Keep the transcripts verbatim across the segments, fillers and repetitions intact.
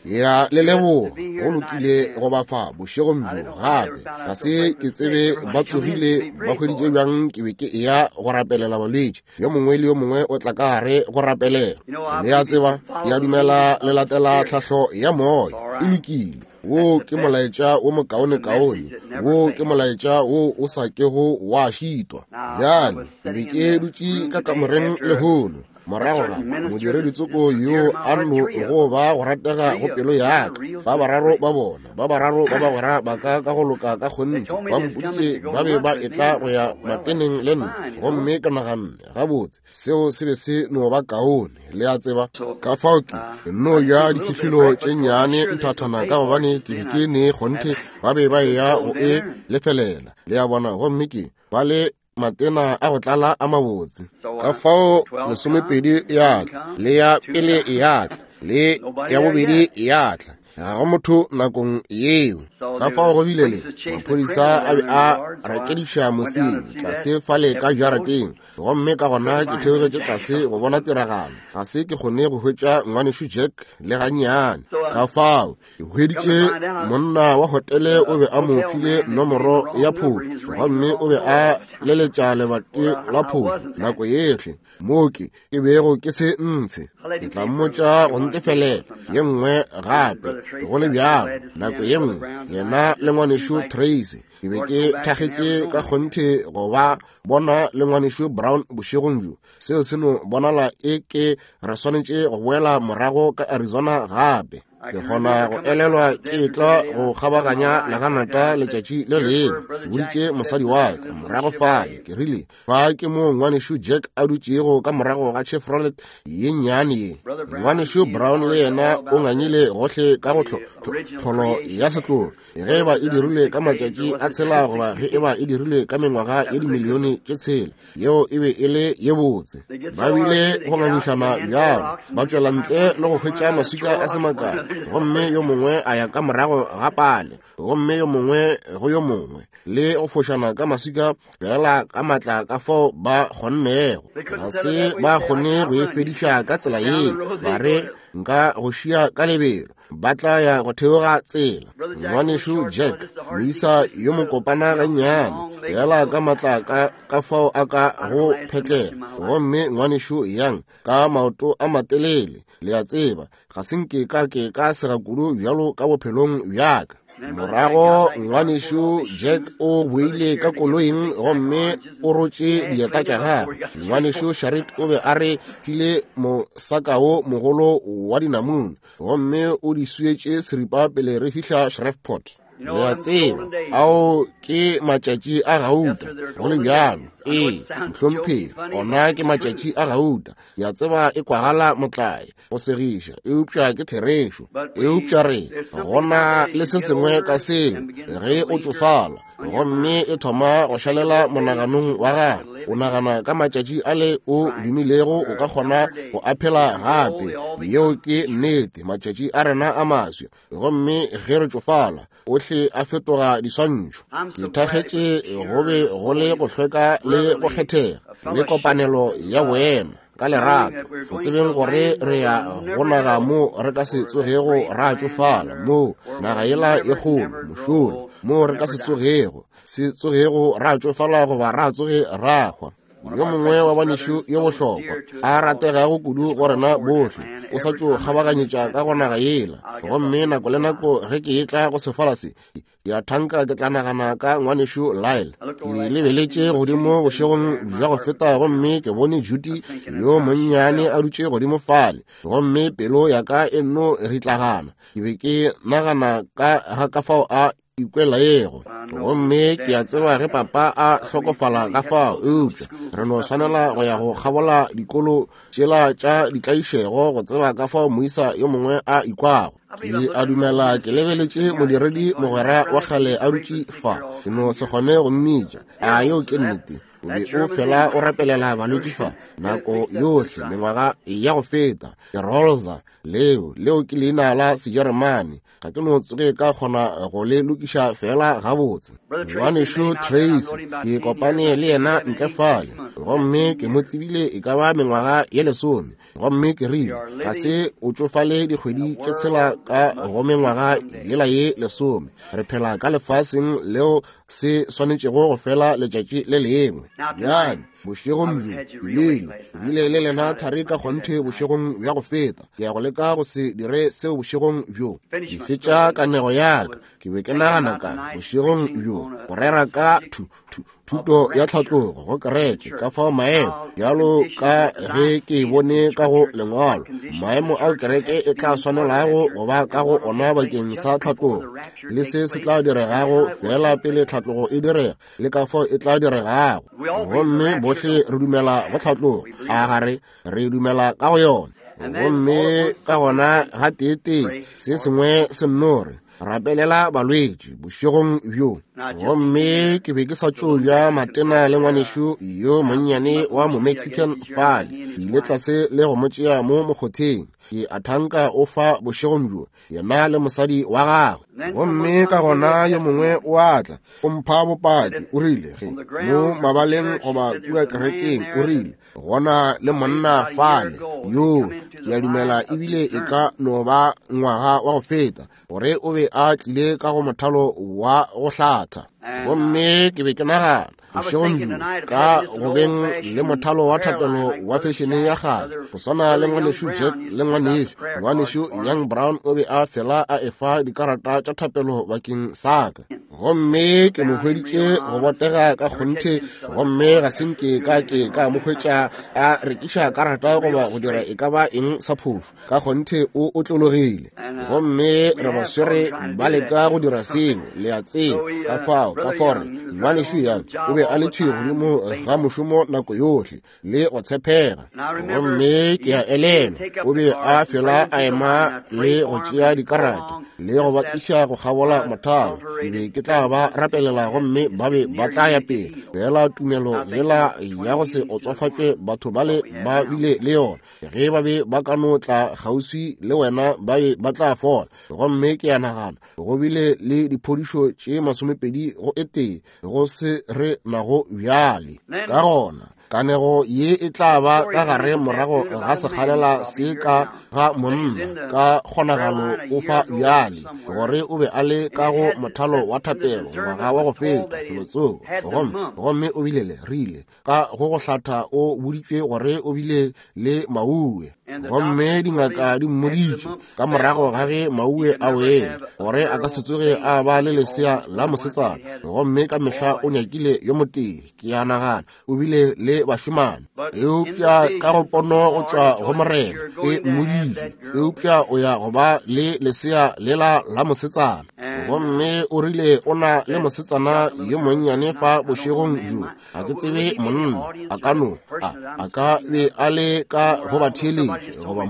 Ya le leboga, go lokile go ba fa bošegong bjo gape. Ga se ke tsebe ba tsogile ba hweditše bjang ke be ke eya go rapelela balwetši. Yo mongwe le yo mongwe o tla ka gare go rapelela. Le a tseba, ke a dumela le latela tlhahlo ya moya. E lokile. Wo ke molaetša wo mokaonekaone, wo ke molaetša wo o sa kego wa šitwa. Bjale ke be ke dutše ka kamoreng lehono morago ga modiredi tsoko yo a no go ba go ratega go pelo ya ka. Ba bararo ba bona, ba bararo ba bagwera ba ka ka go loka ka kgonthe ba mpoditše ba be ba etla go ya mateneng le nna, gomme ke naganne gabotse seo se be se no ba kaone, le a tseba. Ka fao ke nno ja difihlolo tše nnyane nthathana ka gobane ke be ke ne kgonthe ba be ba eya go e lefelela, le a bona, gomme ke ba le matena a go tlala a mabotse. Ka fao lesomepedi ya tla, le ya pele ya tla, le ya bobedi ya tla. Ga go motho nakong yeo. Ka fao go bile le maphodisa a be a rakediša mosenyi tlase fale ka jarateng, gomme ka gona ke theogetše tlase go bona tiragalo. Ga se ke kgone go hwetša ngwanešu Jack le gannyane. Ka fao ke hweditše monna wa hotele o be a mo file nomoro ya phofu, gomme o be a leletša lebati la phofu nako yohle mo ke ke bego ke se ntshe. Ke tla mmotša go ntefelela ye nngwe gape go le bjalo nako ye nngwe, yena le ngwanešu Tracy. Ke be ke thakgetše ka kgonthe go ba bona le ngwanešu Brown bošegong bjo. Seo se no bonala e ke re swanetše go boela morago ka Arizona gape. Ke kgona go elelwa ke etla go kgabaganya leganata letšatši le lengwe. Ke boditše mosadi wa ka morago fale, ke rile, fa ke mo ngwanešu Jack a dutšego ka morago ga Chevrolet ye nnyane ye. Ngwanešu Brown le yena o ngangile gohle ka go tlholo ya setlogo, ge eba e dirilwe ka matšatši a tshela goba ge eba e dirilwe ka mengwaga ye dimilione tše tshela, yeo e be e le ye botse. Ba bile go ngangišana bjalo, ba tšwela ntle le go hwetša maswika a se makae, gomme yo mongwe a ya ka morago ga pale, gomme yo mongwe go yo mongwe, le go fošana ka maswika fela ka matla ka fao ba kgonnego. Ga se ba kgone go e fediša ka tsela yeo, ba re nka go šia ka lebelo, ba tla ya go theoga tsela. Ngwanešu Jack, moisa yo mokopana gannyane, fela ka matla ka ka fao a ka go phetlela, gomme ngwanešu Young ka maoto a matelele, le a tseba, ga se nke ka ke ka sega kudu bjalo ka bophelong bja ka. Morago ngwanešu Jack o boile ka koloing gomme o rotše dieta tša gagwe. Ngwanešu Sharit o be a re file mosaka wo mogolo wa dinamune, gomme o di swietše seripa pele re fihla Shreveport. Le a tseba, ao ke matšatši a gauta, go le bjalo. Ee, mohlomphegi, ona ke matšatši a gauta. Ke a tseba e kwagala motlae go segiša, eupša ke therešo. Eupša re gona le se sengwe ka seo ge o tšofala, gomme e thoma go šalela monaganong wa gago. O nagana ka matšatši ale o dumilego o ka kgona go a phela gape. Yeo ke nnete, matšatši a rena a maswa, gomme ge re tšofala ohle a fetoga diswantšho. Ke thakgetše go be go le go hlweka le go kgethega le kopanelo ya boemo ka lerato, go tsebeng gore re ya go naga mo re ka se tsogego ra tšofala, mo naga yela e kgolo mošola, mo re ka se tsogego se tsogego ra tšofala goba ra tsoge ra hwa. Yo mongwe wa banešu yo bohlokwa a rategago kudu go rena bohle o sa tšo kgabaganyetša ka go naga yela, gomme nako le nako ge ke etla go sefala se, ke a thanka ke tla nagana ka ngwanešu Lyle. Ke lebeletše godimo bošegong bja go feta, gomme ke bone Judy yo monnyane a dutše godimo fale, gomme pelo ya ka e nno ritlagana. Ke be ke nagana ka ga ka fao a ikwelaego, gomme ke a tseba ge papa a hlokofala ka fao, eupša re no swanela go ya go kgabola dikolo tšela tša ditlaišego go tseba ka fao moisa yo mongwe a ikwago. Ke a dumela ke lebeletše modiredi mogwera wa kgale a dutše fa, ke no se kgone go mmitša. A yeo ke nnete? O be o fela o rapelela balwetši fa nako yohle mengwaga ya go feta. Ke Rolza, leo leo ke leina la Sejeremane. Ga ke no tsoge ka kgona go le lokiša fela gabotse. Ngwanešu Tracy, ke kopane le yena ntle fale, gomme ke mo tsebile e ka ba mengwaga ye lesome. Gomme ke rile, ga se o tšofale dikgwedi tše tshela ka go mengwaga yela ye lesome. Re phela ka lefaseng leo se swanetšego go fela letšatši le lengwe. Bjale bošegong bjo bile bile le lena thari ka kgonthe bošegong bja go feta. Ke ya go leka go se dire seo bošegong bjo. Ke fetša kanego ya ka. Ke be ke nagana ka bošegong bjo go rera ka thu thu thuto ya tlhatlogo go kereke, ka fao maemo bjalo ka ge ke bone ka go lengwalo, maemo ao kereke e tla swanelago go ba ka go ona bakeng sa tlhatlogo, le se se tla diregago fela pele tlhatlogo e direga, le ka fao e tla diregago. Gomme bohle re dumela go tlhatlogo, a gare re dumela ka go yona. Gomme ka gona ga tee-tee se sengwe se nno re rapelela balwetši bošegong bjo. Gomme ke be ke sa tšo ja matena le ngwanešu yo monnyane wa mo-Mexican fale. Ke ile tlase le go mo tšea mo mokgotheng. Ke a thanka o fa bošegong bjo, yena le mosadi wa gagwe. Gomme ka gona yo mongwe o a tla, o mpha bopaki, o rile ge mo mabaleng goba kua kerekeng, o rile gona le monna fale yo ke a dumela ebile e ka no ba ngwaga wa go feta, gore o be a tlile ka go mothalo wa go hlatha. Gomme ke be ke nagana bošegong bjo ka go beng le mothalo wa thapelo wa fešene ya kgale, go swana le ngwanešu Jack le ngwanešu ngwanešu Young Brown o be a fela a efa dikarata tša thapelo bakeng sa ka. Gomme ke mo hweditše go botega ka kgonthe, gomme ga se nke ka ke ka mo hwetša a rekiša karata goba go dira e ka ba eng sa phofu. Ka kgonthe o otlologile. Gomme re ba swere ba leka go dira seo, le a tseba. Ka fao ka fao re ngwanešu Young o be a le thwi godimo ga mošomo nako yohle le go tshepega. Gomme ke a elelwa o be a fela a ema le go tšea dikarata le go ba tliša go kgabola mothalo. Ke be ke tla ba rapelela gomme ba be ba tla ya pele. Fela tumelo yela ya go se otsofatšwe batho bale ba bile le yona. Ge ba be ba ka no tla kgauswi le wena ba be ba tla fola. Gomme ke a nagana go bile le diphodišo tše masomepedi go e tee go se re nago bjale. Ka gona kanego ye e tla ba ka gare morago ga sekgalela se ka ga monna ka kgonagalo o fa bjale, gore o be a le ka go mothalo wa thapelo ngwaga wa go feta felotsoko. Gomme gomme o bile le rile ka go go hlatha o boditšwe gore o bile le mauwe. Gomme dingaka di mmoditše ka morago ga ge mauwe a wele gore a ka se tsoge a ba le lesea la mosetsana. Gomme ka mehla o nyakile yo motee, ke a nagana o bile le bašemane. Eupša ka go pono go tšwa go Morena e mmoditše, eupša o ya go ba le lesea lela la mosetsana. Gomme o rile o na le mosetsana yo monnyane fa bošegong bjo. Ga ke tsebe monna, a ka no a a ka be a le ka go batheeletši goba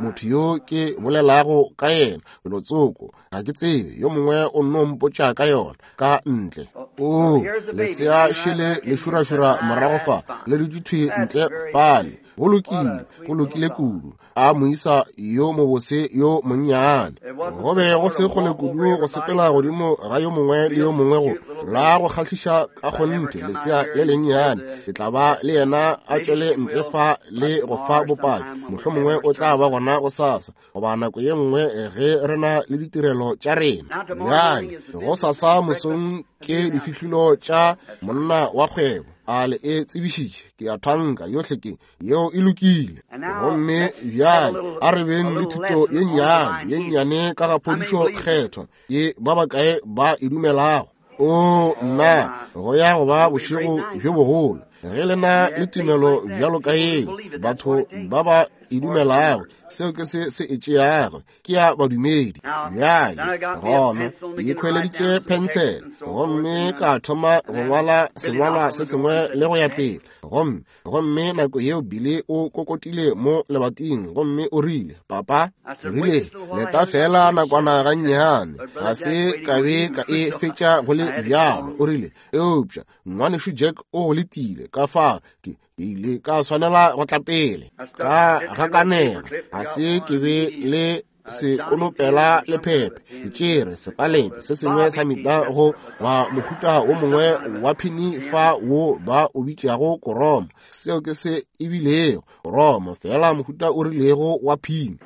motho yo ke bolelago ka yena felotsoko. Ga ke tsebe, yo mongwe o nno mpotša ka yona ka ntle. O lesea šele le šurašura morago fa le dutše thwi ntle fale. Go lokile, go lokile kudu. A moisa yo mobose yo monnyane. Go be go se kgole kudu go sepela godimo ga yo mongwe le yo mongwe go la go kgahliša ka kgonthe lesea le lennyane. Ke tla ba le yena a tšwele ntle fa le go fa bopaki. Mohlomongwe o tla ba gona gosasa goba nako ye nngwe ge re na le ditirelo tša rena. Bjale gosasa mosong ke difihlolo tša monna wa kgwebo. A le e tsebišitše, ke a thanka yohle ke yeo e lokile. Gomme bjale a re beng le thuto ye nnyane ye nnyane ka ga phodišo kgethwa ye ba bakae ba e dumelago. O nna, go ya go ba bošego bjo bogolo ge le na le tumelo bjalo ka yeo. Batho ba ba e dumelago, seo ke se se e tšeago, ke ya badumedi. Bjale gona ke ikhweleditše phensele gomme ka thoma go ngwala sengwalwa se sengwe le go ya pele. Gomme gomme nako yeo Billy o kokotile mo lebating gomme o rile, papa, ke rile, leta fela nakwana gannyane, ga se ka be ka e fetša go le bjalo. O rile, eupša ngwanešu Jack o go letile, ka fao ke ile ka swanela go tla pele. Ka gakanega, ga se ke be le sekonopela lephephe, ke tšere sepalete se sengwe sa mita go ba mohuta wo mongwe wa phini fa wo ba o bitšago koromo. Seo ke se ebilego koromo, fela mohuta o rilego wa phini.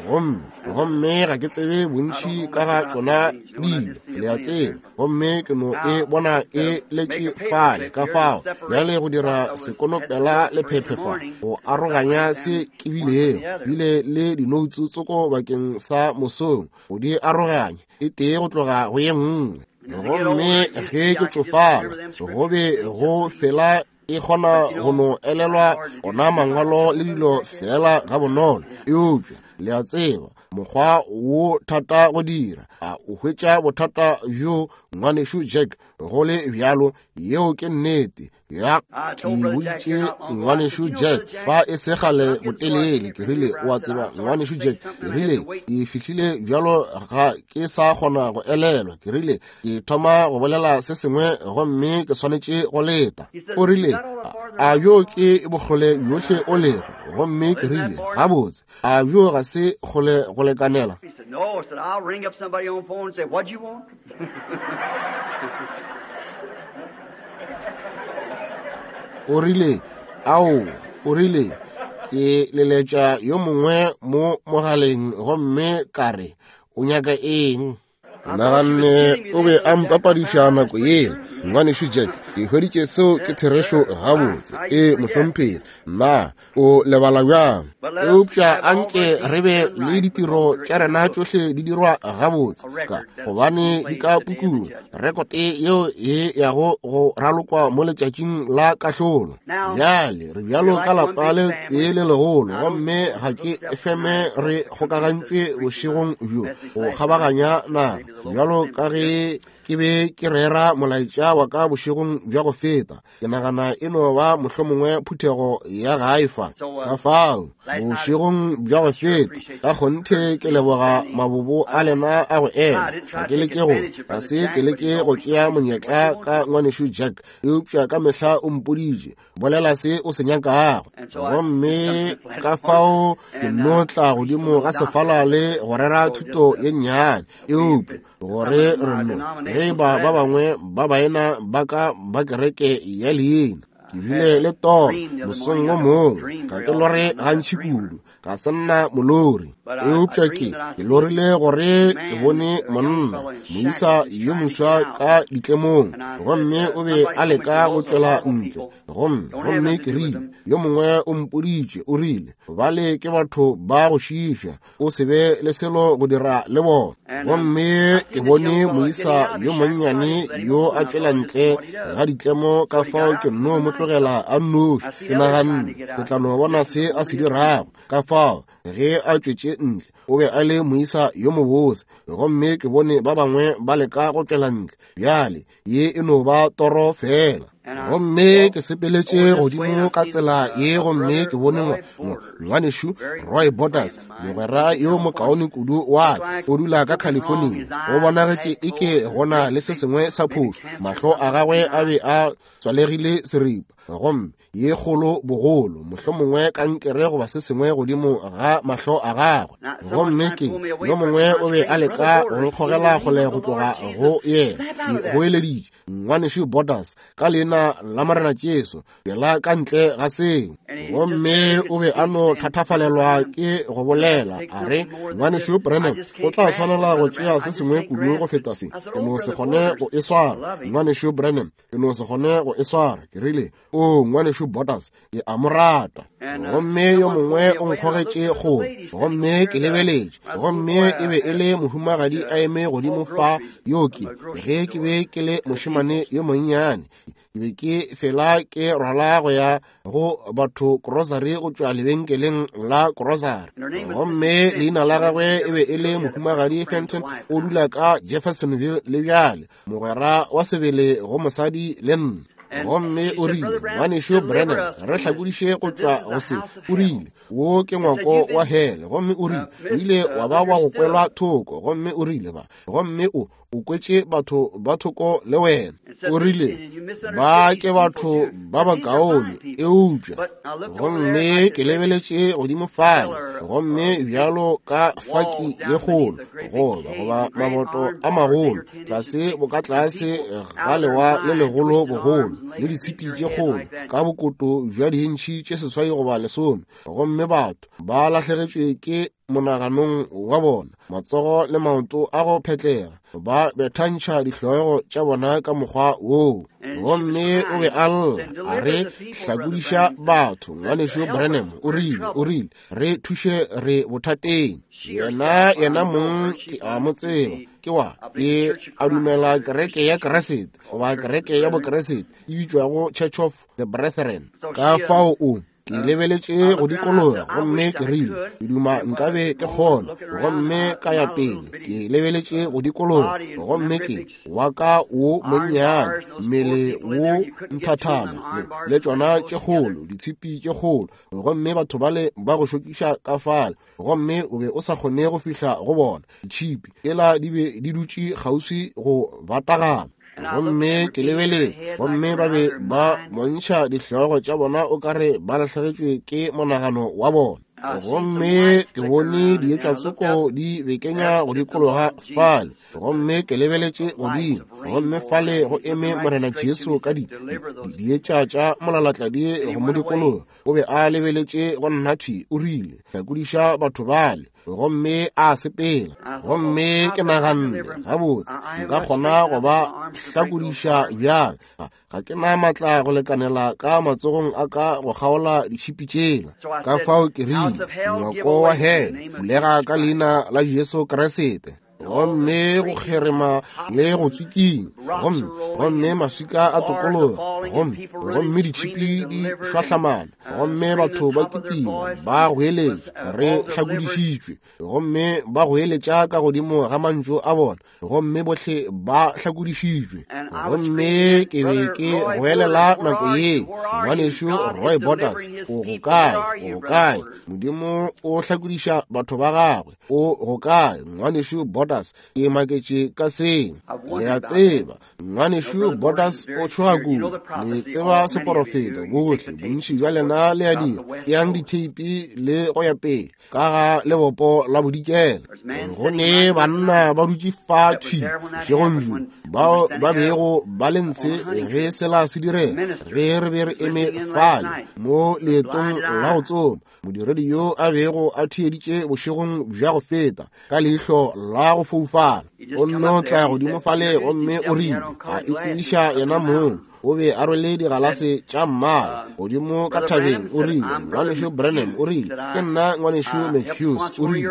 Gomme gomme ga ke tsebe bontši ka ga tšona dilo, le a tseba, gomme ke no e bona e letše fale. Ka fao bjale go dira sekonopela lephephe fa go aroganya se ke bilego bile le dinoutsu tsoko bakeng sa mosong go di aroganya e tee go tloga go ye nngwe. Gomme ge ke tšofala go be go fela e kgona go no elelwa ona mangwalo le dilo fela ga bonolo. Eupša le a tseba mokgwa wo thata go dira, a o hwetša bothata bjo ngwanešu Jack, go le bjalo. Yeo ke nnete. Ya, ke boditše ngwanešu Jack fa e se kgale botelele, ke rile, o a tseba ngwanešu Jack, ke rile, ke fihlile bjalo ga ke sa kgona go elelwa. Ke rile, ke thoma go bolela se sengwe gomme ke swanetše go leta. O rile, a bjo ke bokgole bjohle o lego? Gomme ke rile, gabotse, a bjo ga se kgole go lekanela? No, said, I'll ring up somebody on phone and say, what do you want? O rile, ao, o rile, ke leletša yo mongwe mo mogaleng gomme ka re, o nyaka eng? Naganne o be a mpapadiša nako yela, ngwanešu Jack. Ke hweditše seo ke therešo gabotse. E mohlomphegi, na o lebala bjang? Eupša anke re be le ditiro tša rena tšohle di dirwa gabotse, ka gobane di ka pukung, rekote yeo e yago go ralokwa mo letšatšing la kahlolo. Bjale re bjalo ka lapa le tee le legolo, gomme ga ke feme re kgokagantšwe bošegong bjo go kgabaganya naga. Bjalo ka ge ke be ke rera molaetša wa ka bošegong bja go feta, ke nagana e no ba mohlomongwe phuthego ya gae fa. Ka fao bošegong bja go feta ka kgonthe ke leboga mabobo a lena a go ema. Ga ke leke go ga se ke leke go tšea monyetla ka ngwanešu Jack, eupša ka mehla o mpoditše, bolela se o se nyakago. Gomme ka fao ke no tla godimo ga sefala le go rera thuto ye nnyane, eupša gore re no ge ba ba bangwe ba baena ba ka ba kereke ya leina. Ke bile le toro mosong wo mongwe, ga ke lore gantši kudu, ga se nna molori, eupša ke ke lorile gore ke bone monna moisa yo moswa ka ditlemong, gomme o be a leka go tšwela ntle. Gomme gomme ke rile, yo mongwe o mpoditše, o rile, bale ke batho ba go šiiša, o se be le selo go dira le bona. Gomme ke bone moisa yo monnyane yo a tšwela ntle ga ditlemo, ka fao ke nno mo tlogela a nnoši. Ke naganne ke tla no bona se a se dirago. Ka fao ge a tšwetše ntle, o be a le moisa yo mobose, gomme ke bone ba bangwe ba leka go tšwela ntle. Bjale ye e no ba toro fela. Gomme ke sepeletše godimo ka tsela ye, gomme ke bone ngwanešu Roy Borders, mogwera yo mokaone kudu wa ka, o dula ka California. Go bonagetše eke gona le se sengwe sa phošo, mahlo a gagwe a be a tswalegile seripa, gomme ye kgolo bogolo, mohlomongwe kankere goba se sengwe godimo ga mahlo a gagwe. Gomme ke yo mongwe o be a leka go nkgogela kgole go tloga go yena. Ke goeleditše, ngwanešu Borders, ka leina la Morena Jesu, tšwela ka ntle ga seo. Gomme o be a no thatafalelwa ke go bolela, a re, ngwanešu Branham, o tla swanela go tšea se sengwe kudu go feta se. Ke no se kgone go e swara, ngwanešu Branham, ke no se kgone go e swara. Ke rile, o ngwanešu Borders, ke a mo rata. Gomme yo mongwe o nkgogetše kgole, gomme ke lebeletše, gomme e be e le mohumagadi a eme godimo fa yo ke ge ke be ke le mošemane yo monnyane. Ke be ke fela ke rwala go ya go batho grocery go tšwa lebenkeleng la grocery. Gomme leina la gagwe e be e le Mohumagadi Fenton, o dula ka Jeffersonville le bjale, mogwera wa sebele go mosadi le nna. Gomme o rile, ngwanešu Branham, re hlakodiše go tšwa go se. O rile, wo ke ngwako wa hele. Gomme o rile, o ile wa ba wa go kwelwa thoko. Gomme o rile ba, gomme o o kwetše batho ba thoko le wena. O rile, ba ke batho ba bakaone, eupša. Gomme ke lebeletše godimo fale, gomme bjalo ka faki ye kgolo, goba goba maboto a magolo, tlase boka tlase ga lewa le legolo bogolo, le ditshipi tše kgolo, ka bokoto bja diintšhi tše seswai goba lesome. Gomme batho ba lahlegetšwe ke monaganong wa bona, matsogo le maoto a go phetlega, ba bethantšha dihlogo tša bona ka mokgwa woo. Gomme o be a lla, a re hlakodiša batho. Ngwanešu Branham o rile, o rile, re thuše, re bothateng. Yena, yena mong ke a mo tseba, ke wa, ke a dumela kereke ya Keresete, goba kereke ya Bokeresete, e bitšwago Church of the Brethren. Ka fao o ke lebeletše go dikologa, gomme ke rile, ke duma nkabe ke kgona. Gomme ka ya pele, ke lebeletše go dikologa, gomme ke wa ka wo monnyane, mmele wo nthathana, le, le tšona tše kgolo, ditshipi tše kgolo, gomme batho bale ba go šokiša ka fale, gomme o be o sa kgone go fihla go bona. Ditšhipi tšela di be di dutše kgauswi go batagana. Gomme ke lebelele, gomme ba be ba bontšha dihlogo tša bona o ka re ba lahlegetšwe ke monagano wa bona. Gomme ke bone dietša tsoko di bekenya go dikologa fale, gomme ke lebeletše godimo, gomme fale go eme Morena Jesu ka di dietša tša molalatladi go mo dikologa. O be a lebeletše go nna thwi, o rile, hlakodiša batho bale. Gomme a sepela. Gomme ke naganne, gabotse, nka kgona go ba hlakodiša bjang? Ga ke na matla go lekanela ka matsogong a ka go kgaola ditšhipi tšela. Ka fao ke rile, ngwako wa hele, bulega ka leina la Jesu Kriste. Gomme go kgerema le go tswiking, gomme gomme maswika a tokologa, gomme gomme ditšhipi di šwahlamana, gomme batho ba kitima ba goeletša, re hlakodišitšwe, gomme ba goeletša ka godimo ga mantšu a bona, gomme bohle ba hlakodišitšwe. Gomme ke be ke goelela nako ye, ngwanešu Roy Borders, o go kae? O go kae? Modimo o hlakodiša batho ba gagwe. O go kae, ngwanešu Borders? Ke maketše ka seng. Le a tseba, ngwanešu Borders o tšhoga kudu. Le tseba seporofeta bohle, bontši bja lena le a dira. Yang ditheipi le go ya pele ka ga lebopo la bodikela. Go ne banna ba dutše fa thwi bošegong bjo, bao ba bego ba le ntshe ge sela se direga, ge re be re eme fale mo leetong la go tsoma. Modiredi yo a bego a theeditše bošegong bja go feta ka leihlo la go foufala, o nno tla godimo fale gomme o rile, a itsebiša yena mong. O be a rwele digalase tša mmala godimo ka thabeng. O rile, ngwanešu Branham, o rile, ke nna ngwanešu McHughes. O rile,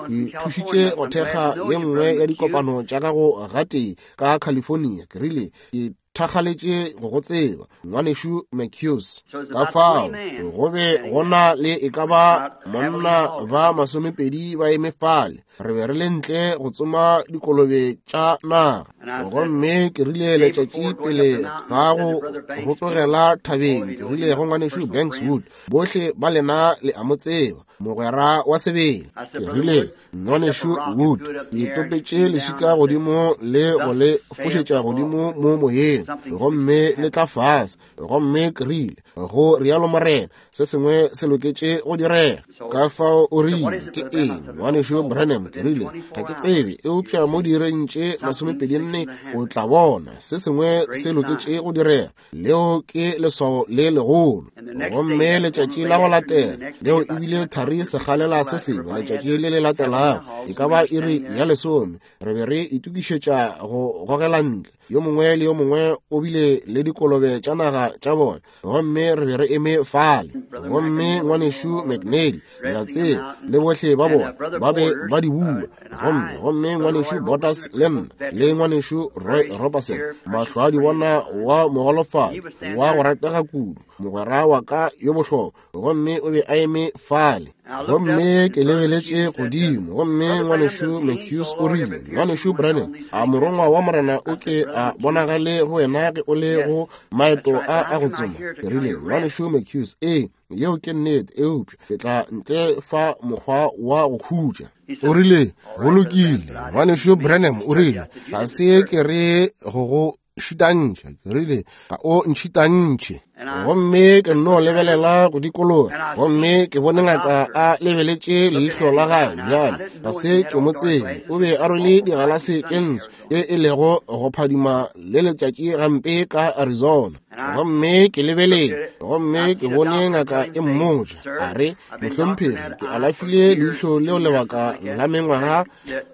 ke thušitše go thekga ye nngwe ya dikopano tša gago gatee ka California. Ke rile, ke thakgaletše go go tseba, ngwanešu McHughes. Ka fao go be go na le e ka ba monna ba masomepedi ba eme fale. Re be re le ntle go tsoma dikolobe tša naga. Gomme ke rile letšatši pele ga go rotogela thabeng, ke rile go ngwanešu Bankswood, bohle ba lena le a mo tseba, mogwera wa sebele. Ke rile, ngwanešu Wood, ke topetše leswika godimo le go le fošetša godimo mo moyeng, gomme le tla fase. Gomme ke rile, go rialo Morena, se sengwe se loketše go direga. Ka fao o rile, ke eng, ngwanešu Branham? Ke rile, ga ke tsebe, eupša mo diireng tše masomepedi nne o tla bona se sengwe se loketše go direga. Leo ke leswao le legolo. Gomme letšatši la go latela, leo ebile thari segalela se sengwe, letšatši le le latelago, e ka ba iri ya lesome, re be re itokišetša go gogela ntle. Yo mongwe le yo mongwe o bile le dikolobe tša naga tša bona, gomme re be re eme fale. Gomme ngwanešu McNally, le a tseba, le bohle ba bona ba be ba di bua. Gomme gomme ngwanešu Borders le nna le ngwanešu Roy Robertson, mahlo a di bona wa mogolofadi wa go ratega kudu, mogwera wa ka yo bohlokwa, gomme o be a eme fale. Gomme ke lebeletše godimo, gomme ngwanešu McHughes o rile, ngwanešu Branham, a morongwa wa Morena o ke a bonagale go wena ge o le go maeto a a go tsoma? Ke rile, ngwanešu McHughes, ee, yeo ke nnete, eupša ke tla ntle fa mokgwa wa go khutša. O rile, go lokile, ngwanešu Branham, o rile, ga se ke re go go šitantšha. Ke rile, ga o ntšhitantšhe. Gomme ke nno lebelela go dikologa, gomme ke bone ngaka a lebeletše leihlo la gagwe. Bjale ga se ke mo tsebe, o be a rwele digalase tše ntsho tše e lego go phadima le letšatši gampe ka Arizona. Gomme ke lebeletše, gomme ke bone ngaka e mmotša, a re, mohlomphegi, ke alafile leihlo leo lebaka la mengwaga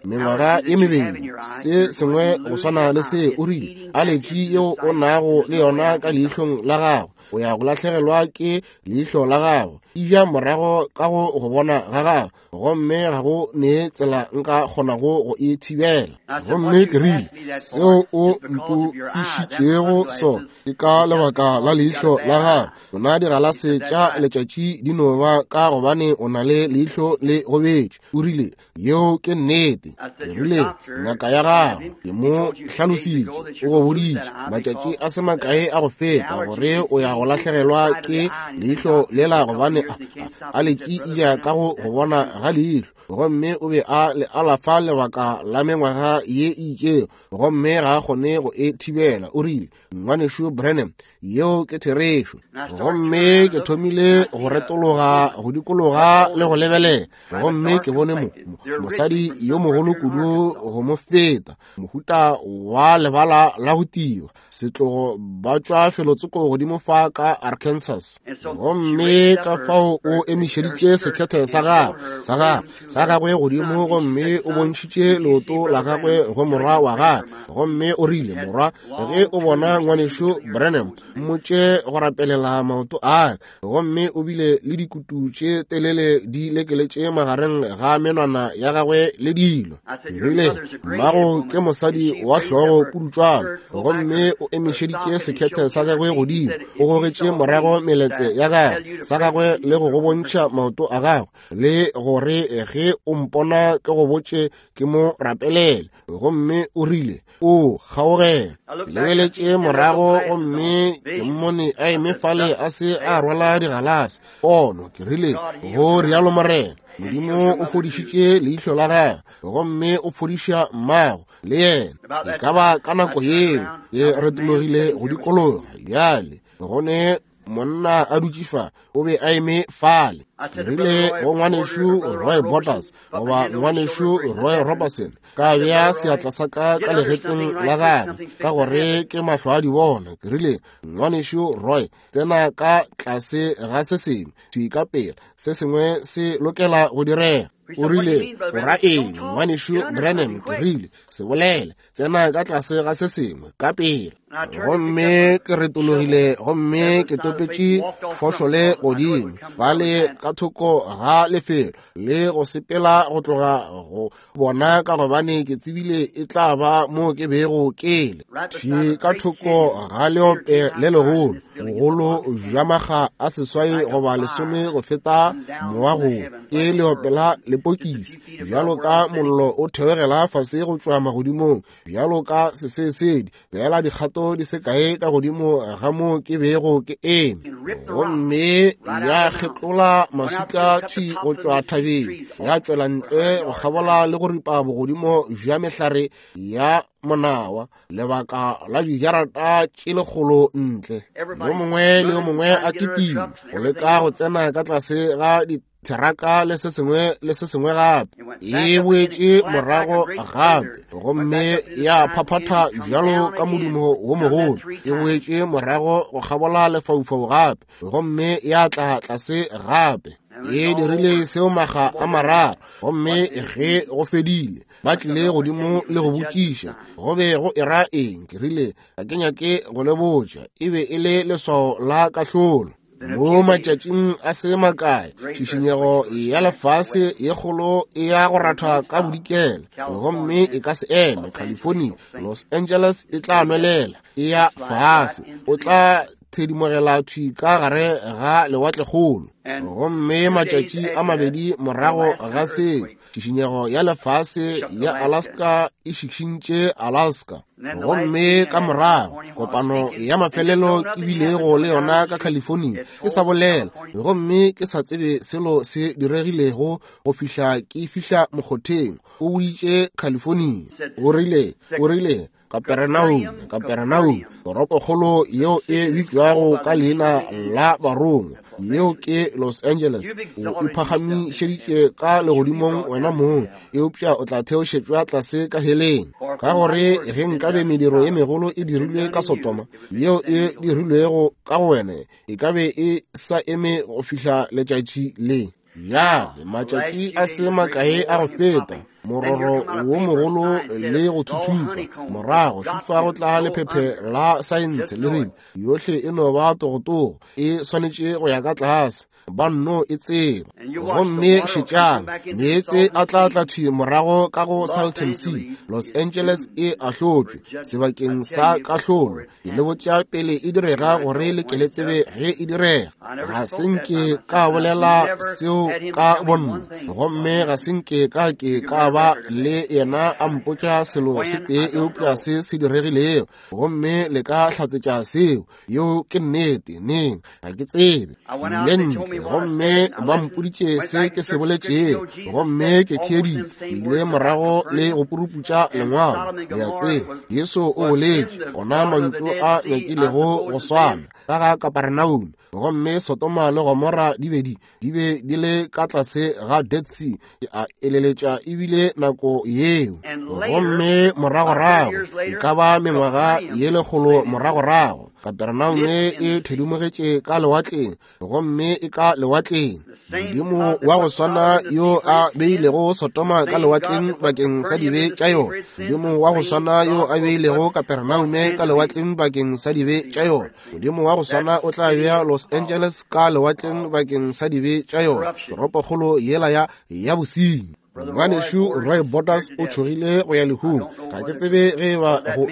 mengwaga e mebedi, se sengwe go swana le se. O rile, aletši yeo o nago le yona ka leihlong la gago, o ya go lahlegelwa ke leihlo la gago, e ja morago ka go go bona ga gago, gomme ga go ne tsela nka kgonago go e thibela. Gomme ke rile, seo o mpoišitšego sona ke ka lebaka la leihlo la gago. Tsona digalase tša letšatši di no ba ka gobane o na le leihlo le gobetše. O rile, yeo ke nnete. Ke rile, ngaka ya gago ke mo hlalositše, o go boditše matšatši a se makae a go feta gore o ya go lahlegelwa ke leihlo lela gobane a letše e ja ka go go bona ga leihlo, gomme o be a le alafa lebaka la mengwaga ye e itšego, gomme ga a kgone go e thibela. O rile, ngwanešu Branham, yeo ke therešo. Gomme ke thomile go retologa go dikologa le go lebelela, gomme ke bone mo mosadi yo mogolo kudu go mo feta, mohuta wa lebala la go tiwa setlogo, ba tšwa felotsoko godimo fa ka Arkansas. Gomme ka fao o emišeditše sekhethe sa gagwe sa gagwe sa gagwe godimo, gomme o bontšhitše leoto la gagwe go morwa wa gagwe, gomme o rile, morwa, ge o bona ngwanešu Branham, mmotše go rapelela maoto a. Gomme o bile le dikutu tše telele di lekeletše magareng ga menwana ya gagwe le dilo. Ke rile, mmago ke mosadi wa hlogo pudutšwana, gomme o emišeditše sekhethe sa gagwe godimo, o gogetše morago meletse ya gagwe sa gagwe le go go bontšha maoto a gagwe, le gore ge o mpona ke go botše ke mo rapelele. Gomme o rile, o kgaogela. Ke lebeletše morago, gomme ke mmone a eme fale a se a rwala digalase pono. Ke rile, go rialo Morena, Modimo o fodišitše leihlo la gagwe, gomme o fodiša mmago le yena. E ka ba ka nako yeo ke retologile go dikologa. Bjale go ne monna a dutše fa, o be a eme fale. Ke rile go ngwanešu Roy Borders goba ngwanešu Roy Robertson, ka bea seatla sa ka ka legetleng la gagwe ka gore ke mahlo a di bona. Ke rile, ngwanešu Roy, tsena ka tlase ga se sengwe thwi ka pela, se sengwe se lokela go direga. O rile, o ra eng, ngwanešu Branham? Ke rile, se bolele, tsena ka tlase ga se sengwe ka pela. Gomme ke retologile, gomme ke topetše fošole godimo bale ka thoko ga lefelo le go sepela go tloga go bona, ka gobane ke tsebile e tla ba mo ke bego ke le thwi ka thoko ga leope le legolo, bogolo bja makga a seswai goba lesome go feta moago, ke leope la lepokisi, bjalo ka mollo o theogela fase go tšwa magodimong, bjalo ka sesesedi, fela dikgato di se kae ka godimo ga mo ke bego ke eme. Gomme ya kgetlola maswika thwi go tšwa thabeng, ya tšwela ntle go kgabola le go ripa bogodimo bja mehlare ya monawa lebaka la dijarata tše lekgolo ntle. Yo mongwe le yo mongwe a kitima go leka go tsena ka tlase ga theraka le se sengwe le se sengwe gape. E boetše morago gape, gomme ya phaphatha bjalo ka modumo wo mogolo. E boetše morago go kgabola lefaufau gape, gomme ya tla tlase gape. E dirile seo maga a mararo, gomme ge go fedile ba tlile godimo le go botšiša go be go era eng. Ke rile ga ke nyake go le botša, e be e le leswao la kahlolo. Mo matšatšing a se makae tšhišinyego ya lefase ye kgolo e ya go ratha ka bodikela, gomme e ka se eme. California, Los Angeles e tla nwelela e ya fase, o tla thedimogela thwi ka gare ga lewatlekgolo. Gomme matšatši a mabedi morago ga seo, tšhišinyego ya lefase ya Alaska e šišintše Alaska. Gomme ka morago kopano ya mafelelo ke bilego le yona ka California ke sa bolela, gomme ke sa tsebe selo se diregilego go fihla ke fihla mokgotheng. O boditše California, o rile o rile Kaperenaume, Kaperenaume, toropokgolo yeo e bitšwago ka leina la barongwa, yeo ke Los Angeles. O iphagamišeditše ka legodimong wena mong, eupša o tla theošetšwa tlase ka heleng. Ka gore ge nkabe mediro ye megolo e dirilwe ka Sodoma, yeo e dirilwego ka go wena, e ka be e sa eme go fihla letšatši le. Bjale matšatši a se makae a go feta, mororo wo mogolo le go thuthupa, morago šifa go tla lephephe la saense le rile yohle e no ba togotogo, e swanetše go ya ka tlase, ba nno e tseba. Gomme šetšang, meetse a tla tla thwi morago ka go Salton Sea. Los Angeles e ahlotšwe sebakeng sa kahlolo. Ke le botša pele e direga gore le ke le tsebe ge e direga. Ga se nke ka bolela seo ka bonna, gomme ga se nke ka ke ka ba le yena a mpotša selo se tee eupša se se diregilego, gomme le ka hlatsetša seo. Yeo ke nnete. Neng ga ke tsebe. Ke ile ntle gomme ba mpoditše se ke se boletšego, gomme ke theeditše. Ke ile morago le go puruputša lengwalo. Le a tseba, Jesu o boletše ona mantšu a nyakilego go swana ka ga Kaperenaume, gomme Sodoma le Gomora di be di di be di le ka tlase ga Dead Sea. Ke a eleletša ebile nako yeo. Gomme moragorago, e ka ba mengwaga ye lekgolo moragorago, Kaperenaume e thedimogetše ka lewatleng, gomme e ka lewatleng. Modimo wa go swana yo a beilego Sodoma ka lewatleng bakeng sa dibe tša yona, Modimo wa go swana yo a beilego Kaperenaume ka lewatleng bakeng sa dibe tša yona, Modimo wa go swana o tla bea Los Angeles ka lewatleng bakeng sa dibe tša yona, toropokgolo yela ya ya bosenyi. Ngwanešu Roy Borders o tšhogile go ya lehung. Ga ke tsebe ge ba go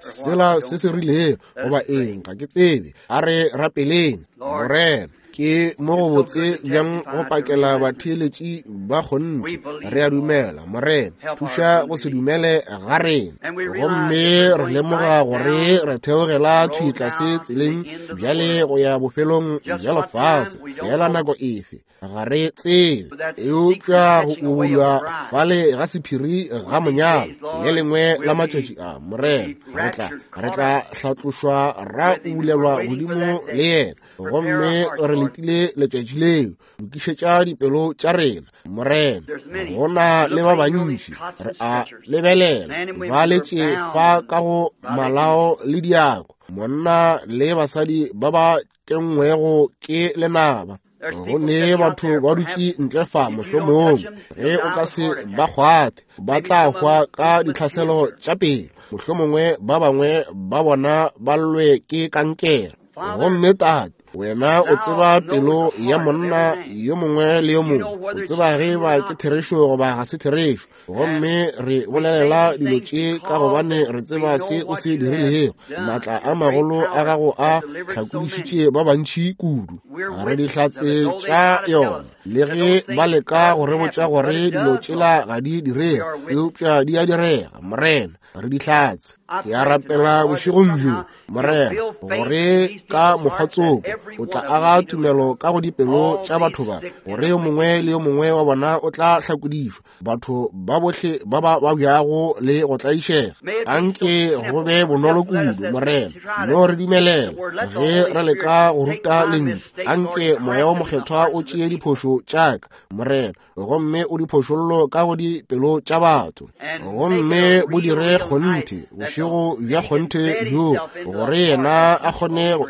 sela se se rilego goba eng, ga ke tsebe. A re rapeleng. Morena, ke mo go botse bjang go pakela batheeletši ba kgonthe. Re a dumela, Morena, thuša go se dumele ga rena. Gomme re lemoga gore re theogela thwi tlase tseleng bjale go ya bofelong bja lefase. Fela nako efe ga re tsebe, eupša go ubulwa fale ga sephiri ga monyalo le lengwe la matšatši a, Morena, re tla re tla hlatlošwa ra ubulelwa godimo le yena. Gomme re letile letšatši leo. Lokišetša dipelo tša rena, Morena. Go na le ba bantši re a lebelela ba letše fa ka go malao le diako, monna le basadi ba ba kenngwego ke lenaba. Go ne batho ba dutše ntle fa, mohlomongwe ge o ka se ba kgwathe ba tla hwa ka ditlhaselo tša pelo, mohlomongwe ba bangwe ba bona ba llwe ke kankere. Gomme Tate, wena o tseba pelo ya monna yo mongwe le yo mongwe, o tseba ge ba ke therešo goba ga se therešo. Gomme re bolelela dilo tše ka gobane re tseba se o se dirilego. Maatla a magolo a gago a hlakodišitše ba bantši kudu. Re dihlatse tša yona, le ge ba leka go re botša gore dilo tšela ga di direge, eupša di a direga. Morena, re dihlatse. Ke a rapela bošegong bjo, Morena, gore ka mokgwatsoko o tla aga tumelo ka go dipelo tša batho ba, gore yo mongwe le yo mongwe wa bona o tla hlakodišwa, batho ba bohle ba ba babjago le go tlaišega. Anke go be bonolo kudu, Morena, no re dumelela ge re leka go ruta lentšu. Anke Moya wo Mokgethwa o tšee diphošo tša ka, Morena, gomme o di phošollo ka go dipelo tša batho, gomme bo dire kgonthe bošego bja kgonthe bjo, gore yena a kgone go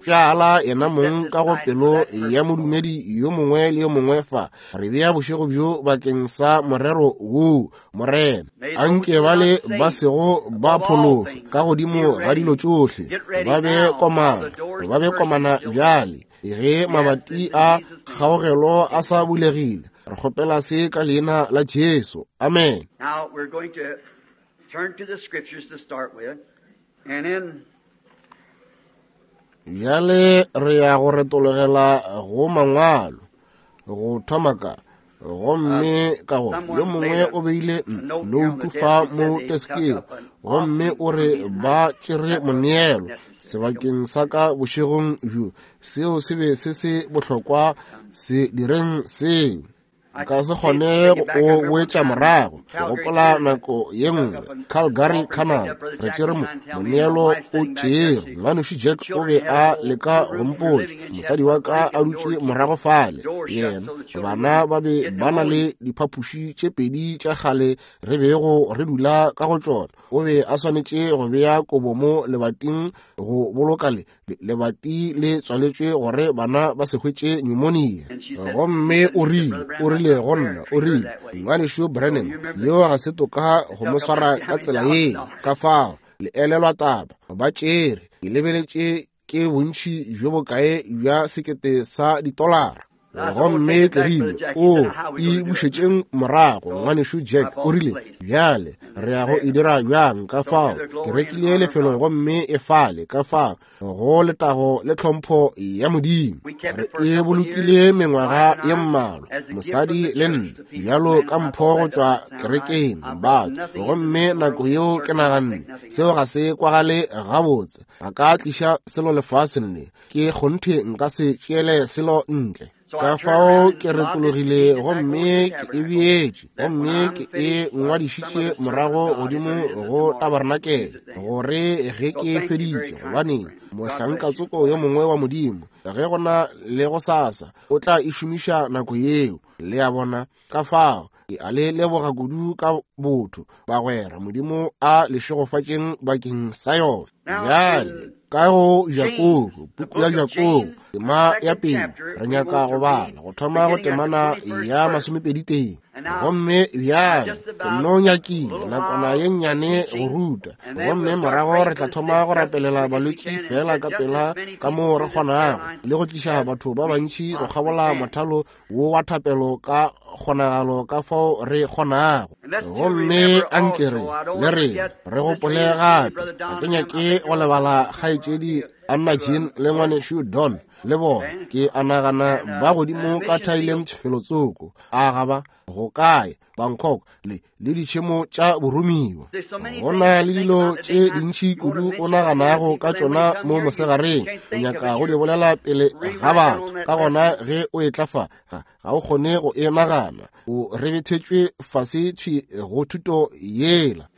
Pšala yena mong ka go pelo ya modumedi yo mongwe le yo mongwe fa. Re bea bošego bjo bakeng sa morero woo, Morena. Anke bale ba sego ba phološwa ka godimo ga dilo tšohle ba be komana, ba be komana bjale ge mabati a kgaogelo a sa bulegile. Re kgopela se ka leina la Jesu. Amen. Now we're going to turn to the scriptures to start with, and then bjale re ya go retologela go mangwalo go thoma ka gomme ka go yo mongwe o beile noutu fa mo teskeng gomme o re ba tšere moneelo sebakeng sa ka bošegong bjo. Seo se be se se bohlokwa, se direng seo. Nka se kgone go boetša morago. Ke gopola nako ye nngwe Calgary, Canada, re tšere moneelo o tšere. Ngwanešu Jack o be a leka go mpotša, mosadi wa ka a dutše morago fale, yena bana ba be ba na le diphapoši tše pedi tša kgale re bego re dula ka go tšona. O be a swanetše go bea kobo mo lebating go boloka le lebati le tswaletšwe gore bana ba se hwetše pneumonia. Gomme o rile, o rile go nna, o rile, Ngwanešu Branham, yo ga se toka go mo swara ka tsela ye. Ka fao le elelwa taba, ba tšere, ke lebeletše ke bontši bjo bokae bja sekete sa ditolara. Gomme ke rile, o e bušetšeng morago, ngwanešu Jack. O rile, bjale re ya go e dira bjang? Ka fao ke rekile lefelo gomme e fale, ka fao go letago le tlhompho ya Modimo. Re e bolokile mengwaga ye mmalwa, mosadi le nna, bjalo ka mpho go tšwa kerekeng batho. Gomme nako yeo ke naganne, seo ga se kwagale gabotse, ga ka tliša selo lefaseng le, ke kgonthe nka se tšeele selo ntle. Ka fao ke retologile gomme ke e beetše, gomme ke e ngwadišitše morago godimo go tabarnakele, gore ge ke feditše, gobane mohlankatsoko yo mongwe wa Modimo, ge go na le go sasa, o tla e šomiša nako yeo. Le a bona? Ka fao ke a le leboga kudu ka botho, bagwera. Modimo a le šegofatšeng bakeng sa yona. Bjale ka go Jakobo, puku ya Jakobo, tema ya pele, re nyaka go bala go thoma go temana ya masomepedi tee. Gomme bjale ke no nyakile nakwana ye nnyane go ruta, gomme morago re tla thoma go rapelela balwetši fela ka pela ka moo re kgonago, le go tliša batho ba bantši go kgabola mothalo wo wa thapelo ka kgonagalo ka fao re kgonago. Gomme anke re le re re gopole gape, ga ke nyake go lebala kgaetšedi Anna Jean le ngwanešu Don le bona. Ke a nagana ba godimo ka Thailand felotsoko, a ga ba go kae, Bangkok le le ditšhemo tša boromiwa. Go na le dilo tše dintši kudu o naganago ka tšona mo mosegareng, o nyaka go di bolela pele ga batho. Ka gona ge o etla fa, ga o kgone go e nagana, o rebethetšwe fase thwi go thuto yela.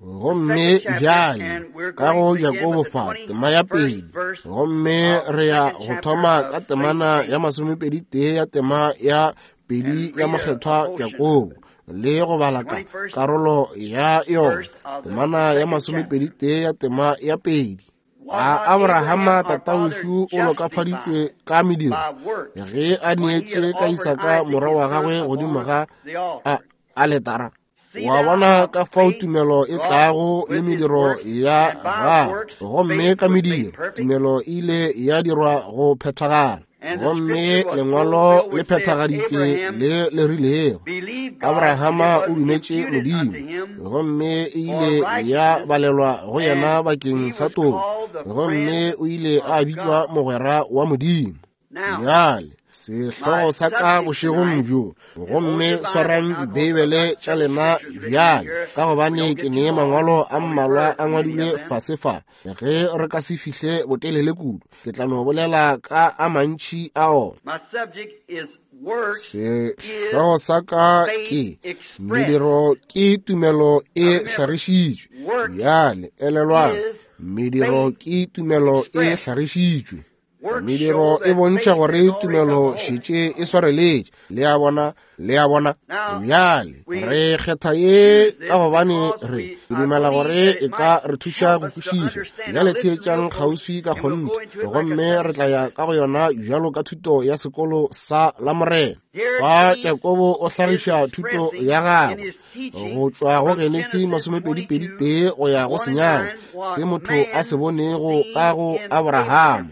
Gomme bjale ka go Jakobo fa tema ya pedi, gomme re ya go thoma ka temana ya masomepedi tee ya tema ya pedi ya mokgethwa Jakobo, le go bala ka karolo ya yona, temana ya masomepedi tee ya tema ya pedi. A Abrahama tatawešu o lokafaditšwe ka mediro ge a neetše ka Isaka morwa wa gagwe godimo ga a aletara? Wa bona ka fao tumelo e tlago le mediro ya gagwe, gomme ka mediro tumelo e ile ya dirwa go phethagala. Gomme lengwalo le phethagaditšwe le le rilego, Abrahama o dumetše Modimo, gomme e ile ya balelwa go yena bakeng sa toko, gomme o ile a bitšwa mogwera wa Modimo. Bjale sehlogo sa ka bošegong bjo, gomme swarang dibeibele tša lena bjale, ka gobane ke ne mangwalo a mmalwa a ngwadilwe fase fa. Ge re ka se fihle botelele kudu, ke tla no bolela ka a mantši a ona. Sehlogo sa ka ke mediro ke tumelo e hlagišitšwe. Bjale elelwang, mediro ke tumelo e hlagišitšwe. Mediro e bontšha gore tumelo šetše e swareletše. Le a bona, le a bona. Bjale re kgetha ye ka gobane re dumela gore e ka re thuša go kwešiša. Bjale theetšang kgauswi ka kgonthe, gomme re tla ya ka go yona bjalo ka thuto ya sekolo sa Lamorena. Fa Jakobo o hlagiša thuto ya gagwe go tšwa go Genesi masomepedi pedi tee go ya go senyane, se motho a se bonego ka go Abrahama.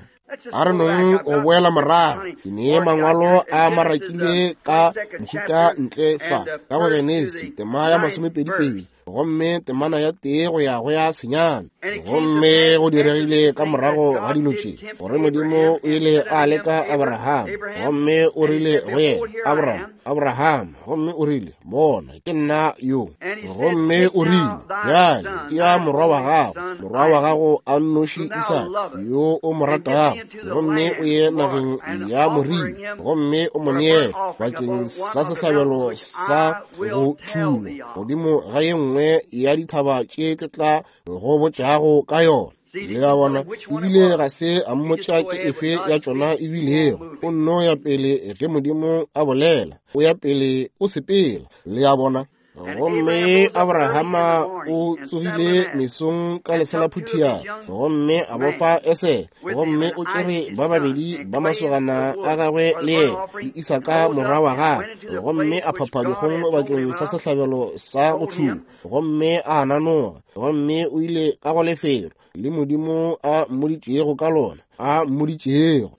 A re nong go boela morago, ke nee mangwalo a marakilwe ka mohuta ntle fa ka go Genesi tema ya masomepedi pedi, gomme temana ya tee go ya go ya senyane. Gomme go diregile ka morago ga dilo tše gore Modimo o ile a leka Abraham, gomme o rile go yena, Abraham, Abraham, gomme o rile, bona, ke nna yo. Gomme o rile, bjale ke ya morwa wa gago, morwa wa gago a nnoši Isaka, yo o mo ratago, gomme o ye nageng ya Moria, gomme o mo neele bakeng sa sehlabelo sa go tšhungwa godimo ga ye nngwe ya dithaba tše ke tla go botšago ka yona. Le a bona, ebile ga se a mmotša ke efe ya tšona ebilego. O nno ya pele ge Modimo a bolela, o ya pele o sepela. Le a bona. Gomme Abrahama o tsogile mesong ka leselaphuthia, gomme a bofa Esele, gomme o tšere ba babedi ba masogana a gagwe le yena, le Isaka morwa wa gagwe, gomme a phapha dikgong bakeng sa sehlabelo sa go tšhungwa, gomme a nanoga, gomme o ile ka go lefelo le Modimo a mmoditšego ka lona, a mmoditšego.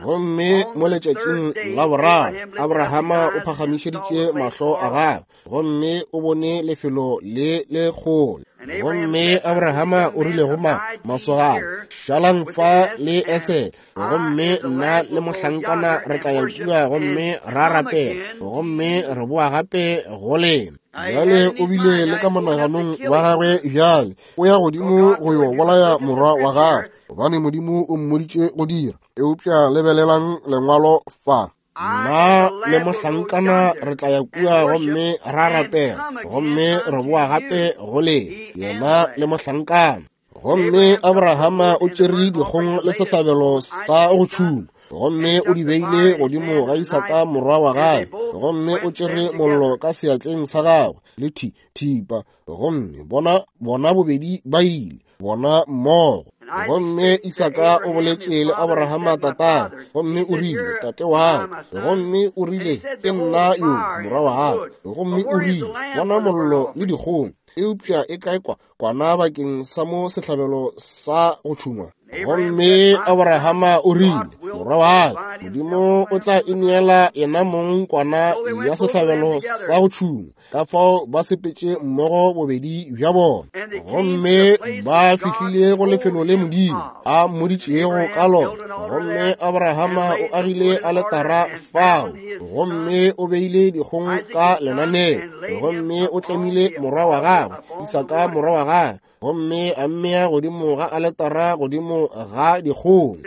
Gomme mo letšatšing la boraro Abrahama o phagamišeditše mahlo a gagwe, gomme o bone lefelo le le kgole. Gomme Abrahama o rile go ma masogana, šalang fa le Esele, gomme nna le mohlankana re tla ya kua gomme ra rapela, gomme re boa gape go lena. Bjale o bile le ka monaganong wa gagwe bjale o ya godimo go yo bolaya morwa wa gagwe, gobane Modimo o mmoditše go dira. Eupša lebelelang lengwalo fa. Nna le mohlankana re tla ya kua gomme ra rapela, gomme re boa gape go lena, yena le mohlankana. Gomme Abrahama o tšere dikgong le sehlabelo sa go tšhungwa, gomme o di beile godimo ga Isaka morwa wa gagwe, gomme o tšere mollo ka seatleng sa gagwe le thi thipa, gomme bona bona bobedi ba ile bona mmogo. Gomme Isaka o boletše le Abrahama tatagwe, gomme o rile, tate wa ka. Gomme o rile, ke nna yo morwa wa gago. Gomme o rile, bona mollo le dikgong, eupša e kae kwa kwana bakeng sa mo sehlabelo sa go tšhungwa? Gomme Abrahama o rile, morwa wa ka, Modimo o tla ineela yena mong kwana ya sehlabelo sa go tšhungwa. Ka fao ba sepetše mmogo bobedi bja bona, gomme ba fihlile go lefelo le Modimo a mmoditšego ka lona. Gomme Abrahama o agile aletara fao, gomme o beile dikgong ka lenaneo, gomme o tlemile morwa wa gagwe Isaka morwa wa gagwe, gomme a mmea godimo ga aletara godimo ga dikgong.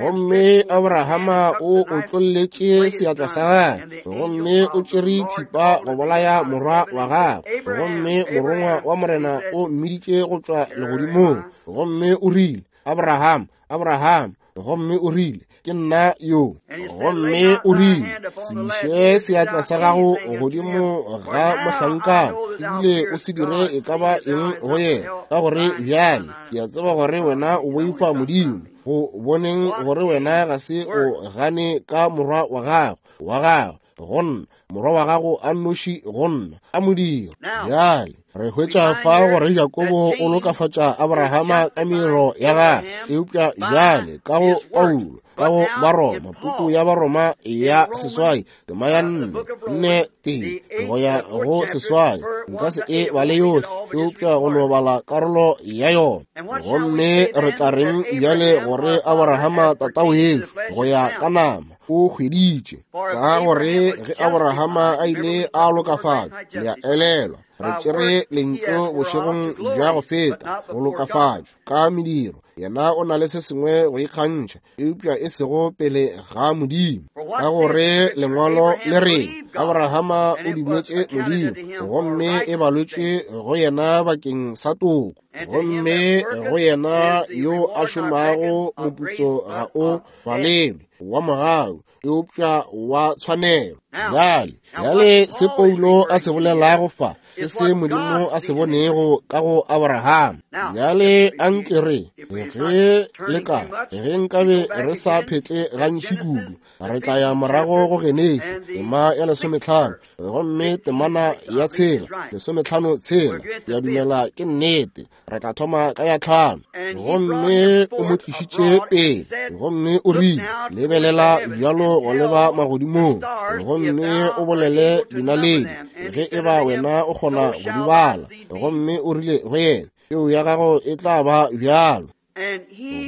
Gomme Abrahama o otlolletše seatla sa gagwe, gomme o tšere thipa go bolaya morwa wa gagwe. Gomme morongwa wa Morena o mmiditše go tšwa legodimong, gomme o rile, Abraham, Abraham. Gomme o rile, ke nna yo. Gomme o rile, se iše seatla sa gago godimo ga mohlankana, ebile o se dire e ka ba eng go yena, ka gore bjale ke a tseba gore wena o boifa Modimo, go boneng gore wena ga se o gane ka morwa wa gago wa gago go nna, morwa wa gago a nnoši go nna, a modiro. Bjale re hwetša fa gore Jakobo o lokafatša Abrahama ka mediro ya gagwe, eupša bjale ka go Paulo, ka go Baroma, puku ya Baroma ya seswai, tema ya nne nne tee go ya go seswai, nka se e bale yohle, eupša go no bala karolo ya yona. Gomme re tla reng bjale gore Abrahama tatawešu go ya ka nama o hweditše? Ka gore ge Abrahama a ile a lokafatšwa, le a elelwa, re tšere lentšu bošegong bja go feta, go lokafatšwa ka mediro, yena o na le se sengwe go ikgantšha, eupša e sego pele ga Modimo. Ka gore lengwalo le re Abrahama o dumetše Modimo, gomme e balwetše go yena bakeng sa toko. Gomme go yena yo a šomago moputso ga o balelwe wa mogau, eupša wa tshwanelo. Bjale, bjale se Paulo a se bolelago fa ke se Modimo a se bonego ka go Abraham. Bjale anke re ge le ka ge nkabe re sa phetle gantši kudu, re tla ya morago go Genesi tema ya lesometlhano gomme temana ya tshela lesometlhano tshela ya dumela ke nnete. Re tla thoma ka ya tlhano. Gomme o mo tlišitše pele, gomme o rile, lebelela bjalo go leba magodimong, gomme o bolele dinaledi ge e ba wena o kgona go di bala. Gomme o rile go yena, peu ya gago e tla ba bjalo.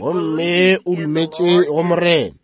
Gomme o dumetše go Morena,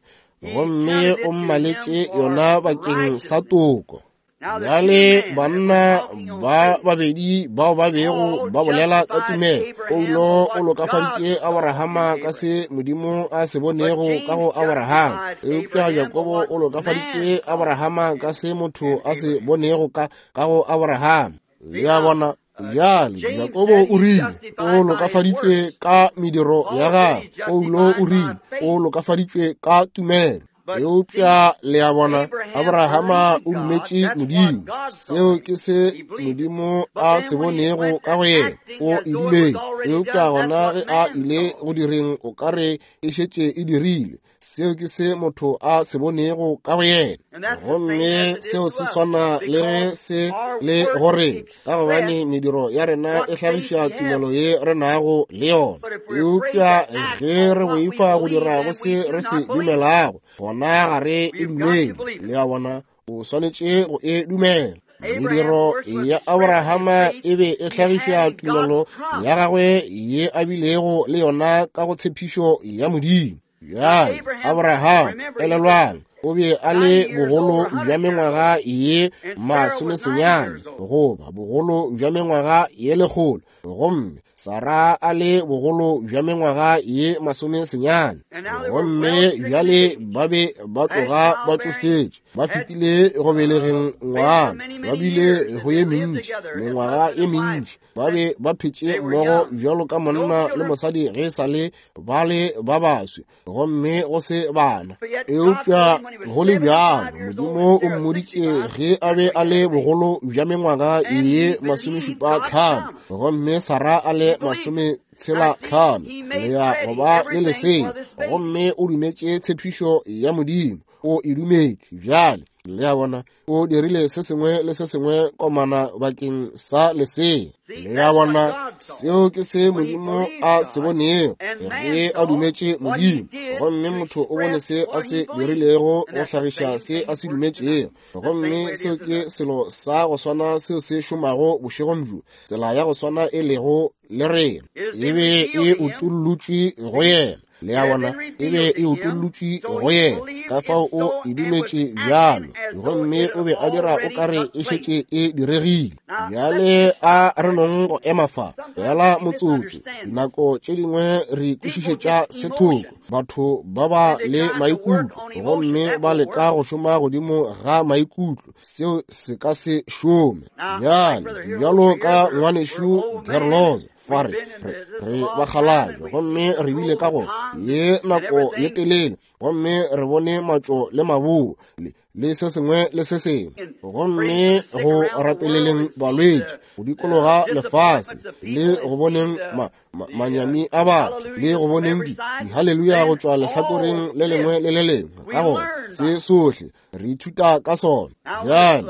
gomme o mmaletše yona bakeng sa toko. Bjale banna ba babedi bao ba bego ba bolela ka tumelo, Paulo o lokafaditše Abrahama ka se Modimo a se bonego ka go Abrahama, eupša Jakobo o lokafaditše Abrahama ka se motho a se bonego ka ka go Abrahama. Le a bona? Bjale Jakobo o rile o lokafaditšwe ka mediro ya gagwe, Paulo o rile o lokafaditšwe ka tumelo. Eupša le a bona, Abrahama o dumetše Modimo. Seo ke se Modimo a se bonego ka go yena, o e dumetše. Eupša gona ge a ile go direng o ka re e šetše e dirilwe, seo ke se motho a se bonego ka go yena. Gomme seo se swana le ge se le gore, ka gobane mediro ya rena e hlagiša tumelo ye re nago le yona. Eupša ge re boifa go dira go se re se dumelago, gona ga re e dumele. Le a bona, o swanetše go e dumela. Mediro ya Abrahama e be e hlagiša tumelo ya gagwe ye a bilego le yona ka go tshepišo ya Modimo. Bjale Abraham, elelwang, o be a le bogolo bja mengwaga ye masomesenyane goba bogolo bja mengwaga ye lekgolo, gomme Sara a le bogolo bja mengwaga ye masomesenyane. Gomme bjale ba be ba tloga ba tšofetše, ba fetile go belegeng ngwana, ba bile go ye mentši, mengwaga ye mentši, ba be ba phetše mmogo bjalo ka monna le mosadi ge sa le ba le ba baswi, gomme go se bana. Eupša go le bjalo Modimo o mmoditše ge a be a le bogolo bja mengwaga ye masomešupa tlhano, gomme Sara a le masome tshela tlhano, le ya go ba le lesea. Gomme o dumetše tshepišo ya Modimo, o e dumetše. Bjale le a bona, o dirile se sengwe le se sengwe komana bakeng sa lesea. Le a bona, seo ke se Modimo a se bonego ge a dumetše Modimo. Gomme motho o bone se a se dirilego go hlagiša se a se dumetšego. Gomme seo ke selo sa go swana seo se šomago bošegong bjo, tsela ya go swana e lego le rena. E be e utollotšwe go yena. Le a bona, e be e utollotšwe go yena, ka fao o e dumetše bjalo, gomme o be a dira o kare e šetše e diregile. Bjale a re nong go ema fa fela motsotso. Dinako tše dingwe re kwešišetša sethoko, batho ba ba le maikutlo, gomme ba leka go šoma godimo ga maikutlo, seo se ka se šome. Bjale bjalo ka ngwanešu Gerloza fa re re bakgalabje, gomme re bile ka go ye nako ye telele, gomme re bone matšo le maboo le, le se sengwe le se sengwe, gomme go rapeleleng balwetši go dikologa lefase, le go boneng ma, ma, manyami a batho, le go boneng di dihaleluya go tšwa lehlakoreng le lengwe le le lengwe. Ka gona se sohle re ithuta ka sona. Bjale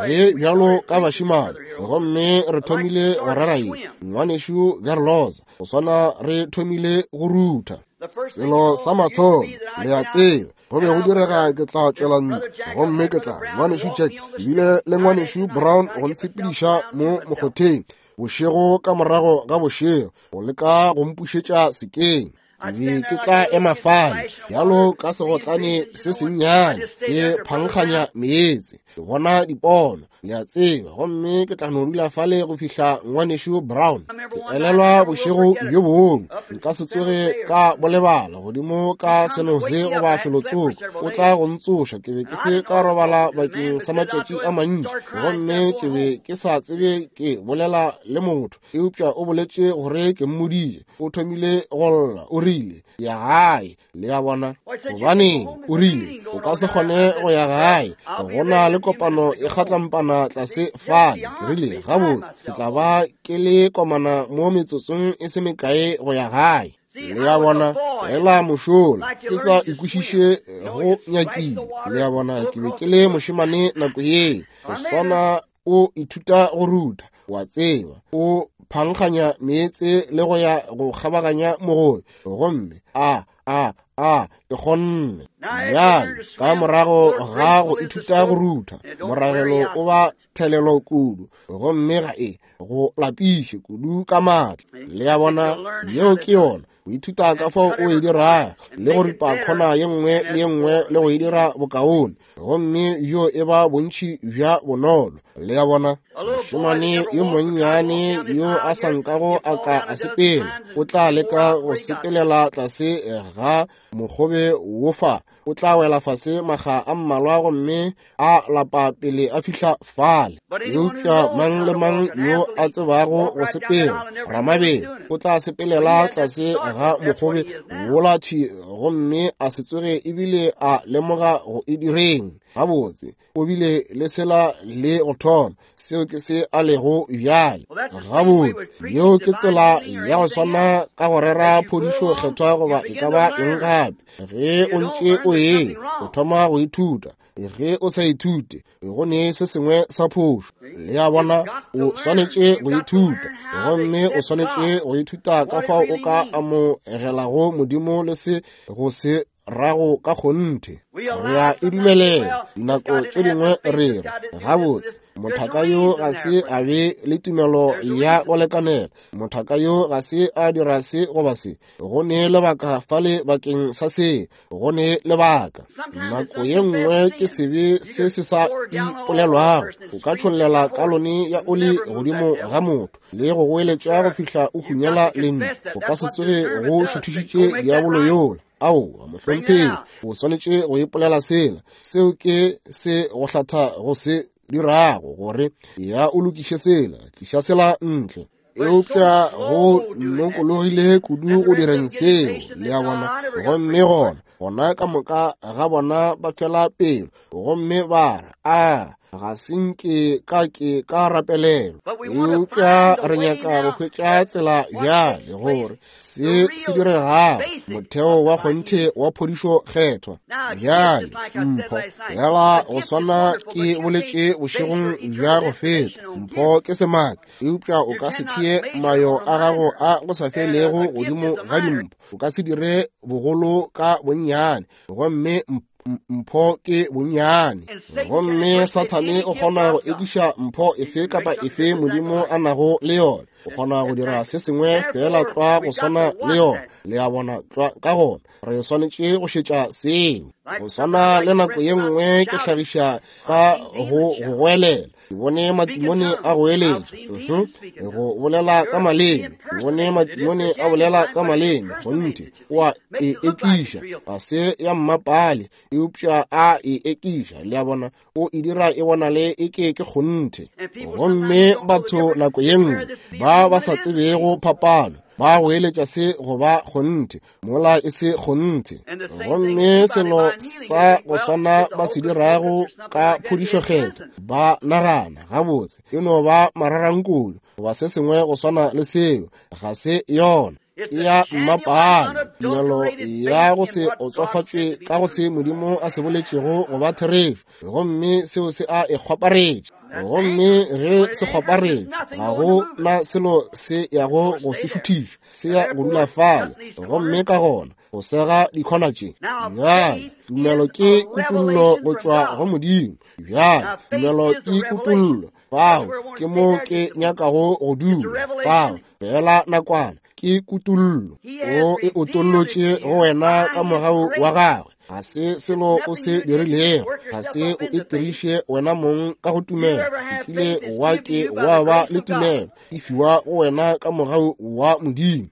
ge bjalo ka bašimane, gomme re thomile go rera ye, ngwanešu Gerloza, go swana re thomile go rutha. Selo sa mathomo, le a tseba, go be go direga ke tla tšwela ntlo, gomme ke tla ngwanešu Jack ebile le ngwanešu Brown go ntshepediša mo mokgotheng bošego ka morago ga bošego, go leka go mpušetša sekeng. Ke be ke tla ema fale bjalo ka segotlane se sennyane, ke phankganya meetse, ke bona dipono, le a tseba, gomme ke tla no dula fale go fihla ngwanešu Brown. Ke elelwa bošego bjo bongwe, nka se tsoge ka bo lebala, godimo ka Senose goba felotsoko, o tla go ntsoša. Ke be ke se ka robala bakeng sa matšatši a mantši, gomme ke be ke sa tsebe ke bolela le motho, eupša o boletše gore ke mmoditše. O thomile go lla, o rile, ya gae. Le a bona? Gobaneng, o rile, o ka se kgone go ya gae, go na le kopano e kgatlampana tlase fale. Ke rile, gabotse, ke tla ba ke le komana mo metsotsong e se mekae go ya gae. Le a bona? Ela mošola, ke sa ikwešiše go nyakile. Le a bona? Ke be ke le mošemane nako ye, go swana o ithuta go ruta, wa tseba, o phankganya meetse le go ya go kgabaganya mogobe, gomme a a a ke kgonne. Bjale ka morago ga go ithuta go rutha, moragelo o ba thelelo kudu, gomme ga e go lapiše kudu ka maatla. Le a bona? Yeo ke yona, o ithuta ka fao o e dirago le go ripa khona ye nngwe le ye nngwe le go e dira bokaone, gomme yo e ba bontši bja bonolo. Le a bona? Mošemane yo monnyane yo a sa nkago a ka a sepela, o tla leka go sepelela tlase ga mogobe wo fa, o tla wela fase makga a mmalwa gomme a lapa pele a fihla fale. Eupša mang le mang yo a tsebago go sepela ramabelo o tla sepelela tlase ga mogobe wola thwi gomme a se tsoge ebile a lemoga go e direng. Gabotse, o bile le sela le go thoma, seo ke se a lego bjale. Gabotse, yeo ke tsela ya go swana ka go rera phodišo kgethwa goba e ka ba eng gape. Ge o ntše o ye, o thoma go ithuta. Ge o sa ithute, go ne se sengwe sa phošo. Le a bona? O swanetše go ithuta, gomme o swanetše go ithuta ka fao o ka amogelago Modimo le se go se rago ka kgonthe. Re a e dumelela. Dinako tše dingwe re re, gabotse, mothaka yo ga se a be le tumelo ya go lekanela, mothaka yo ga se a dira se goba se, go ne lebaka fale bakeng sa se, go ne lebaka. Nako ye nngwe ke sebe se se sa ipolelwago. O ka tšhollela kalone ya oli godimo ga motho le go goeletša go fihla o hunyela lentšu, o ka se tsoge go šuthišitše diabolo yola. Aowa, mohlomphegi, o swanetše go ipolela sela. Seo ke se go hlatha go se dirago, gore ya o lokiše sela, tliša sela ntle. Eupša go nokologile kudu go direng seo. Le a bona? Gomme gona gona ka moka ga bona ba fela pelo, gomme ba re, a ga se nke ka ke ka rapelelwa. Eupša re nyaka go hwetša tsela bjale gore se se diregago, motheo wa kgonthe wa phodišo kgethwa. Bjale mpho, yala go swana ke boletše bošegong bja go feta, mpho ke semaka, eupša o ka se thee mayo a gago a go sa felego godimo ga dimpho. O ka se dire bogolo ka bonnyane, gomme mpho ke bonnyane. Gomme Sathane o kgona go ekiša mpho efe kapa efe Modimo a nago le yona. O kgona go dira se sengwe fela tlwa go swana le yona. Le a bona? Tlwa ka gona re swanetše go šetša seo. Go swana le nako ye nngwe ke hlagiša ka go go goelela, ke bone matimone a goeletša, go bolela ka maleme, ke bone matimone a bolela ka maleme. Kgonthe o a e ekiša, ga se ya mmapale, eupša a e ekiša. Le a bona? O e dira e bonale e ke ke kgonthe. Gomme batho nako ye nngwe ba ba sa tsebego phapano ba goeletša se go ba kgonthe mola e se kgonthe. Gomme selo sa go swana ba se dirago ka phodišo kgethwa, ba nagana gabotse e no ba mararankulu goba se sengwe go swana le seo. Ga se yona, ke ya mmapale, tumelo ya go se otswafatšwe ka go se Modimo a se boletšego go ba therešo, gomme seo se a e kgwaparetša. Gomme ge se kgwaparetša, ga go na selo se yago go se šuthiša, se ya go dula fale. Gomme ka gona go sega dikhona tše. Bjale tumelo ke kutollo go tšwa go Modimo. Bjale tumelo ke kutollo. Fao ke mo ke nyakago go dula, fao fela nakwana. Ke kutollo. O e otollotše go wena ka mogau wa gagwe. Ga se selo o se dirilego, ga se o itiriše wena mong ka go tumelo. O kile wa ke wa ba le tumelo, e fiwa go wena ka mogau wa Modimo,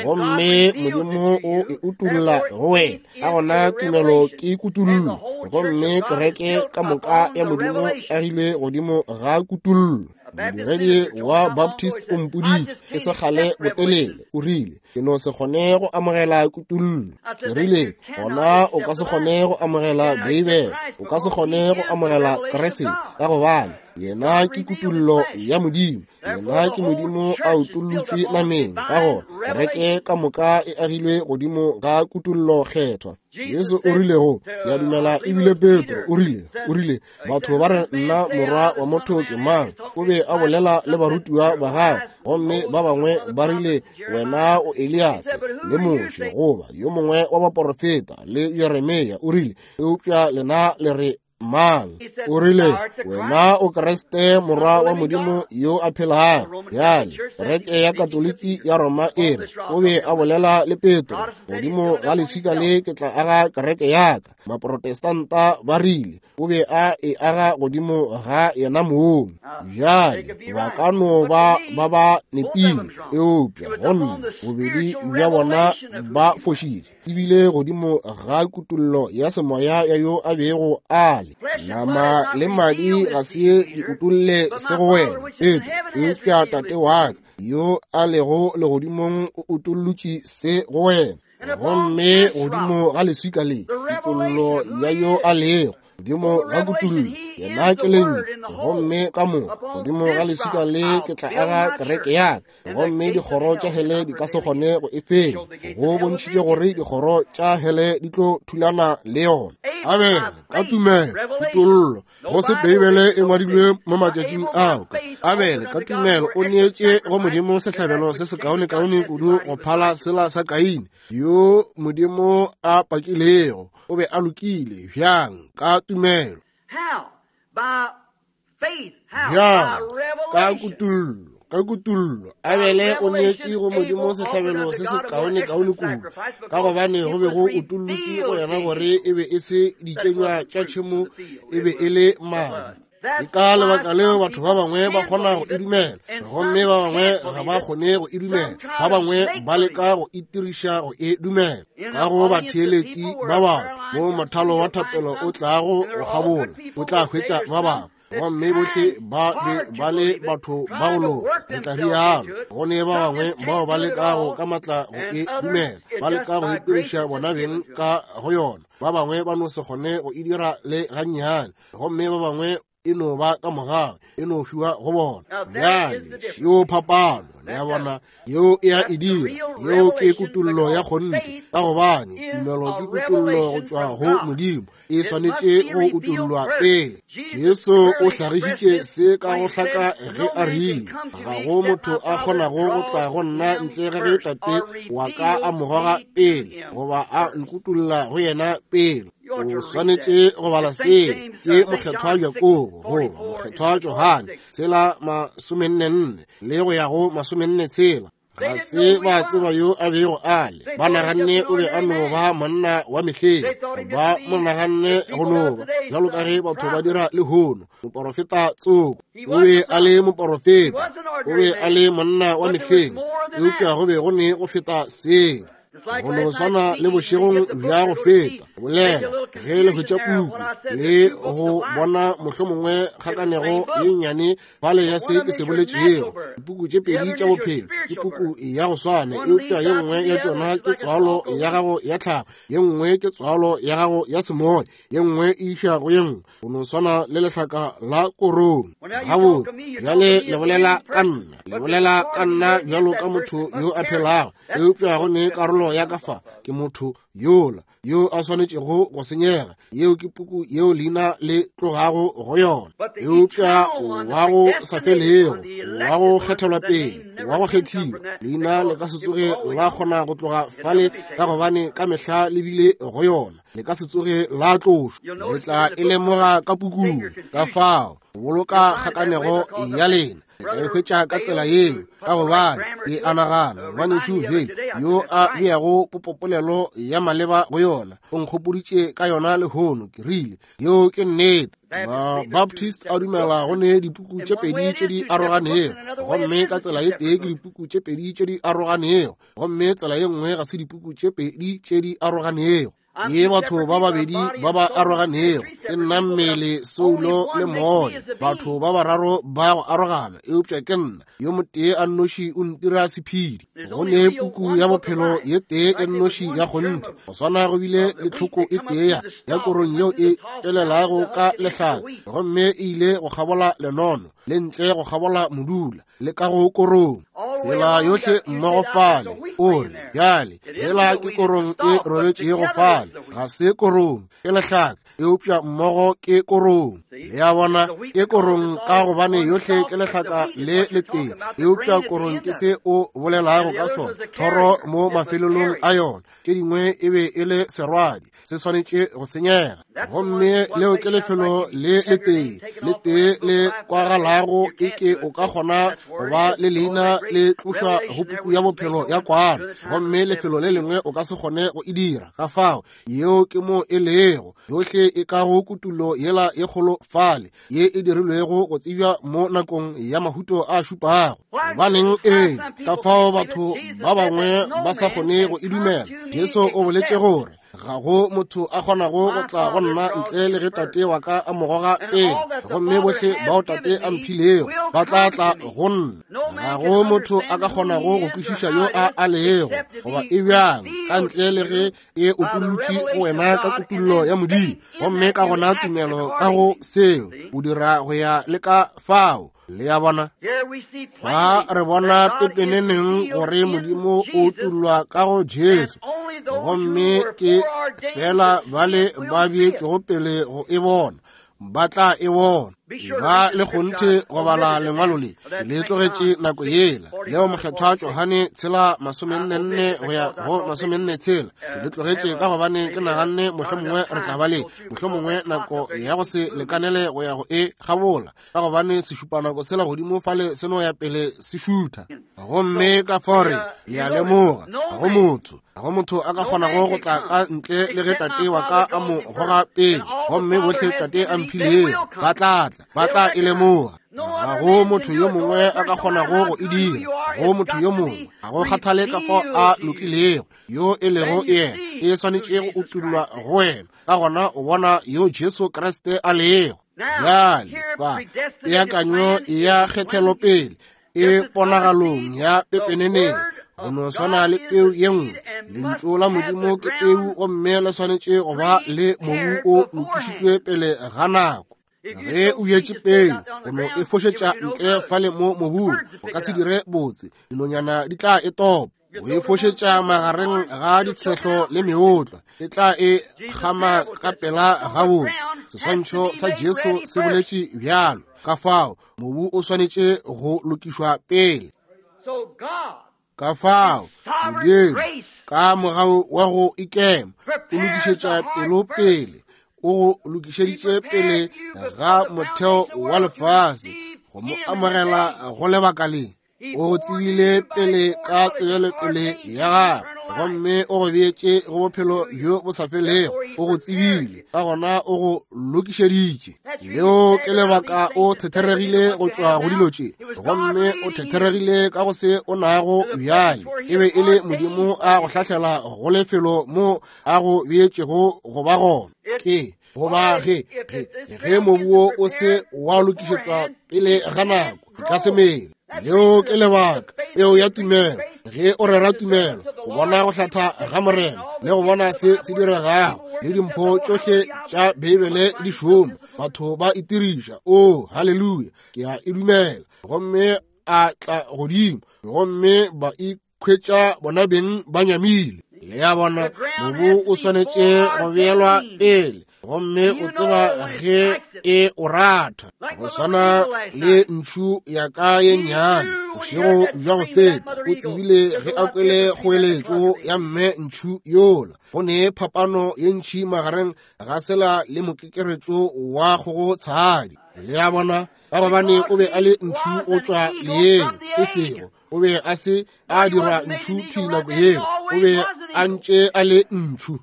gomme Modimo o e utolla go wena. Ka gona tumelo ke kutollo, gomme kereke ka moka ya Modimo e agilwe godimo ga kutollo. Modiredi wa Baptist o mpoditše e se kgale botelele, o rile, ke no se kgone go amogela kutollo. Ke rile, gona o ka se kgone go amogela Beibele, o ka se kgone go amogela Kriste, ka gobane yena ke kutollo ya Modimo, yena ke Modimo a utollotšwe nameng. Ka gona kereke ka moka e agilwe godimo ga kutollo kgethwa. Jesu o rile go, ke a dumela ebile Petro o rile, o rile, batho ba re nna morwa wa motho ke mang? O be a bolela le barutiwa ba gagwe, gomme ba bangwe ba rile wena o Eliase le Moshe goba yo mongwe wa baporofeta le Jeremia. O rile, eupša lena le re mang? O rile, wena o Kriste morwa wa Modimo yo a phelago. Bjale kereke ya Katoliki ya Roma e re o be a bolela le Petro, godimo ga leswika le ke tla aga kereke ya ka. Maprotestanta ba rile o be a e aga godimo ga yena mong. Bjale ba ka no ba ba ba nepile, eupša go nna bobedi bja bona ba fošitše, ebile godimo ga kutollo ya semoya ya yo a bego a le. Nama le madi ga se di utolle se go wena, Petro, eupša Tate wa ka yo a lego legodimong o utollotše se go wena. Gomme godimo ga leswika le, kutollo ya yo a lego godimo ga kutollo, yena ke lentšu, gomme ka moka godimo ga leswika le ke tla aga kereke ya ka, gomme dikgoro tša hele di ka se kgone go e fenya. Go bontšhitše gore dikgoro tša hele di tlo thulana le yona. Abele ka tumelo, kutollo, go se Beibele e ngwadilwe mo matšatšing ao. Abele ka tumelo o neetše go Modimo sehlabelo se sekaonekaone kudu go phala sela sa Kaine, yo Modimo a pakilego o be a lokile. Bjang? Ka tumelo. Bjang? Ka kutollo. Ka kutollo Abele o neetše go Modimo sehlabelo se sekaonekaone kudu, ka gobane go be go utollotšwe go yena gore e be e se dikenywa tša tšhemo, e be e le madi. Ke ka lebaka leo batho ba bangwe ba kgona go e dumela, gomme ba bangwe ga ba kgone go e dumela. Ba bangwe ba leka go itiriša go e dumela. Ka go batheeletši ba batho mo mothalo wa thapelo o tlago go kgabola, o tla hwetša ba bangwe, gomme bohle ba be ba le batho ba go loka. Re tla rialo. Go ne ba bangwe bao ba lekago ka matla go e dumela, ba leka go itiriša bona beng ka go yona. Ba bangwe ba no se kgone go e dira le gannyane, gomme ba bangwe e no ba ka mogau, e no fiwa go bona. Bjale yo phapano, le a bona, yeo e a e dira. Yeo ke kutollo ya kgonthe, ka gobane tumelo ke kutollo go tšwa go Modimo, e swanetše go utollwa pele. Jesu o hlagišitše se ka go hlaka ge a rile, ga go motho a kgonago go tla go nna ntle ga ge Tate wa ka a mo goga pele, goba a nkutolla go yena pele. O swanetše go bala seo ke mokgethwa Jakobo goba mokgethwa Johane tshela masomenne-nne le go ya go masomenne tshela. Ga se ba tseba yo a bego a le. Ba naganne o be a no ba monna wa mehleng, ba mo naganne go no ba bjalo ka ge batho ba dira lehono, moporofeta tsoko. O be a le moporofeta, o be a le monna wa mehleng, eupša go be go ne go feta seo. Go no swana le bošegong bja go feta, bolela ge le hwetša puku le go bona mohlomongwe kgakanego ye nnyane fale ya se ke se boletšego. Dipuku tše pedi tša bophelo ke puku ya go swana, eupša ye nngwe ya tšona ke tswalo ya gago ya tlhago, ye nngwe ke tswalo ya gago ya semoya, ye nngwe e iša go ye nngwe. Go no swana le lehlaka la korong. Gabotse, bjale le bolela ka nna, le bolela ka nna bjalo ka motho yo a phelago, eupša go ne karolo ya ka fa ke motho yola yo a swanetšego go senyega. Yeo ke puku yeo leina le tlogago go yona. Eupša wa go sa felego, wa go kgethelwa pele, wa go kgethiwa, leina le ka se tsoge la kgona go tloga fale, ka gobane ka mehla le bile go yona, le ka se tsoge la tlošwa. Le tla e lemoga ka pukung. Ka fao boloka kgakanego ya lena. Le tla e hwetša ka tsela yeo, ka gobane ke a nagana ngwanešu Vale yo a beago popopolelo ya maleba go yona o nkgopoditše ka yona lehono. Ke rile, yeo ke nnete. Mabaptist a dumela go ne dipuku tše pedi tše di aroganego, gomme ka tsela e tee ke dipuku tše pedi tše di aroganego, gomme tsela ye nngwe ga se dipuku tše pedi tše di aroganego. Ke batho ba babedi ba ba aroganego, ke nna mmele, soulo le moya, batho ba bararo ba go arogana, eupša ke nna yo motee a nnoši o ntira sephedi. Go ne puku ya bophelo ye tee e nnoši ya kgonthe, go swana go bile le tlhoko e tee ya korong yeo e telelago ka lehlaka, gomme e ile go kgabola lenono le ntle go kgabola modula le ka go korong, tsela yohle mmogo fale. O re, bjale hela ke korong e robetšego fale, ga se korong, ke lehlaka, eupša mmogo ke korong. Le a bona, ke korong ka gobane yohle ke lehlaka le letee, eupša korong ke se o bolelago ka sona, thoro mo mafelelong a yona. Tše dingwe e be e le serwadi, se swanetše go senyega, gomme leo ke lefelo le letee le tee le kwagalago e ke o ka kgona go ba le leina le tlošwa go puku ya bophelo ya kwana, gomme lefelo le lengwe o ka se kgone go e dira. Ka fao yeo ke mo e lego, yohle e ka go kutullo yela e kgolo fale ye e dirilwego go tsebja mo nakong ya mahuto a šupago. Gobaneng ee, ka fao batho ba bangwe ba sa kgone go e dumela. Jesu o boletše gore ga go motho a kgonago go tla go nna ntle le ge tate wa ka a mo goga pele, gomme bohle bao tate a mphilego ba tla tla go nna. Ga go motho a ka kgonago go kwešiša yo a a lego goba e bjang ka ntle le ge e utolotšwe go wena ka kutollo ya Modimo, gomme ka gona tumelo ka go seo o dira go ya le ka fao. Le a bona, fa re bona pepeneneng gore Modimo o utollwa ka go Jesu, gomme ke fela bale ba beetšego pele go e bona ba tla e bona. Ba le kgonthe go bala lengwalo le le tlogetše nako yela leo mokgethwa Johane tshela masomenne go ya go masomenne tshela, le tlogetše ka gobane ke naganne mohlomongwe re tla ba le mohlomongwe nako ya go se lekanele go ya go e gabola, ka gobane sešupanako sela godimo fale se no ya pele se šutha. Gomme ka fao re le a lemoga, ga go motho ga go motho a ka kgonago go tla ka ntle le ge tate wa ka a mo goga pele, gomme bohle tate a mphilego ba tla tla ba tla e lemoga. Ga go motho yo mongwe a ka kgonago go e dira, ga go motho yo mongwe, ga go kgathale ka fao a lokilego yo e lego yena, e swanetše go utollwa go wena. Ka gona o bona yo Jesu Kriste a lego. Bjale fa peakanyo ya kgethelopele e ponagalong ya pepeneneng, go no swana le peu ye nngwe. Lentšu la Modimo ke peu, gomme le swanetše go ba le mobu o lokišitšwe pele ga nako. Ge o bjetše peu, o no e fošetša ntle fale mo mobung, o ka se dire botse, dinonyana di tla e topa. O e fošetša magareng ga ditshehlo le meotlwa, e tla e kgama ka pela gabotse. Seswantšho sa Jesu se boletše bjalo. Ka fao mobu o swanetše go lokišwa pele. Ka fao Modimo ka mogau wa go ikema o lokišetša pelo pele, o go lokišeditše pele ga motheo wa lefase go mo amogela go lebaka le. O go tsebile pele ka tsebelopele ya gagwe, gomme o go beetše go bophelo bjo bo sa felego. O go tsebile, ka gona o go lokišeditše. Leo ke lebaka o thetheregile go tšwa go dilo tše, gomme o thetheregile ka go se o nago bjale. E be e le Modimo a go hlahlela go lefelo mo a go beetšego go ba gona. Ke goba ge ge ge mobu wo o se wa lokišetšwa pele ga nako, e ka se mele. Leo ke lebaka peo ya tumelo. Ge o rera tumelo, o bona go hlatha ga Morena le go bona se se diregago, le dimpho tšohle tša Beibele di šoma, batho ba itiriša. O haleluya, ke a e dumela. Gomme a tla godimo, gomme ba ikhwetša bona beng ba nyamile. Le a bona, mobu o swanetše go beelwa pele, gomme o tseba ge e o ratha. Go swana le ntšhu ya ka ye nnyane bošego bja go feta, o tsebile ge a kwele kgoeletšo ya mme ntšhu yola. Go ne phapano ye ntšhi magareng ga sela le mokekeretšo wa kgogo tshadi. Le a bona, ka gobane o be a le ntšhu go tšwa leeng, e sego o be a se a dirwa ntšhu thwi nako yeo, o be a ntše a le ntšhu.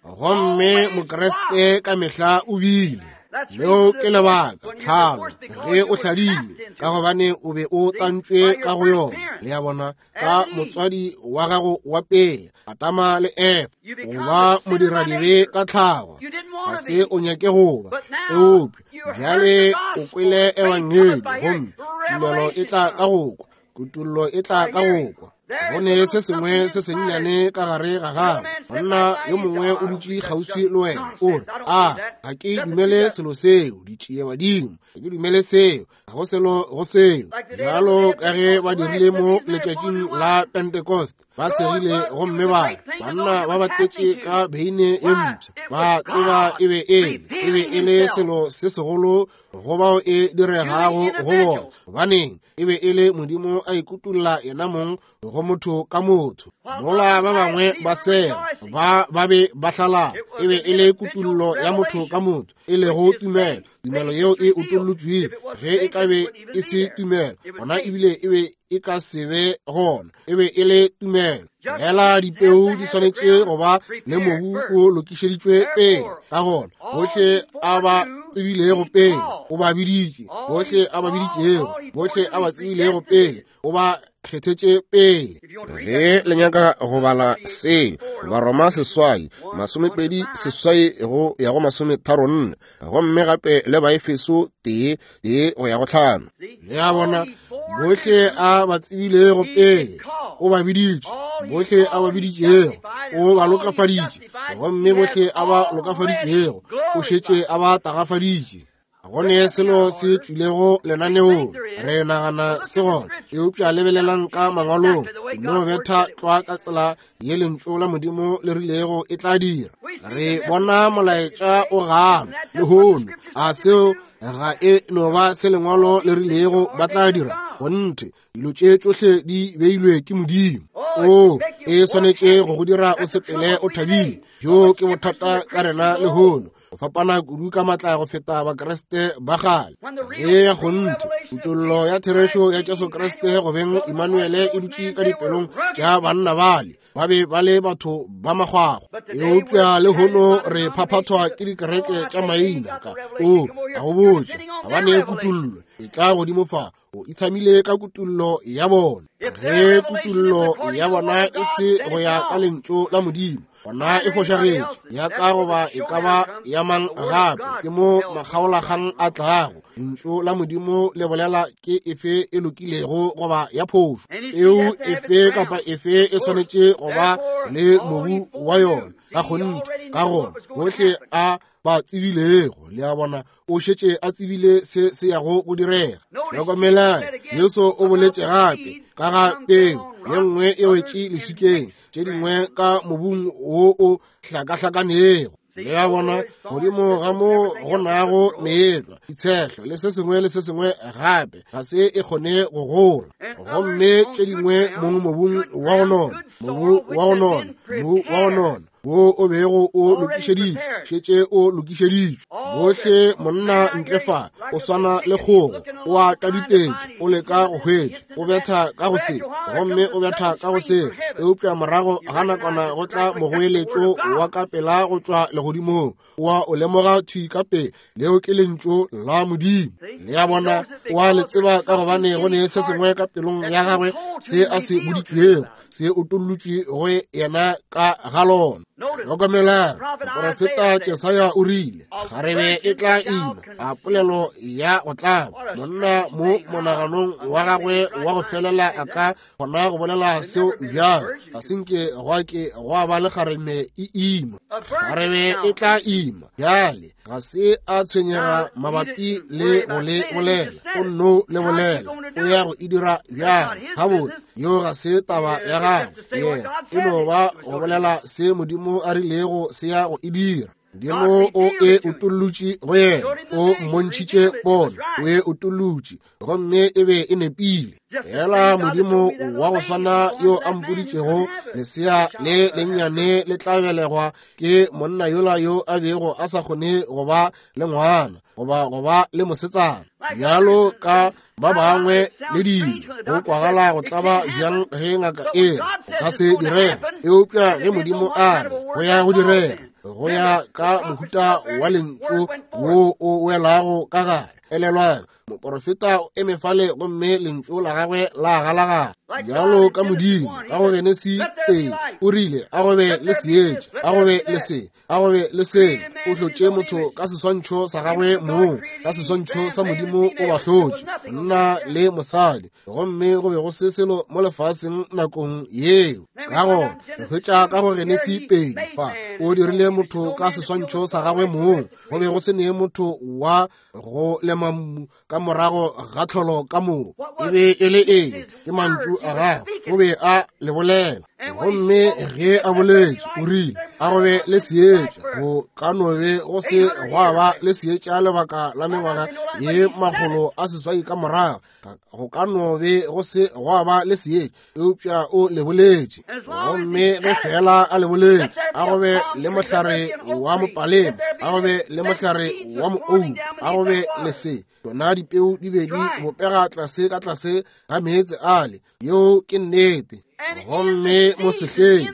Gomme Mokriste ka mehla o bile. Leo ke lebaka tlhalo ge o hladile, ka gobane o be o tantšwe ka go yona. Le a bona, ka motswadi wa gago wa pele, Adama le Efa, o ba modiradibe ka tlhago, ga se o nyake go ba, eupša bjale o kwele ebangedi, gomme tumelo e tla ka go kwa, kutollo e tla ka go kwa. Go ne se sengwe se sennyane ka gare ga gago. Monna yo mongwe o dutše kgauswi le wena, o re, a ga ke dumele selo seo, ditšie badimo, ga ke dumele seo, ga go selo go seo. Bjalo ka ge ba dirile mo letšatšing la Pentecost, ba segile gomme ba re, banna ba ba tletše ka beine ye mpsha, ba tseba e be e le, e be e le selo se segolo go bao e diregago go bona. Gobaneng? E be e le Modimo a ikutulla yena mong go motho ka motho. Mola ba bangwe ba sega, ba ba be ba hlalala, e be e le kutullo ya motho ka motho, e lego tumelo. Tumelo yeo e utollotšwego, ge e ka be e se tumelo, gona ebile e be e ka se be gona. E be e le tumelo. Fela dipeu di swanetše go ba le mobu o lokišeditšwe pele. Ka gona bohle a ba tsebilego pele o ba biditše, bohle a ba biditšego, bohle a ba tsebilego pele o ba kgethetše pele. Ge le nyaka go bala seo, Baroma seswai, masomepedi seswai go ya go masometharo nne, gomme gape le Baefeso tee tee go ya go tlhano. Le a bona, bohle a ba tsebilego pele o ba biditše, bohle a ba biditšego o ba lokafaditše, gomme bohle a ba lokafaditšego o šetše a ba tagafaditše. Go ne selo se tšwilego lenaneong, re nagana se gona, eupša lebelelang ka mangwalong, no betha tlwa ka tsela ye lentšu la Modimo le rilego e tla dira. Re bona molaetša o gana lehono, a seo ga e no ba se lengwalo le rilego ba tla dira. Gonthe dilo tše tšohle di beilwe ke Modimo. O e swanetše go go dira o sepele o thabile. Bjo ke bothata ka rena lehono, go fapana kudu ka matla go feta Bakriste ba kgale. Ge kgonthe kutollo ya therešo ya Jesu Kriste go beng Emmanuele e dutše ka dipelong tša banna bale, ba be ba le batho ba makgwakgwa. Eupša lehono re phaphathwa ke dikereke tša maina ka o a go botša, ga ba ne kutollo e tla godimo fa, o itshamile ka kutollo ya bona. Ge kutollo ya bona e se go ya ka lentšu la Modimo, gona e fošagetše, ya ka goba e ka ba ya mang gape. Ke mo makgaolakgang a tlago. Lentšu la Modimo le bolela ke efe e lokilego goba ya phošo. Eo efe kapa efe e swanetše go ba le mobu wa yona ka kgonthe. Ka gona bohle a ba tsebilego, le a bona, o šetše a tsebile se se yago go direga. Hlokomelang, Jesu o boletše gape ka ga peu ye nngwe e wetše leswikeng, tše dingwe ka mobung wo o hlakahlakanego. Le a bona, godimo ga mo go nago meetlwa, ditshehlo le se sengwe le se sengwe gape, ga se e kgone go gola. Gomme tše dingwe mong mobung wa go nona, mobu wa go nona, mobu wa go nona wo o bego o lokišeditšwe, šetše o lokišeditšwe. Bohle monna ntle fa o swana le kgogo, o a taditetše, o leka go hwetša, o betha ka go se, gomme o betha ka go se, eupša morago ga nakwana go tla mogoeletšo wa ka pela go tšwa legodimong, wa o lemoga thwi ka pele, leo ke lentšu la Modimo. Le a bona, o a le tseba ka gobane go ne se sengwe ka pelong ya gagwe se a se boditšwego, se utollotšwe go yena ka ga lona. Hlokomelang, moprofeta Jesaya o rile, kgarebe e tla ima, a polelo ya go tlaba. Monna mo monaganong wa gagwe wa go felela a ka kgona go bolela seo bjang? Ga se nke gwa ke gwa ba le kgarebe e ima. Kgarebe e tla ima. Bjale ga se a tshwenyega mabapi le go le bolela, o nno le bolela, o ya go e dira bjang? Gabotse, yeo ga se taba ya gagwe, yena e no ba go bolela se Modimo a rilego se ya go e dira. Modimo o e utollotše go yena, o mmontšhitše pono, o e utollotše, gomme e be e nepile. Fela Modimo wa go swana yo a mpoditšego lesea le lennyane le tla belegwa ke monna yola yo a bego a sa kgone go ba le ngwana goba go ba le mosetsana, bjalo ka ba bangwe le dilo. Go kwagala go tlaba bjang ge ngaka e re go ka se direge, eupša ge Modimo a re go ya go direga, go ya ka mohuta wa lentšu wo o welago ka gare. Elelwang, moporofeta o eme fale gomme lentšu la gagwe la galagala bjalo ka Modimo ka go Genesi tee o rile a go be le seetša, a go be le se, a go be le selo. O hlotše motho ka seswantšho sa gagwe mong, ka seswantšho sa Modimo o ba hlotše, monna le mosadi, gomme go be go se selo mo lefaseng nakong yeo. Ka gona re hwetša ka go Genesi pedi fa o dirile motho ka seswantšho sa gagwe mong, go be go se ne motho wa go lema mmu ka morago ga tlholo ka moka. E be e le eng? Ke mantšu a gagwe, o be a le bolela. Gomme ge a boletše o rile a go be le seetša, go ka no be go se gwa ba le seetša lebaka la mengwaga ye makgolo a seswai ka morago, go ka no be go se gwa ba le seetša, eupša o le boletše. Gomme ge fela a le boletše, a go be le mohlare wa mopalema, a go be le mohlare wa moou, a go be le se, tšona dipeu di be di bopega tlase ka tlase ga meetse ale. Yeo ke nnete. Gomme mo sehleng,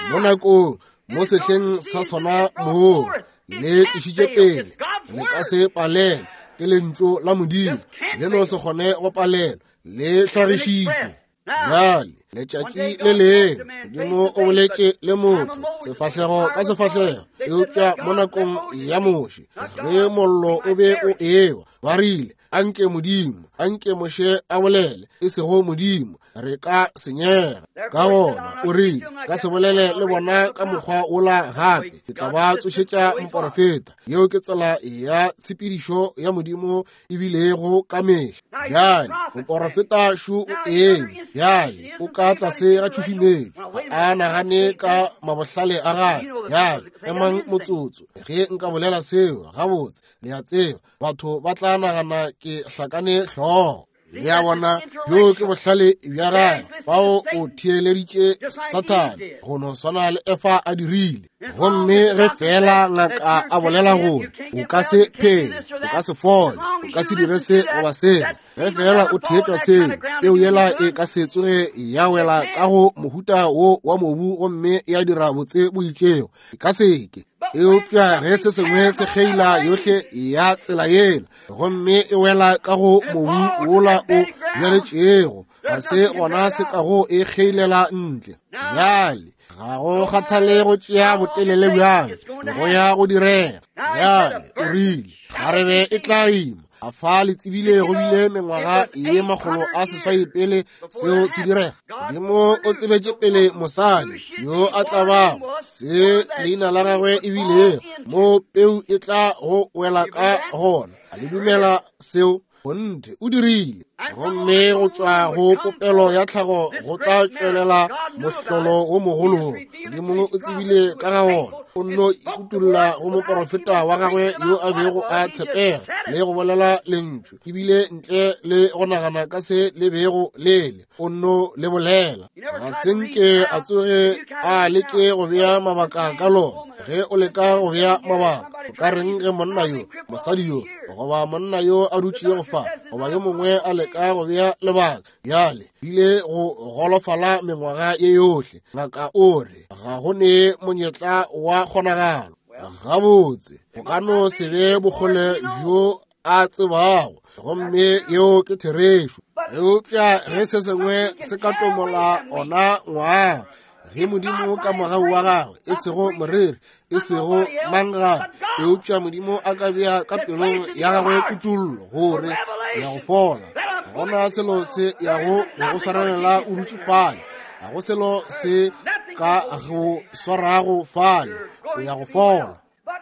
mo nakong, mo sehleng sa sona moo le tlišitše pele, le ka se palelwe ke lentšu la Modimo, le no se kgone go palelwa, le hlagišitšwe. Bjale letšatši le lengwe Modimo o boletše le motho sefahlego ka sefahlego, eupša mo nakong ya Moshe ge mollo o be o ewa, ba rile anke Modimo, anke Moshe a bolele, e sego Modimo, re ka senyega. Ka gona o rile ka se bolele le bona ka mokgwa wola gape, ke tla ba tsošetša moporofeta. Yeo ke tsela ya tshepedišo ya Modimo e bilego ka mehla. Bjale moporofeta šo o eme, bjale o ka tlase ga tšhušumetšo, ga a nagane ka mabohlale a gagwe. Bjale emang motsotso, ge nka bolela seo gabotse, le a tseba batho ba tla nagana ke hlakane hlogo. Le a bona, bjo ke bohlale bja gagwe, bao o theeleditše Sathane go no swana le Efa a dirile. Gomme ge fela ngaka a bolela gore o ka se phele, o ka se fole, o ka se dire se goba sela, ge fela o theetša seo, peu yela e ka se tsoge ya wela ka go mohuta wo wa mobu gomme ya dira botse bo itšego, e ka se ke. Eupša ge se sengwe se kgeila yohle ya tsela yela gomme e wela ka go mobu wola o bjaletšego, ga se gona se ka go e kgeilela ntle. Bjale ga go kgathale go tšea botelele bjang, go ya go direga. Bjale o rile kgarebe e tla ima, a fa le tsebile go bile mengwaga ye makgolo a seswai pele seo se direga. Modimo o tsebetše pele mosadi yo a tla bago se leina la gagwe e bilego, mo peu e tla go wela ka gona. A le dumela seo? Kgonthe o dirile. Gomme go tšwa go popelo ya tlhago go tla tšwelela mohlolo wo mogolo. Modimo o tsebile ka ga wona, o nno ikutolla go moporofeta wa gagwe yo a bego a tshepega le go bolela lentšu, ebile ntle le go nagana ka se le bego lele, o nno le bolela. Ga se nke a tsoge a leke go bea mabaka ka lona. Ge o leka go bea mabaka, o ka reng ge monna yo, mosadi yo, goba monna yo a dutšego fa, goba yo mongwe a leka go bea lebaka? Bjale bile go golofala mengwaga ye yohle, ngaka o re ga go ne monyetla wa kgonagalo. Gabotse go ka no se be bokgole bjo a tsebago, gomme yeo ke therešo. Eupša ge se sengwe se ka tomola ona ngwaga, ge Modimo ka mogau wa gagwe, e sego moreri, e sego mang gape, eupša Modimo a ka bea ka pelong ya gagwe kutollo gore ke ya go fola, ga gona selo se yago go go swarelela o dutše fale, ga go selo se ka go swarago fale, o ya go fola.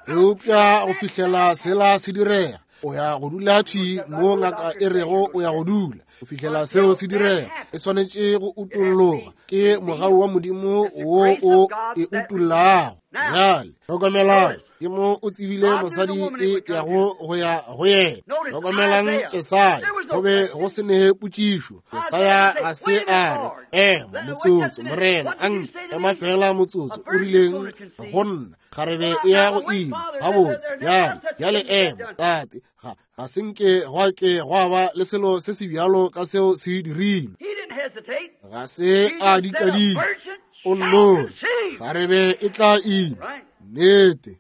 Eupša go fihlela sela se direga, O ya go dula thwi mo ngaka e rego o ya go dula go fihlela seo se direga. E swanetše go utolloga. Ke mogau wa Modimo wo o e utollago. Bjale hlokomelang, ke mo o tsebile mosadi e yago go ya go yena. Hlokomelang Jesaya, go be go se ne potšišo. Jesaya ga se a re, ema motsotso, Morena, anke ema fela motsotso, o rileng go nna, kgarebe e ya go ima. Gabotse, bjale, bjale ema, tate, ga ga se nke gwa ke gwa ba le selo se se bjalo ka seo se dirilwe. Ga se a dikadika. O nno, kgarebe e tla ima. Nnete.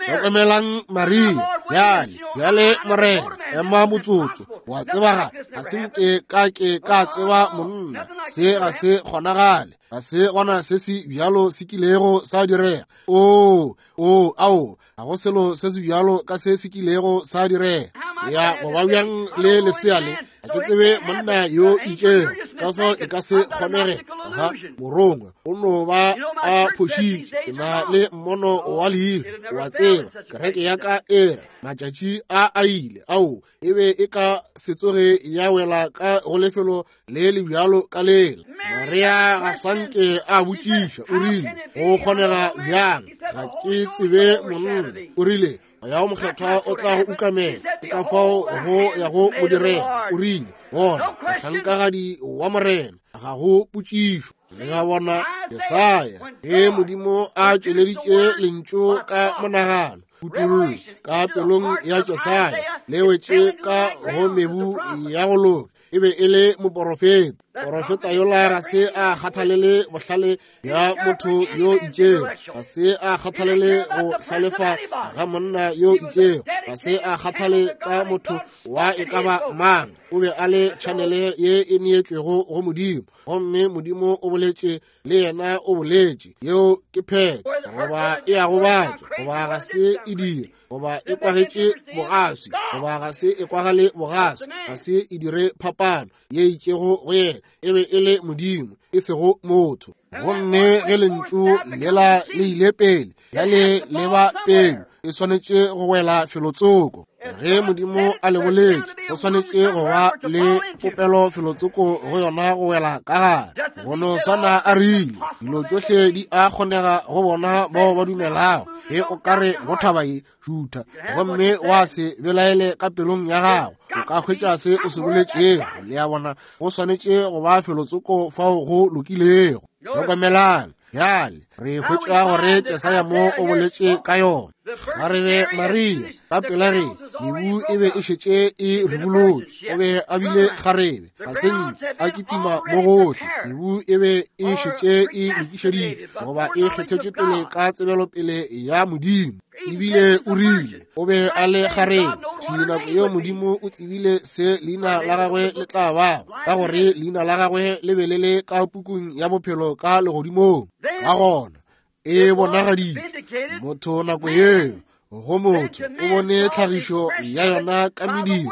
Hlokomelang Maria. Bjale, bjale Morena, ema motsotso. Wa tseba ga, ga se nke ka ke ka tseba monna. Se ga se kgonagale. Ga se gona se se bjalo se kilego sa direga. O, o, ao, ga go selo se se bjalo ka se se kilego sa direga. Ya go ba bjang le lesea le, ga ke tsebe monna yo itšego, ka fao e ka se kgonege. Ga morongwa o no ba a phošitše. Ke na le mmono wa leihlo, wa tseba, kereke ya ka e re matšatši a a ile, ao e be e ka se tsoge ya wela ka go lefelo le le bjalo ka lela. Maria ga sanke a botšiša, o rile, go kgonega bjang? Ga ke tsebe monna. O rile, Moya wo Mokgethwa o tla go ukamela, ke ka fao go ya go mo direga. O rile, bona, mohlankagadi wa Morena, ga go potšišo. Le a bona, Jesaya, ge Modimo a tšweleditše lentšu ka monagano, kutollo ka pelong ya Jesaya, le wetše ka go mebu ya go loka. E be e le moporofeta. Porofeta yola ga se a kgathalele bohlale bja motho yo itšego, ga se a kgathalele go hlalefa ga monna yo itšego, ga se a kgathale ka motho wa e ka ba mang. O be a le tšhanele ye e neetšwego go Modimo, gomme Modimo o boletše le yena, o boletše. Yeo ke phetho, goba e a gobatša, goba ga se e dire, goba e kwagetše bogaswi, goba ga se e kwagale bogaswi, ga se e dire phapano ye itšego go yena. E be e le Modimo, e sego motho. Gomme ge lentšu lela le ile pele, bjale le ba pele, e swanetše go wela felotsoko. Ge Modimo a le boletše, go swanetše go ba le popelo felotsoko go yona go wela ka gare. Go no swana a rile, dilo tšohle di a kgonega go bona bao ba dumelago. Ge o ka re go thaba ye, šutha, gomme wa se belaele ka pelong ya gago, o ka hwetša se o se boletšego. Le a bona, go swanetše go ba felotsoko fao go lokilego. Hlokomelang, bjale re hwetša gore Jesaya mo o boletše ka yona. Kgarebe Maria ka pela ge mebu e be e šetše e ribolotšwe, o be a bile kgarebe, ga se nke a kitima mo gohle. Mebu e be e šetše e lokišeditšwe, goba e kgethetšwe pele ka tsebelopele ya Modimo. Ebile o rile o be a le kgarebe thwi nako yeo Modimo o tsebile se leina la gagwe le tla bago, ka gore leina la gagwe le be le le ka pukung ya bophelo ka legodimong. Ka gona e bonagaditšwe motho nako yeo go motho o bone tlhagišo ya yona ka mediro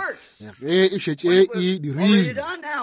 ge e šetše e dirilwe.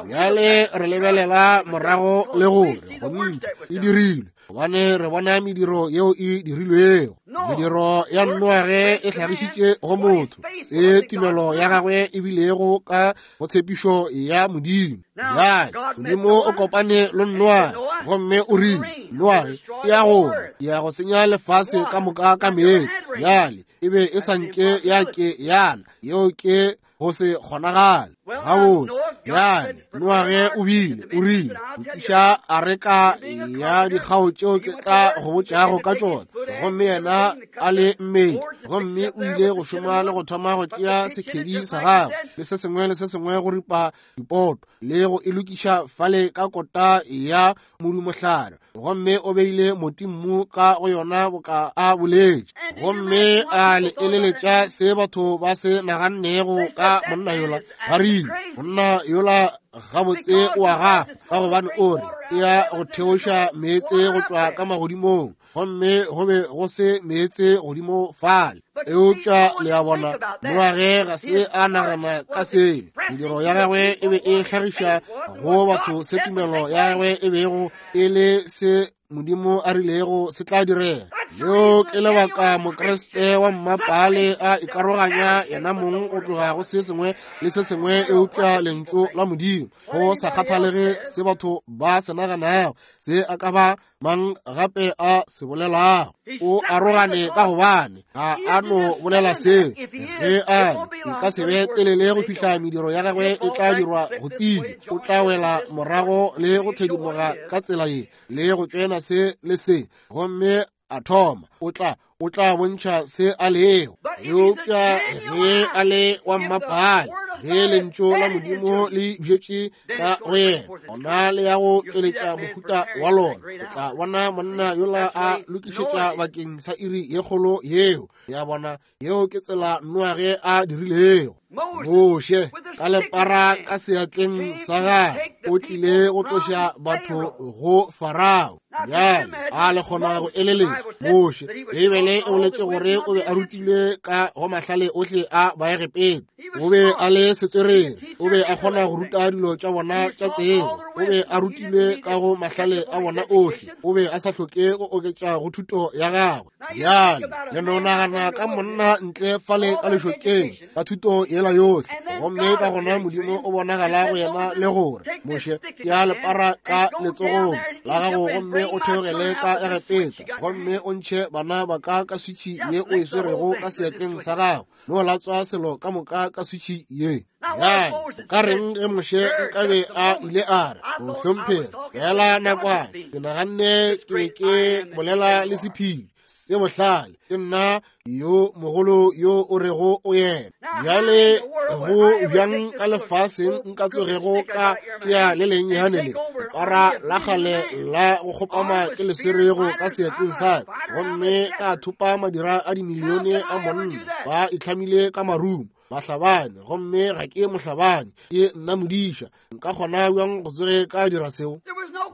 Bjale re lebelela morago le gore gonthe e dirilwe, gobane re bona mediro yeo e dirilwego. Mediro ya Noage e hlagišitše go motho se tumelo ya gagwe e bilego ka go tshepišo ya Modimo. Bjale Modimo o kopane le Noage gomme o rile, Noage, e ya go ya go senya lefase ka moka ka meetse. Bjale e be e sa nke ya ke yana, yeo ke go se kgonagale. Gabotse, bjale Noage o bile o rile, lokiša areka ya dikgao tšeo ke tla go botšago ka tšona. Gomme yena a le mmedi, gomme o ile go šoma le go thoma go tšea sekhedi sa gagwe le se sengwe le se sengwe go ripa dipoto le go e lokiša fale ka kota ya modumohlare, gomme o beile motimmu ka go yona boka a boletše. Gomme a le eleletša se batho ba se nagannego ka monna yola. Ba rile, monna yola gabotse o a gafa, ka gobane o re e ya go theoša meetse go tšwa ka magodimong, gomme go be go se meetse godimo fale. Eupša le a bona, Noage ga se a nagana ka seo. Mediro ya gagwe e be e hlagiša go batho se tumelo ya gagwe e bego e le se Modimo a rilego se tla direga. Yo ke lebaka Mokriste wa mmapale a ikaroganya yena mong go tloga go se sengwe le se sengwe eupša lentšu la Modimo, go sa kgathalege se batho ba se naganago, se a ka ba mang gape a se bolelago. O arogane ka gobane ga a no bolela seo. Ge a e ka se be telele go fihla mediro ya gagwe e tla dirwa go tsebja, o tla wela morago le go thedimoga ka tsela ye le go tšwena se le se, gomme a thoma o tla o tla bontšha se a lego. Eupša ge a le wa mmapale, ge lentšu la Modimo le bjetše ka go yena, gona le ya go tšweletša mohuta wa lona. O tla bona monna yola a lokišetša bakeng sa iri ye kgolo yeo. Ya bona, yeo ke tsela Noage a dirilego. Moshe ka lepara ka seatleng sa gagwe o tlile go tloša batho go Farao. Bjale a le kgona go eleletša Moshe, Beibele e boletše gore o be a rutilwe ka go mahlale ohle a Baegepeta. O be a le setswerere, o be a kgona go ruta dilo tša bona tša tsebo, o be a rutilwe ka go mahlale a bona ohle, o be a sa hloke go oketša go thuto ya gagwe. Bjale le no nagana ka monna ntle fale ka lešokeng ka thuto yela yohle, gomme ka gona Modimo o bonagala go yena le gore Moshe ya lepara ka letsogong la gago gomme o theogele ka Egepeta gomme o ntšhe bana ba ka ka switšhi ye o e swerego ka seatleng sa gago, no latswa selo ka moka ka switšhi ye. Bjale ka reng ge Moshe nkabe a ile a re, mohlomphegi, fela nakwana ke naganne ke be ke bolela le sephiri se bohlale, ke nna yo mogolo yo o rego o yena. Bjale go bjang ka lefaseng nka tsogego ka tšea le lennyane le lepara la kgale la go kgopama ke le swerego ka seatleng sa ka, gomme ka thopa madira a dimilione a monna ba itlhamile ka marumo, bahlabani, gomme ga ke mohlabani, ke nna modiša. Nka kgona bjang go tsoge ka dira seo?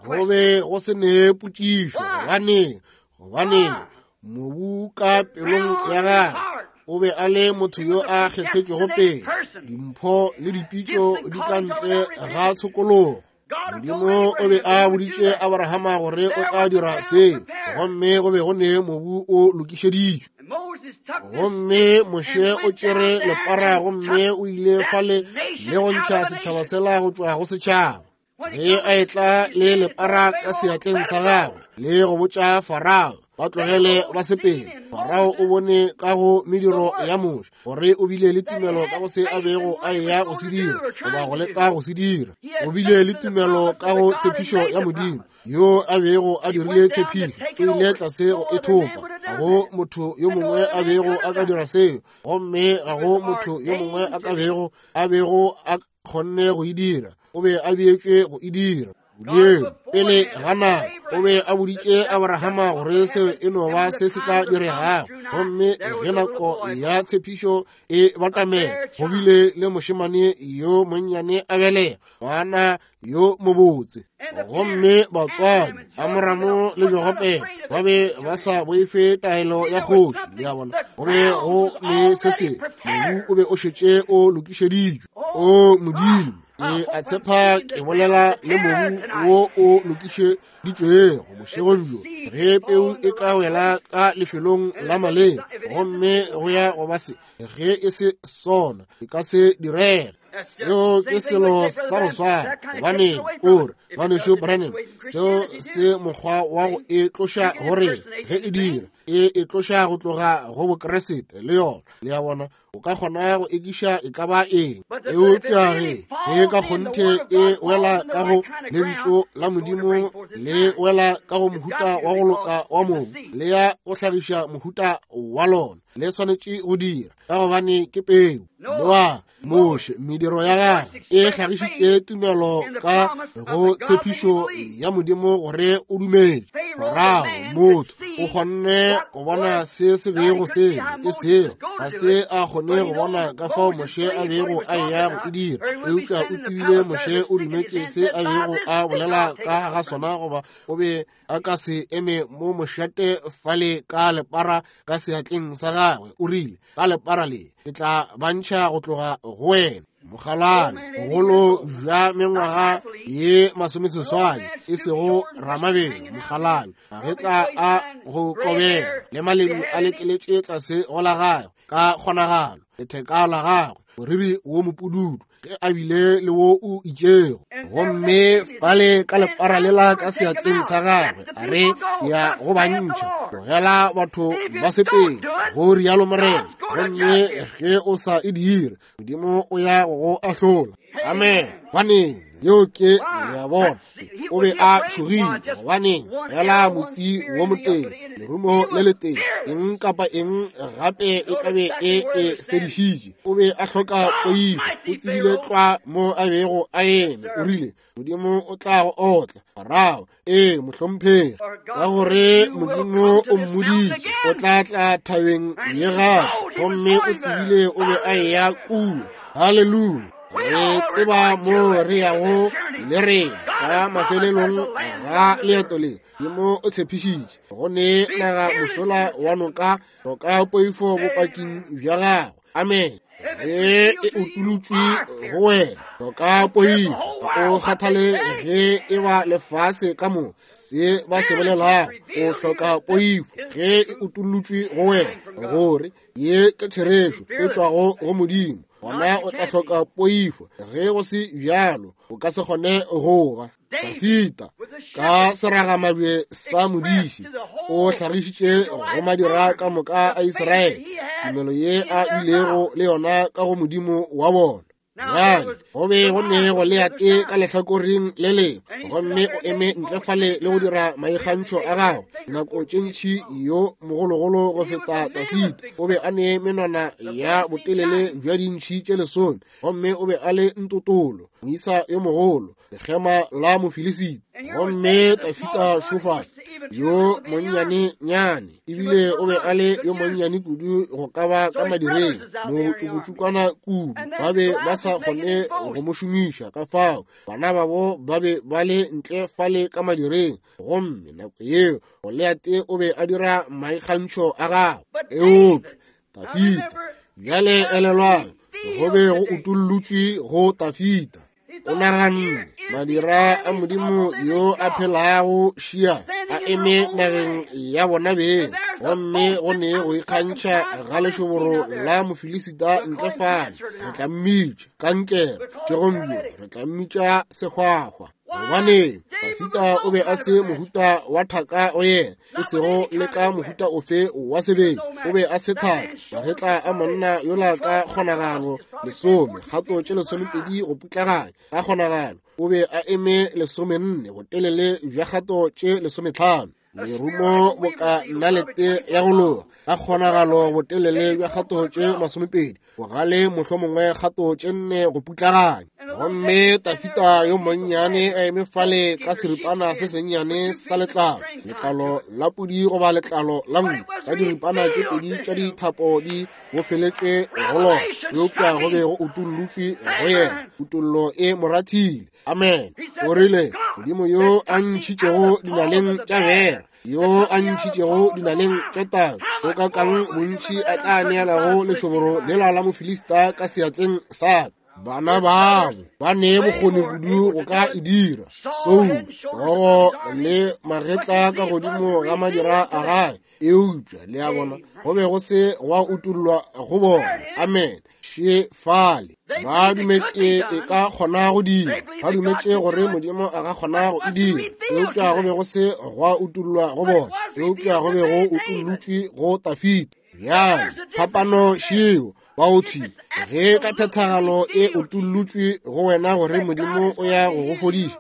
Go be go se ne potšišo. Gobaneng? Gobaneng mobu ka pelong ya gagwe o be a le motho yo a kgethetšwego pele, dimpho le dipitšo di ka ntle ga tshokologo. Modimo o be a boditše Abrahama gore o tla dira seo, gomme go be go ne mobu o lokišeditšwe. Gomme Moshe o tšere lepara gomme o ile fale le go ntšha setšhaba sela go tšwa go setšhaba. Ge a etla le lepara ka seatleng sa gagwe le go botša Farao ba tlogele ba sepele, Farao o bone ka go mediro ya Moshe gore o bile le tumelo ka go se a bego a eya go se dira goba go leka go se dira. O bile le tumelo ka go tshepišo ya Modimo yo a bego a dirile tshepišo, o ile tlase go e thopa. Ga go motho yo mongwe a bego a ka dira seo, gomme ga go motho yo mongwe a ka bego a bego a kgonne go e dira. O be a beetšwe go e dira. Modimo pele ga nako o be a boditše Abrahama gore seo e no ba se se tla diregago, gomme ge nako ya tshepišo e batamela, go bile le mošemane yo monnyane a belega ngwana yo mobotse. Gomme batswadi Amoramo le Jogopele ba be ba sa boife taelo ya kgoši. Le a bona, go be go le se sengwe, mobu o be o šetše o lokišeditšwe. O Modimo, ke a tshepa ke bolela le mobu wo o lokišeditšwego bošegong bjo. Ge peu e ka wela ka lefelong la maleba, gomme go ya go ba se, ge e se sona, e ka se direge. Seo ke selo sa go swana. Gobaneng o re, ngwanešu Branham, seo se mokgwa wa go e tloša gore ge e dira, e e tloša go tloga go Bokriste le yona. Le a bona, o ka kgona go ekiša e ka ba eng, eupša ge ge ka kgonthe e wela ka go lentšu la Modimo, le wela ka go mohuta wa go loka wa mobu, le ya go hlagiša mohuta wa lona, le swanetše go dira, ka gobane ke peu. Noa, Moshe, mediro ya gagwe e hlagišitše tumelo ka go tshepišo ya Modimo gore o dumetše. Farao, motho, o kgonne go bona se se bego se e sego, ga se a kgone go bona ka fao Moshe a bego a eya go e dira, eupša o tsebile Moshe o dumetše se a bego a bolela ka ga sona, goba o be a ka se eme mo mošate fale ka lepara ka seatleng sa gagwe. O rile, ka lepara le ke tla ba ntšha go tloga go wena. Mokgalabje, bogolo bja mengwaga ye masomeseswai, e sego ramabelo, mokgalabje, magetla a go kobega le maledu a lekeletše tlase go la gagwe ka kgonagalo, letheka la gagwe, moriri wo mopududu, ge a bile le wo o itšego. Gomme fale ka lepara lela ka seatleng sa gagwe, a re ya go bantšha, tlogela batho ba sepele, go rialo Morena. Gomme ge o sa e dire, Modimo o ya go go ahlola. Amen. Baneng, yeo ke ya bona. O be a tšhogile, gobaneng fela motsi wo motee, lerumo le letee, eng kapa eng gape e ka be e e fedišitše. O be a hloka poifo, o tsebile tlwa mo a bego a eme. O rile, Modimo o tla go otla. Farao, ee, mohlomphegi, ka gore Modimo o mmoditše o tla tla thabeng ye gape, gomme o tsebile o be a eya kua. Haleluya. Re tseba mo re yago le rena ka mafelelong ga leeto le. Modimo o tshepišitše go ne naga mošola wa noka, hloka poifo bopaking bja gago. Amen. Ge e utolotšwe go wena, hloka poifo. Ga o kgathale ge e ba lefase ka mo se ba se bolelago, o hloka poifo ge e utolotšwe go wena gore ye ke therešo e tšwago go Modimo. Gona o tla hloka poifo. Ge go se bjalo, o ka se kgone go ba. Dafita ka seragamabje sa modiši o hlagišitše go madira ka moka a Israele tumelo ye a bilego le yona ka go Modimo wa bona. Bjale go be go ne Goliate ka lehlakoreng le lengwe, gomme o eme ntle fale le go dira maikgantšho a gagwe. Nako tše ntši yo mogologolo go feta Dafita o be a ne menwana ya botelele bja dintšhi tše lesome, gomme o be a le ntotolo, moisa yo mogolo, lekgema la Mofilisita. Gomme Dafita šofa yo monnyane-nyane, ebile o be a le yo monnyane kudu go ka ba ka madireng, motšokotšokwana kudu, ba be ba sa kgone go mo šomiša. Ka fao bana babo ba be ba le ntle fale ka madireng, gomme nako yeo Goliate o be a dira maikgantšho a gagwe. Eupša Dafita, bjale elelwang, go be go utollotšwe go Dafita. O naganne, madira a Modimo yo a phelago šia a eme nageng ya bona beng, gomme go ne go ikgantšha ga lešoboro la Mofilisita ntle fale. Re tla mmitša kankere tšegong bjo, re tla mmitša sehwahwa. Gobaneng, Dafita o be a se mohuta wa thaka go yena, e sego le ka mohuta ofe wa sebele. O be a se thaka, magetla a monna yola ka kgonagalo lesome, kgato tše lesomepedi go putlaganya ka kgonagalo. O be a eme lesomenne, botelele bja kgato tše lesometlhano. Lerumo boka nalete ya go loga ka kgonagalo botelele bja kgato tše masomepedi, bogale mohlomongwe kgato tše nne go putlaganya. Gomme Dafita yo monnyane a eme fale ka seripana se sennyane sa letlalo, letlalo la pudi goba letlalo la nku, ka diripana tše pedi tša dithapo di bofeletšwe go lona, eupša go be go utollotšwe go yena. Utollo e morathile. Amen. O rile, Modimo yo a ntšhitšego dinaleng tša bera, yo a ntšhitšego dinaleng tša tau, o ka kang bontši a tla neelago lešoboro lela la Mofilista ka seatleng sa ka. Bana babo ba ne bokgoni kudu go ka e dira. Soulo, hlogo le magetla ka godimo ga madira a gagwe, eupša le a bona go be go se gwa utollwa go bona. Amen. Še fale ba dumetše e ka kgona go dira, ba dumetše gore Modimo a ka kgona go e dira, eupša go be go se gwa utollwa go bona, eupša go be go utollotšwe go Dafita. Bjale phapano šeo baothi, ge ka phethagalo e utollotšwe go wena gore Modimo o ya go go fodiša,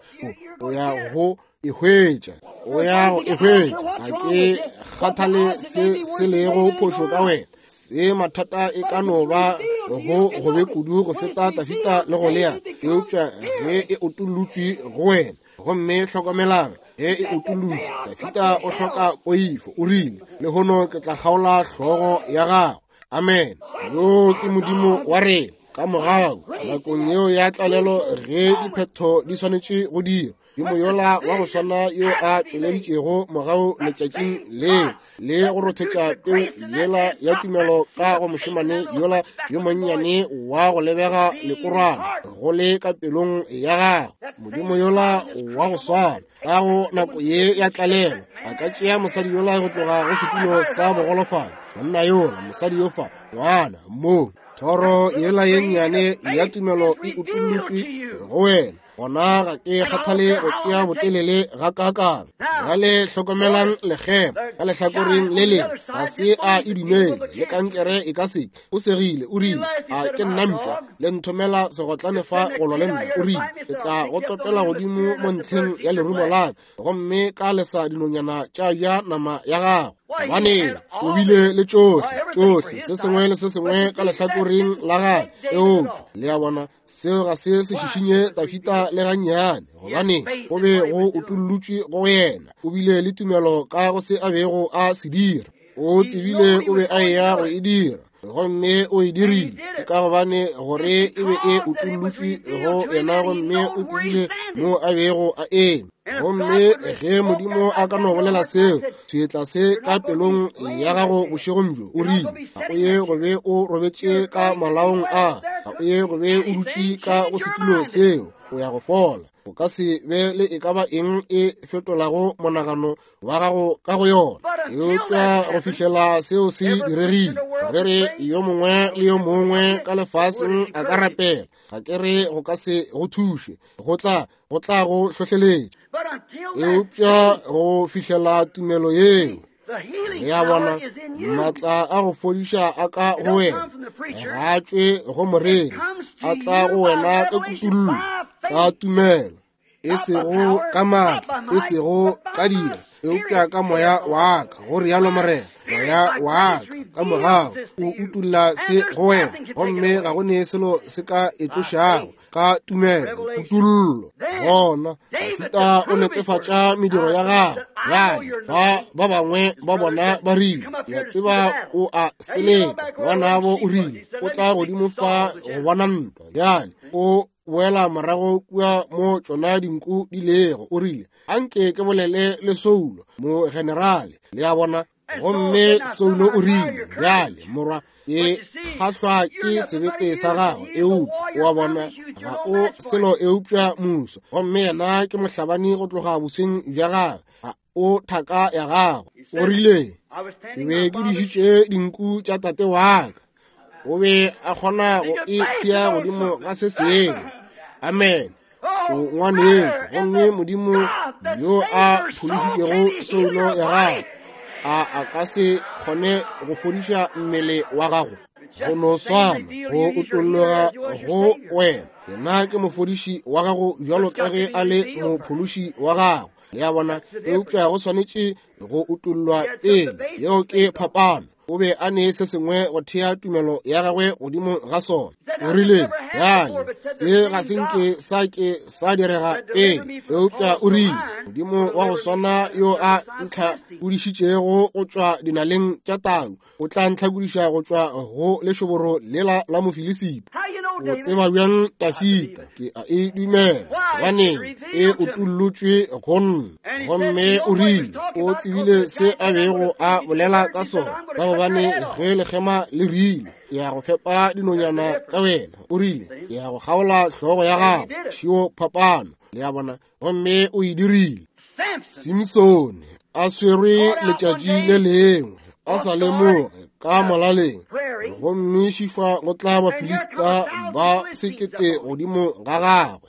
o ya go e hwetša, o ya go e hwetša. Ga ke kgathale se se lego phošo ka wena, se mathata e ka no ba go gobe kudu go feta Dafita le Goliate, eupša ge e utollotšwe go wena. Gomme hlokomelang, ge e utollotšwe, Dafita o hloka poifo. O rile, lehono ke tla kgaola hlogo ya gago. Amen. Yo ke Modimo wa rena. Ka mogau nakong yeo ya tlalelo, ge diphetho di swanetše go dira, Modimo yola wa go swana yo a tšweleditšego mogau letšatšing leo le go rothetša peu yela ya tumelo ka go mošemane yola yo monnyane wa go lebega lekorwana go le ka pelong ya gagwe. Modimo yola wa go swana ka go nako ye ya tlalelo a ka tšea mosadi yola go tloga go setulo sa bogolofadi, monna yola, mosadi yo fa, ngwana mo thoro yela ye nnyane ya tumelo e utullotšwe go wena. Gona ga ke kgathale go tšea botelele ga kakang. Bjale hlokomelang lekgema ka lehlakoreng le lengwe, ga se a e dumele le kankere e ka se. O segile, o rile, a ke nna mpša, le nthomela segotlane fa go lwa le nna. O rile, ke tla go topela godimo mo ntlheng ya lerumo la ka, gomme ka lesa dinonyana tša ja nama ya gago. Gobane o bile le tšohle, tšohle, se sengwe le se sengwe ka lehlakoreng la gagwe. Eupša le a bona, seo ga se se šišinye Dafida le gannyane, gobane go be go utullotšwe go yena. O bile le tumelo ka go se a bego a se dira. O tsebile o be a eya go e dira, gomme o e dirile ka gobane gore e be e utullotšwe go yena, gomme o tsebile mo a bego a eme. Gomme ge Modimo a ka no bolela seo, seetla se ka pelong ya gago bošegong bjo, o rile, ga o ye go be o robetše ka malaong a, ga o ye go be o dutše ka go setulo seo, o ya go fola. O ka se be le e ka ba eng e fetolago monagano wa gago ka go yona. Eupša go fihlela seo se diregile, re re yo mongwe le yo mongwe ka lefaseng a ka rapela, ga ke re go ka se go thuše, go tla go tla go hlohleletša. Eupša go fihlela tumelo yeo, le a bona, maatla a go fodiša a ka go wena, ga a tšwe go moreri, a tla go wena ka kutullo, ka tumelo, e sego ka maatla, e sego ka dira, eupša ka moya wa ka, go rialo Morena. Moya wa ka ka mogau o utulla se go wena, gomme ga go ne selo se ka e tlošago ka tumelo, kutullo. Gona Dafida o netefatša mediro ya gagwe. Bjale ba ba bangwe ba bona ba rile, ke a tseba o a seleka, ngwanabo o rile, o tla godimo fa go bona ntwa. Bjale o boela morago kua mo tšona dinku di lego. O rile, anke ke bolele le Saulo mo generale. Le a bona. Gomme Saulo o rile, bjale morwa, ke kgahlwa ke sebete sa gagwe, eupša o a bona ga o selo eupša muso, gomme yena ke mohlabani go tloga bosweng bja gagwe, ga o thaka ya gagwe. O rile, ke be ke dišitše dinku tša tate wa ka. O be a kgona go e thea godimo ga se sengwe. Amen. O ngwanetšo, gomme Modimo yo a phološitšego soulo ya gago, a a ka se kgone go fodiša mmele wa gago? Go no swana go utolloga go wena. Yena ke mofodiši wa gago bjalo ka ge a le mophološi wa gago. Le a bona, eupša go swanetše go utollwa pele. Yeo ke phapano. O be a ne se sengwe go thea tumelo ya gagwe godimo ga sona. O rile, bjale se ga se nke sa ke sa direga pele, eupša o rile, Modimo wa go swana yo a ntlhakodišitšego go tšwa dinaleng tša tau, o tla ntlhakodiša go tšwa go lešoboro lela la Mofilisita. O tseba bjang Dafida? Ke a e dumela, gobane e utullotšwe go nna. Gomme o rile, o tsebile se a bego a bolela ka sona, ka gobane ge lekgema le rile, ke ya go fepa dinonyana ka wena, o rile, ke ya go kgaola hlogo ya gago. Šio phapano, le a bona. Gomme o e dirile. Simsone a swerwe letšatši le lengwe a sa lemoge ka molaleng, gomme šifa go tla Bafilista ba sekete godimo ga gagwe.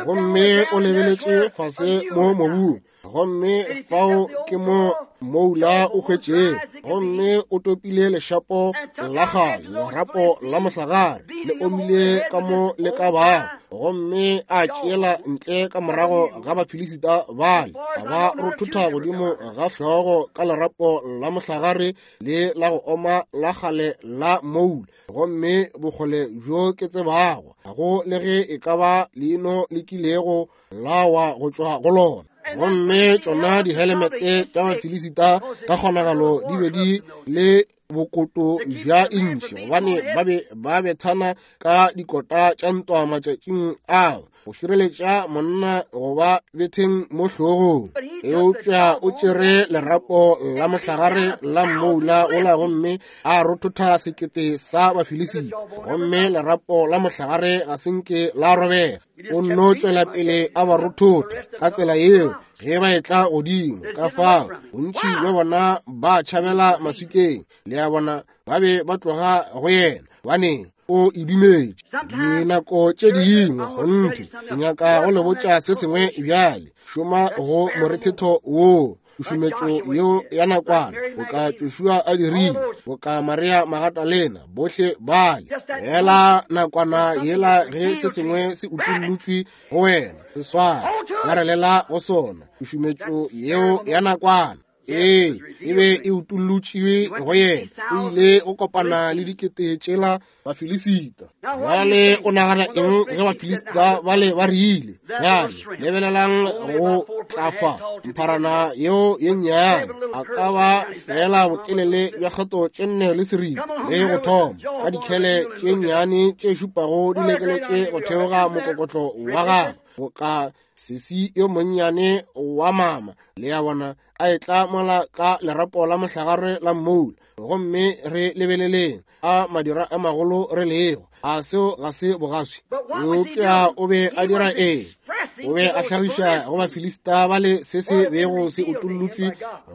Gomme o lebeletše fase mo mobung, gomme fao ke mo moula o hwetšego, gomme o topile lešapo la kgale, lerapo la mohlagare le omile ka mo le ka bago, gomme a tšeela ntle ka morago ga Bafilisita bale, a ba rothotha godimo ga hlogo ka lerapo la mohlagare le la go oma la kgale la moula. Gomme bokgole bjo ke tsebago, ga go le ge e ka ba leino le kilego la wa go tšwa go lona. Gomme tšona dihelemete tša Bafilisita ka kgonagalo di be di le bokoto bja intšhi, gobane ba be ba bethana ka dikota tša ntwa matšatšing ao go šireletša monna go ba betheng mo hlogong. Eupša o tšere lerapo la mohlagare la mmoula ola gomme a rothotha sekete sa Bafilisita, gomme lerapo la mohlagare ga se nke la robega. O nno tšwela pele a ba rothotha ka tsela yeo ge ba etla godimo. Ka fao bontši bja bona ba tšhabela maswikeng, le a bona, ba be ba tloga go yena, baneng o e dumetše. Dinako tše dingwe kgonthe ke nyaka go le botša se sengwe bjale. Šoma go morethetho woo, tšušumetšo yeo ya nakwana, boka Joshua a dirile, boka Maria Magdalena, bohle bale. Fela nakwana yela ge se sengwe se utollotšwe go wena, se sware, swarelela go sona. Tšušumetšo yeo ya nakwana, ee, e be e utollotšwe go yena. O ile go kopana le dikete tšela Bafilisita. Bjale o nagana eng ge Bafilisita bale ba rile? Bjale lebelelang go tla fa mpharana yeo ye nnyane, a ka ba fela botelele bja kgato tše nne le seripa le go thoma, ka dikhele tše nnyane tše šupago di lekeletše go theoga mokokotlo wa gagwe, boka sesi yo monnyane wa mama, le a bona, a etla mola ka lerapo la mohlagare la mmoula. Gomme re lebeleleng a madira a magolo re lego, a seo ga se bogaswi. Eupša o be a dira eng? O be a hlagiša go Bafilista ba le se se bego se utollotšwe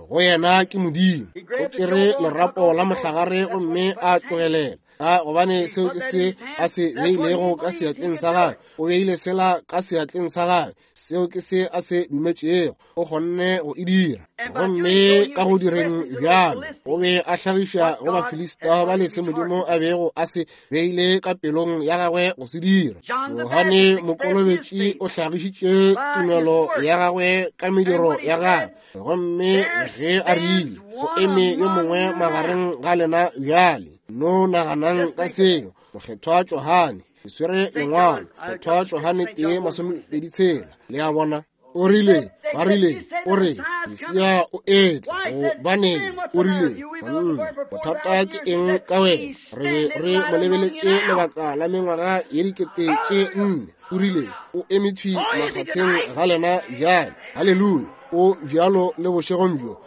go yena ke Modimo. O tšere lerapo la mohlagare gomme a tlogelela, ka gobane seo ke se a se beilego ka seatleng sa gagwe. O beile sela ka seatleng sa gagwe, seo ke se a se dumetšego, o kgonne go e dira. Gomme ka go direng bjalo, o be a hlagiša go Bafilista ba le se Modimo a bego a se beile ka pelong ya gagwe go se dira. Johane Mokolobetši o hlagišitše tumelo ya gagwe ka mediro ya gagwe, gomme ge a rile, go eme yo mongwe magareng ga lena bjale. No naganang ka seo. Mokgethwa Johane, ke swere lengwalo, Mokgethwa Johane tee masomepedi tshela, le a bona. O rile, ba rile, o re, Mesia o etla, gobaneng, o rile, monna, bothata ke eng ka wena? Re be re mo lebeletše lebaka la mengwaga ye dikete tše nne. O rile, o eme thwi makgatheng ga lena bjale. Haleluya! O bjalo le bošegong bjo.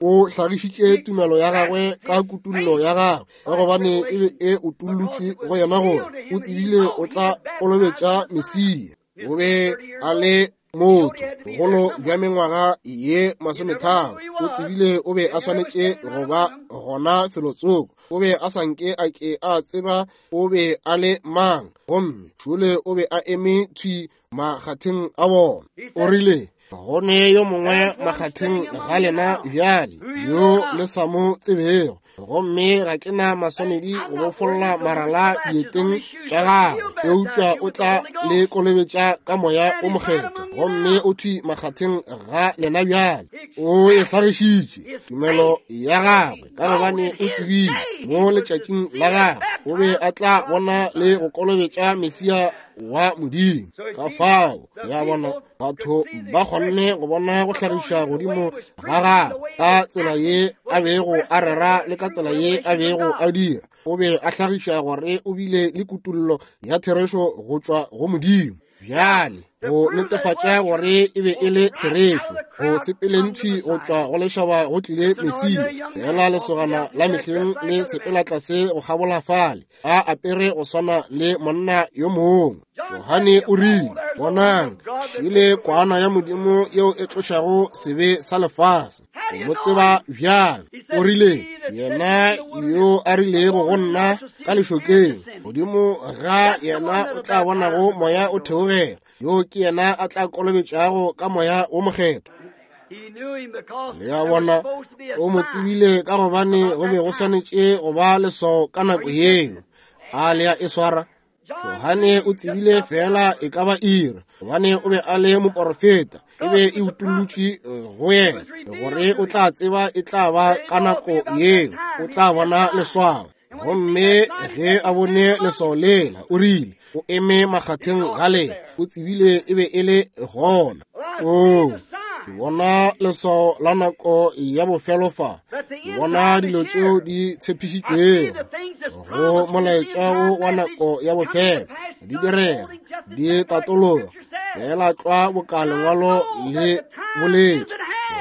O hlagišitše tumelo ya gagwe ka kutullo ya gagwe, ka gobane e be e utollotšwe go yena gore o tsebile o tla kolobetša Mesia. O be a le motho bogolo bja mengwaga ye masometharo. O tsebile o be a swanetše go ba gona felotsoko. O be a sa nke a ke a tseba o be a le mang, gomme šole o be a eme thwi makgatheng a bona. O rile, go ne yo mongwe makgatheng ga lena bjale yo le sa mo tsebego, gomme ga ke na maswanedi go bofolla marala dieteng tša gagwe, eupša o tla le kolobetša ka moya o mokgethwa, gomme o thwi makgatheng ga lena bjale. O e hlagišitše tumelo ya gagwe ka gobane o tsebile mo letšatšing la gagwe o be a tla bona le go kolobetša Mesia wa Modimo. Ka fao ya bona batho ba kgonne go bona go hlagiša godimo ga gagwe ka tsela ye a bego a rera le ka tsela ye a bego a dira. O be a hlagiša gore o bile le kutullo ya therešo go tšwa go Modimo. Bjale go netefatša gore e be e le therešo, go sepeleng thwi go tšwa go lešaba go tlile Mesia, fela lesogana la mehleng le sepela tlase go kgabola fale, a apere go swana le monna yo mongwe. Johane o rile, bonang, šile kwana ya Modimo yeo e tlošago sebe sa lefase. O mo tseba bjang? O rile, yena yo a rilego go nna ka lešokeng, godimo ga yena o tla bonago moya o theogela, yo ke yena a tla kolobetšago ka moya wo mokgethwa. Le a bona, o mo tsebile ka gobane go be go swanetše go ba leswao ka nako yeo. A le a e swara? Johane o tsebile fela e ka ba iri, gobane o be a le moporofeta, e be e utollotšwe go yena gore o tla tseba e tla ba ka nako yeo, o tla bona leswao. Gomme ge a bone leswao lela, o rile, o eme makgatheng ga lena, o tsebile e be e le gona. O, ke bona leswao la nako ya bofelo fa. Ke bona dilo tšeo di tshepišitšwego go molaetša wo wa nako ya bofelo di direga, di tatologa fela tlwa boka lengwalo le boletše,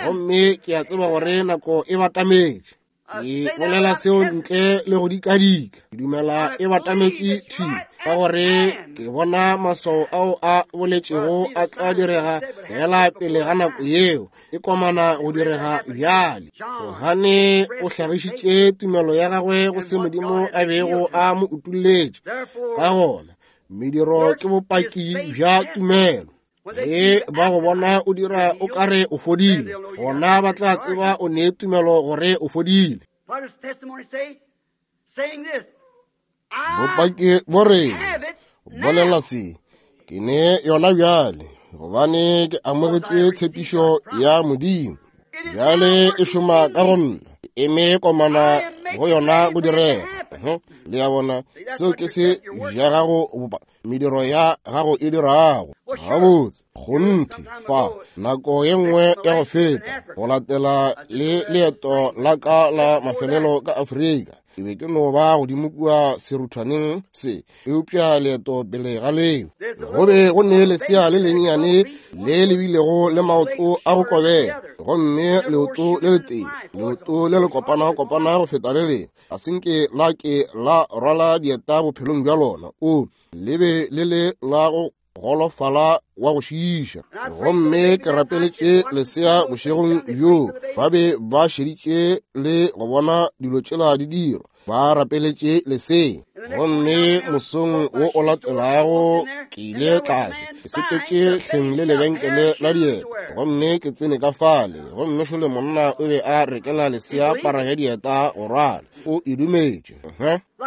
gomme ke a tseba gore nako e batametše. Ke bolela seo ntle le go dikadika. Ke dumela e batametše thwi, ka gore ke bona maswao ao a boletšego a tla direga fela pele ga nako yeo e komana go direga bjale. Johane o hlagišitše tumelo ya gagwe go se Modimo a bego a mo utolletše. Ka gona mediro ke bopaki bja tumelo. Ge ba go bona o dira o kare o fodile, gona ba tla tseba o ne tumelo gore o fodile. Bopaki bo re bolela se, ke ne yona bjale, gobane ke amogetše tshepišo ya Modimo. Bjale e šoma ka go nna, ke eme komana go yona go direga. Le ya bona, seo ke se bja gago bopa mediro ya gago e dirago. Gabotse, kgonthe fa nako ye nngwe ya go feta go latela le leeto la ka la mafelelo ka Afrika, ke be ke no ba godimo kua seruthwaneng se, eupša leeto pele ga leo go be go ne lesea le lennyane le le bilego le maoto a go kobega, gomme leoto le letee, leoto le le kopana-kopana go feta le lengwe, ga se nke la ke la rwala dieta bophelong bja lona. O le be le le la go golofala wa go šiiša. Gomme ke rapeletše lesea bošegong bjoo. Ba be ba šeditše le go bona dilo tšela di dirwa, ba rapeletše lesea. Gomme mosong wo o latelago ke ile tlase, ke sepetše hleng le lebenkele la dieta, gomme ke tsene ka fale, gomme šole monna o be a rekela lesea para ya dieta go rwala. O e dumetše.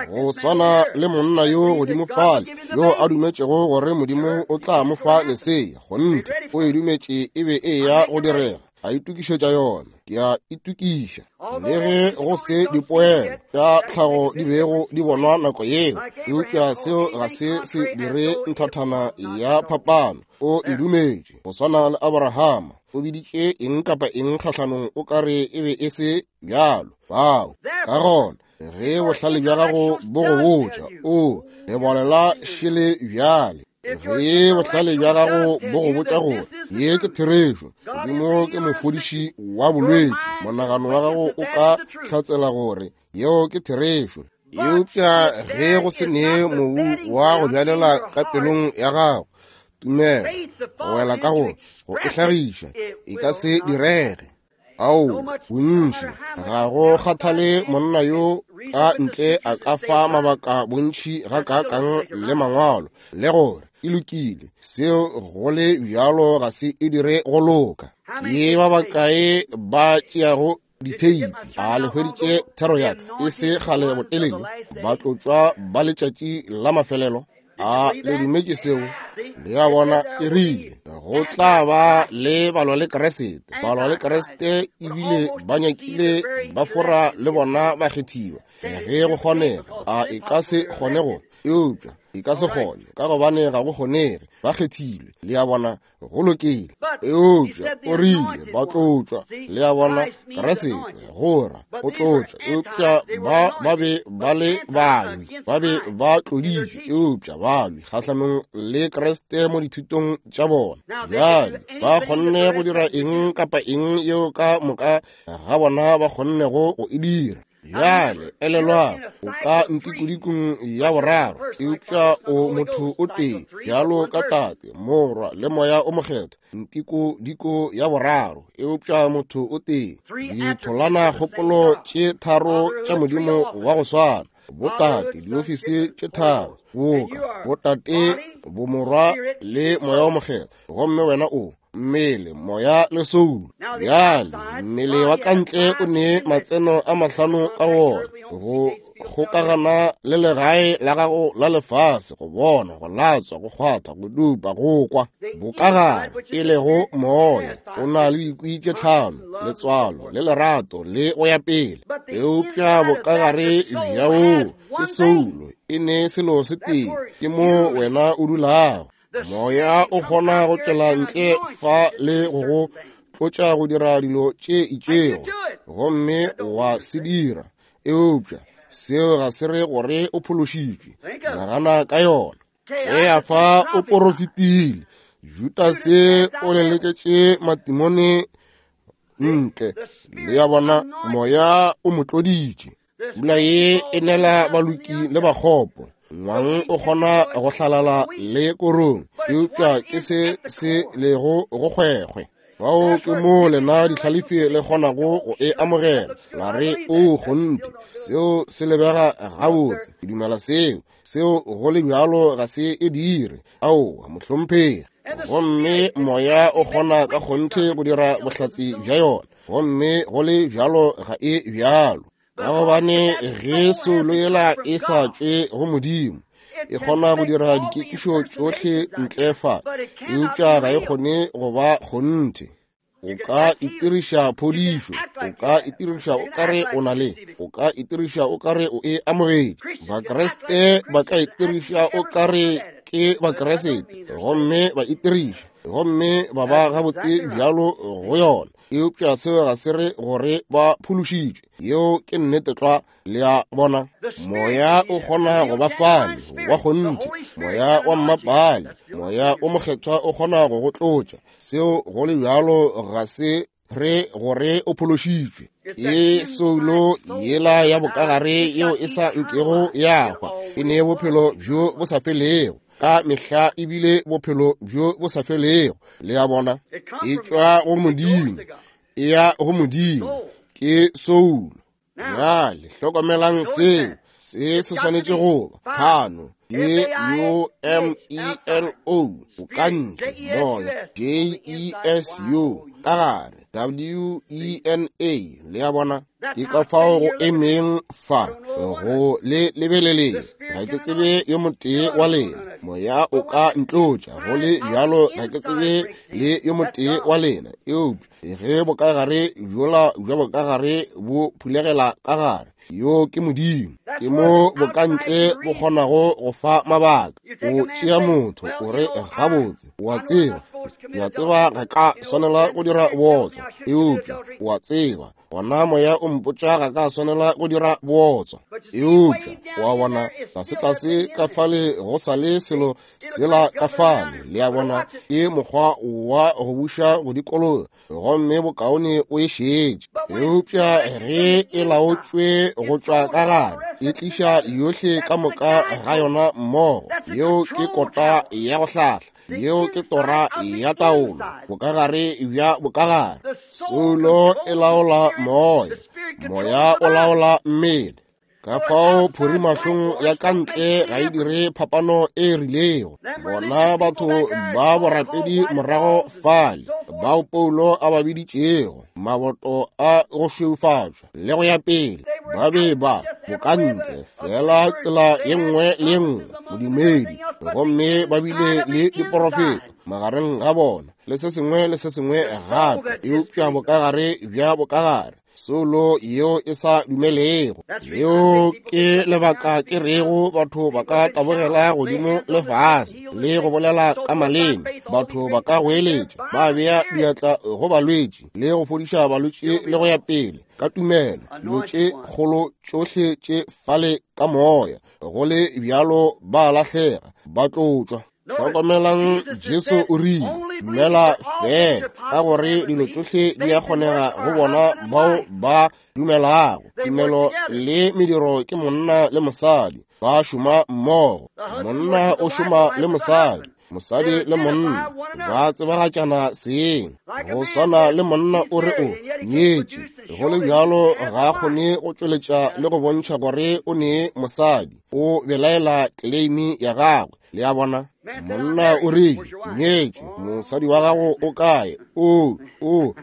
Go swana le monna yo godimo fale yo a dumetšego gore Modimo o tla mo fa lesea, kgonthe o e dumetše e be e ya go direga. A itokišetša yona, ke a itokiša. Le ge go se dipoelo tša tlhago di bego di bonwa nako yeo, eupša seo ga se se dire nthathana ya phapano. O e dumetše. Go swana le Abrahama, o biditše eng kapa eng kgahlanong o kare e be e se bjalo. Bao ka gona ge bohlale bja gago bo go botša, o lebolela šele bjale. Ge bohlale bja gago bo go botša gore ye ke therešo, Modimo ke mofodiši wa bolwetši, monagano wa gago o ka hlatsela gore yeo ke therešo. Eupša ge go se ne mobu wa go bjalela ka pelong ya gago tumelo go wela ka go go e hlagiša, e ka se direge. Ao, bontši ga go kgathale monna yo ka ntle a ka fa mabaka bontši ga kaakang le mangwalo le gore e lokile, seo go le bjalo ga se e dire go loka. Ke ba bakae ba tšeago ditheipi? A le hweditše thero ya ka e se kgale botelele, ba tlotšwa ba letšatši la mafelelo? A le dumetše seo? Le a bona, e rile go tla ba le balwa le Kriste. Balwa le Kriste ebile ba nyakile ba fora le bona ba kgethiwa. Ge go kgonega, a e ka se kgone go, eupša e ka se kgone ka gobane ga go kgonege, ba kgethilwe. Le a bona, go lokile. Eupša o rile ba tlotšwa. Le a bona, Kriste gora o tlotšwa, eupša ba ba be ba le balwi, ba be ba tloditšwe, eupša balwi kgahlanong le Kriste mo dithutong tša bona. Bjale ba kgonne go dira eng kapa eng yeo ka moka ga bona ba kgonnego go e dira. Bjale elelwang, o ka ntikodikong ya boraro, eupša o motho o tee, bjalo ka Tate, Morwa le Moya o Mokgethwa. Ntikodiko ya boraro, eupša motho o tee. Ditholana kgopolo tše tharo tša Modimo wa go swana, botate, diofisi tše tharo, boka botate, bomorwa le Moya o Mokgethwa. Gomme wena o mmele, moya le soulo. Bjale mmele wa ka ntle o ne matseno a mahlano ka wona, go kgokagana le legae la gago la lefase, go bona, go latswa, go kgwatha, go dupa, go kwa. Bokagare e lego moya o na le dikwi tše tlhano, letswalo le lerato le go ya pele. Eupša bokagare bja woo ke soulo, e ne selo se tee, ke mo wena o dulago. Moya o kgona go tšwela ntle fa le go go tlotša go dira dilo tše itšego, gomme wa se dira, eupša seo ga se re gore o phološitšwe. Nagana ka yona. Keafa o porofetile, Judase o leleketše matimone ntle. Le ya bona, moya o mo tloditše. Pula ye e nela baloki le bakgopo. Ngwang o kgona go hlalala le korong, eupša ke se se lego go kgwekgwe. Fao ke mo lena dihlalefi le kgonago go e amogela, la re o kgonthe, seo se lebega gabotse, ke dumela seo. Seo go le bjalo ga se e dire. Aowa, mohlomphegi. Gomme moya o kgona ka kgonthe go dira bohlatse bja yona, gomme go le bjalo ga e bjalo. Ka gobane ge soulo yela e sa tšwe go Modimo, e kgona go dira dikekišo tšohle ntle fa, eupša ga e kgone go ba kgonthe. O ka itiriša phodišo, o ka itiriša o kare o na le, o ka itiriša o kare o e amogetše. Bakreste ba ka itiriša o kare ke Bakreste, gomme ba itiriša, gomme ba ba gabotse bjalo go yona, eupša seo ga se re gore ba phološitšwe. Yeo ke nnete tlwa. Le a bona, moya o kgona go ba fale wa kgonthe, moya wa mmapale, moya o mokgethwa o kgona go go tlotša. Seo go le bjalo ga se re gore o phološitšwe. Ke soulo yela ya bokagare yeo e sa nkego ya hwa, e ne bophelo bjo bo sa felego ka mehla, ebile bophelo bjo bo sa felego. Le a bona, e tšwa go Modimo, e ya go Modimo, ke soulo. Bjale hlokomelang seo, se se swanetše go ba tlhano. K U M E L O, o ka ntle, moya, J E S U, ka gare, W E N A. Le a bona, ke ka fao go emeng fa go le lebeleleng. Ga ke tsebe yo motee wa lena. Moya o ka ntlotša, go le bjalo ga ke tsebe le yo motee wa lena. Eupša ge bokagare bjola bja bokagare bo phulegela ka gare, yo ke Modimo. Ke mo bokantle bo kgonago go fa mabaka. O tšea motho o re gabotse, o a tseba, ke a tseba ga ka swanela go dira bootswa, eupša o a tseba gona moya o mpotša ga ka swanela go dira bootswa. Eupša o a bona, tlase-tlase ka fale go sa le selo sela ka fale. Le a bona, ke mokgwa wa go buša go dikologa, gomme bokaone o e šetše. Eupša ge e laotšwe go tšwa ka gare, e tliša yohle ka moka ga yona mmogo. Yeo ke kota ya go hlahla, yeo ke tora ya taolo, bokagare bja bokagare. Soulo e laola moya, moya o laola mmele. Ka fao phorimahlong ya ka ntle ga e dire phapano e rilego. Bona batho ba borapedi morago fale, bao Paulo a ba biditšego maboto a go šweufatšwa le go ya pele, ba be ba bokantle fela tsela ye nngwe le ye nngwe bodumedi, gomme ba bile le diporofeto magareng ga bona le se sengwe le se sengwe gape, eupša bokagare bja bokagare, soulo yeo e sa dumelego. Leo ke lebaka ke rego batho ba ka tabogela godimo le fase le go bolela ka maleme, batho ba ka goeletša, ba bea diatla go balwetši le go fodiša balwetši le go ya pele ka tumelo, dilo tše kgolo tšohle tše fale ka moya, go le bjalo ba lahlega, ba tlotšwa. Hlokomelang, Jesu o rile, dumela fela, ka gore dilo tšohle di a kgonega go bona bao ba dumelago. Tumelo le mediro ke monna le mosadi ba šoma mmogo. Monna o šoma le mosadi, mosadi le monna ba tsebagatšana seng. Go swana le monna o re o nyetše, go le bjalo ga a kgone go tšweletša le go bontšha gore o ne mosadi, o belaela claim ya gagwe. Le a bona, monna o rile nyetše, mosadi wa gago o kae? O o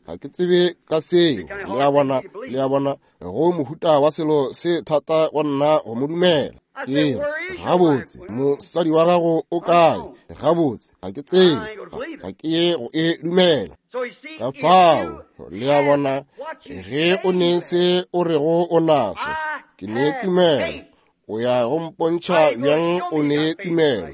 ga ke tsebe ka seo. Le a bona, le a bona, go mohuta wa selo se thata go nna go mo dumela. Ke gabotse, mosadi wa gago o kae? Gabotse, ga ke tsebe, ga ke ye go e dumela. Ka fao, le a bona, ge o ne se o rego o naso, ke ne tumelo. O ya go mpontšha bjang o ne tumelo?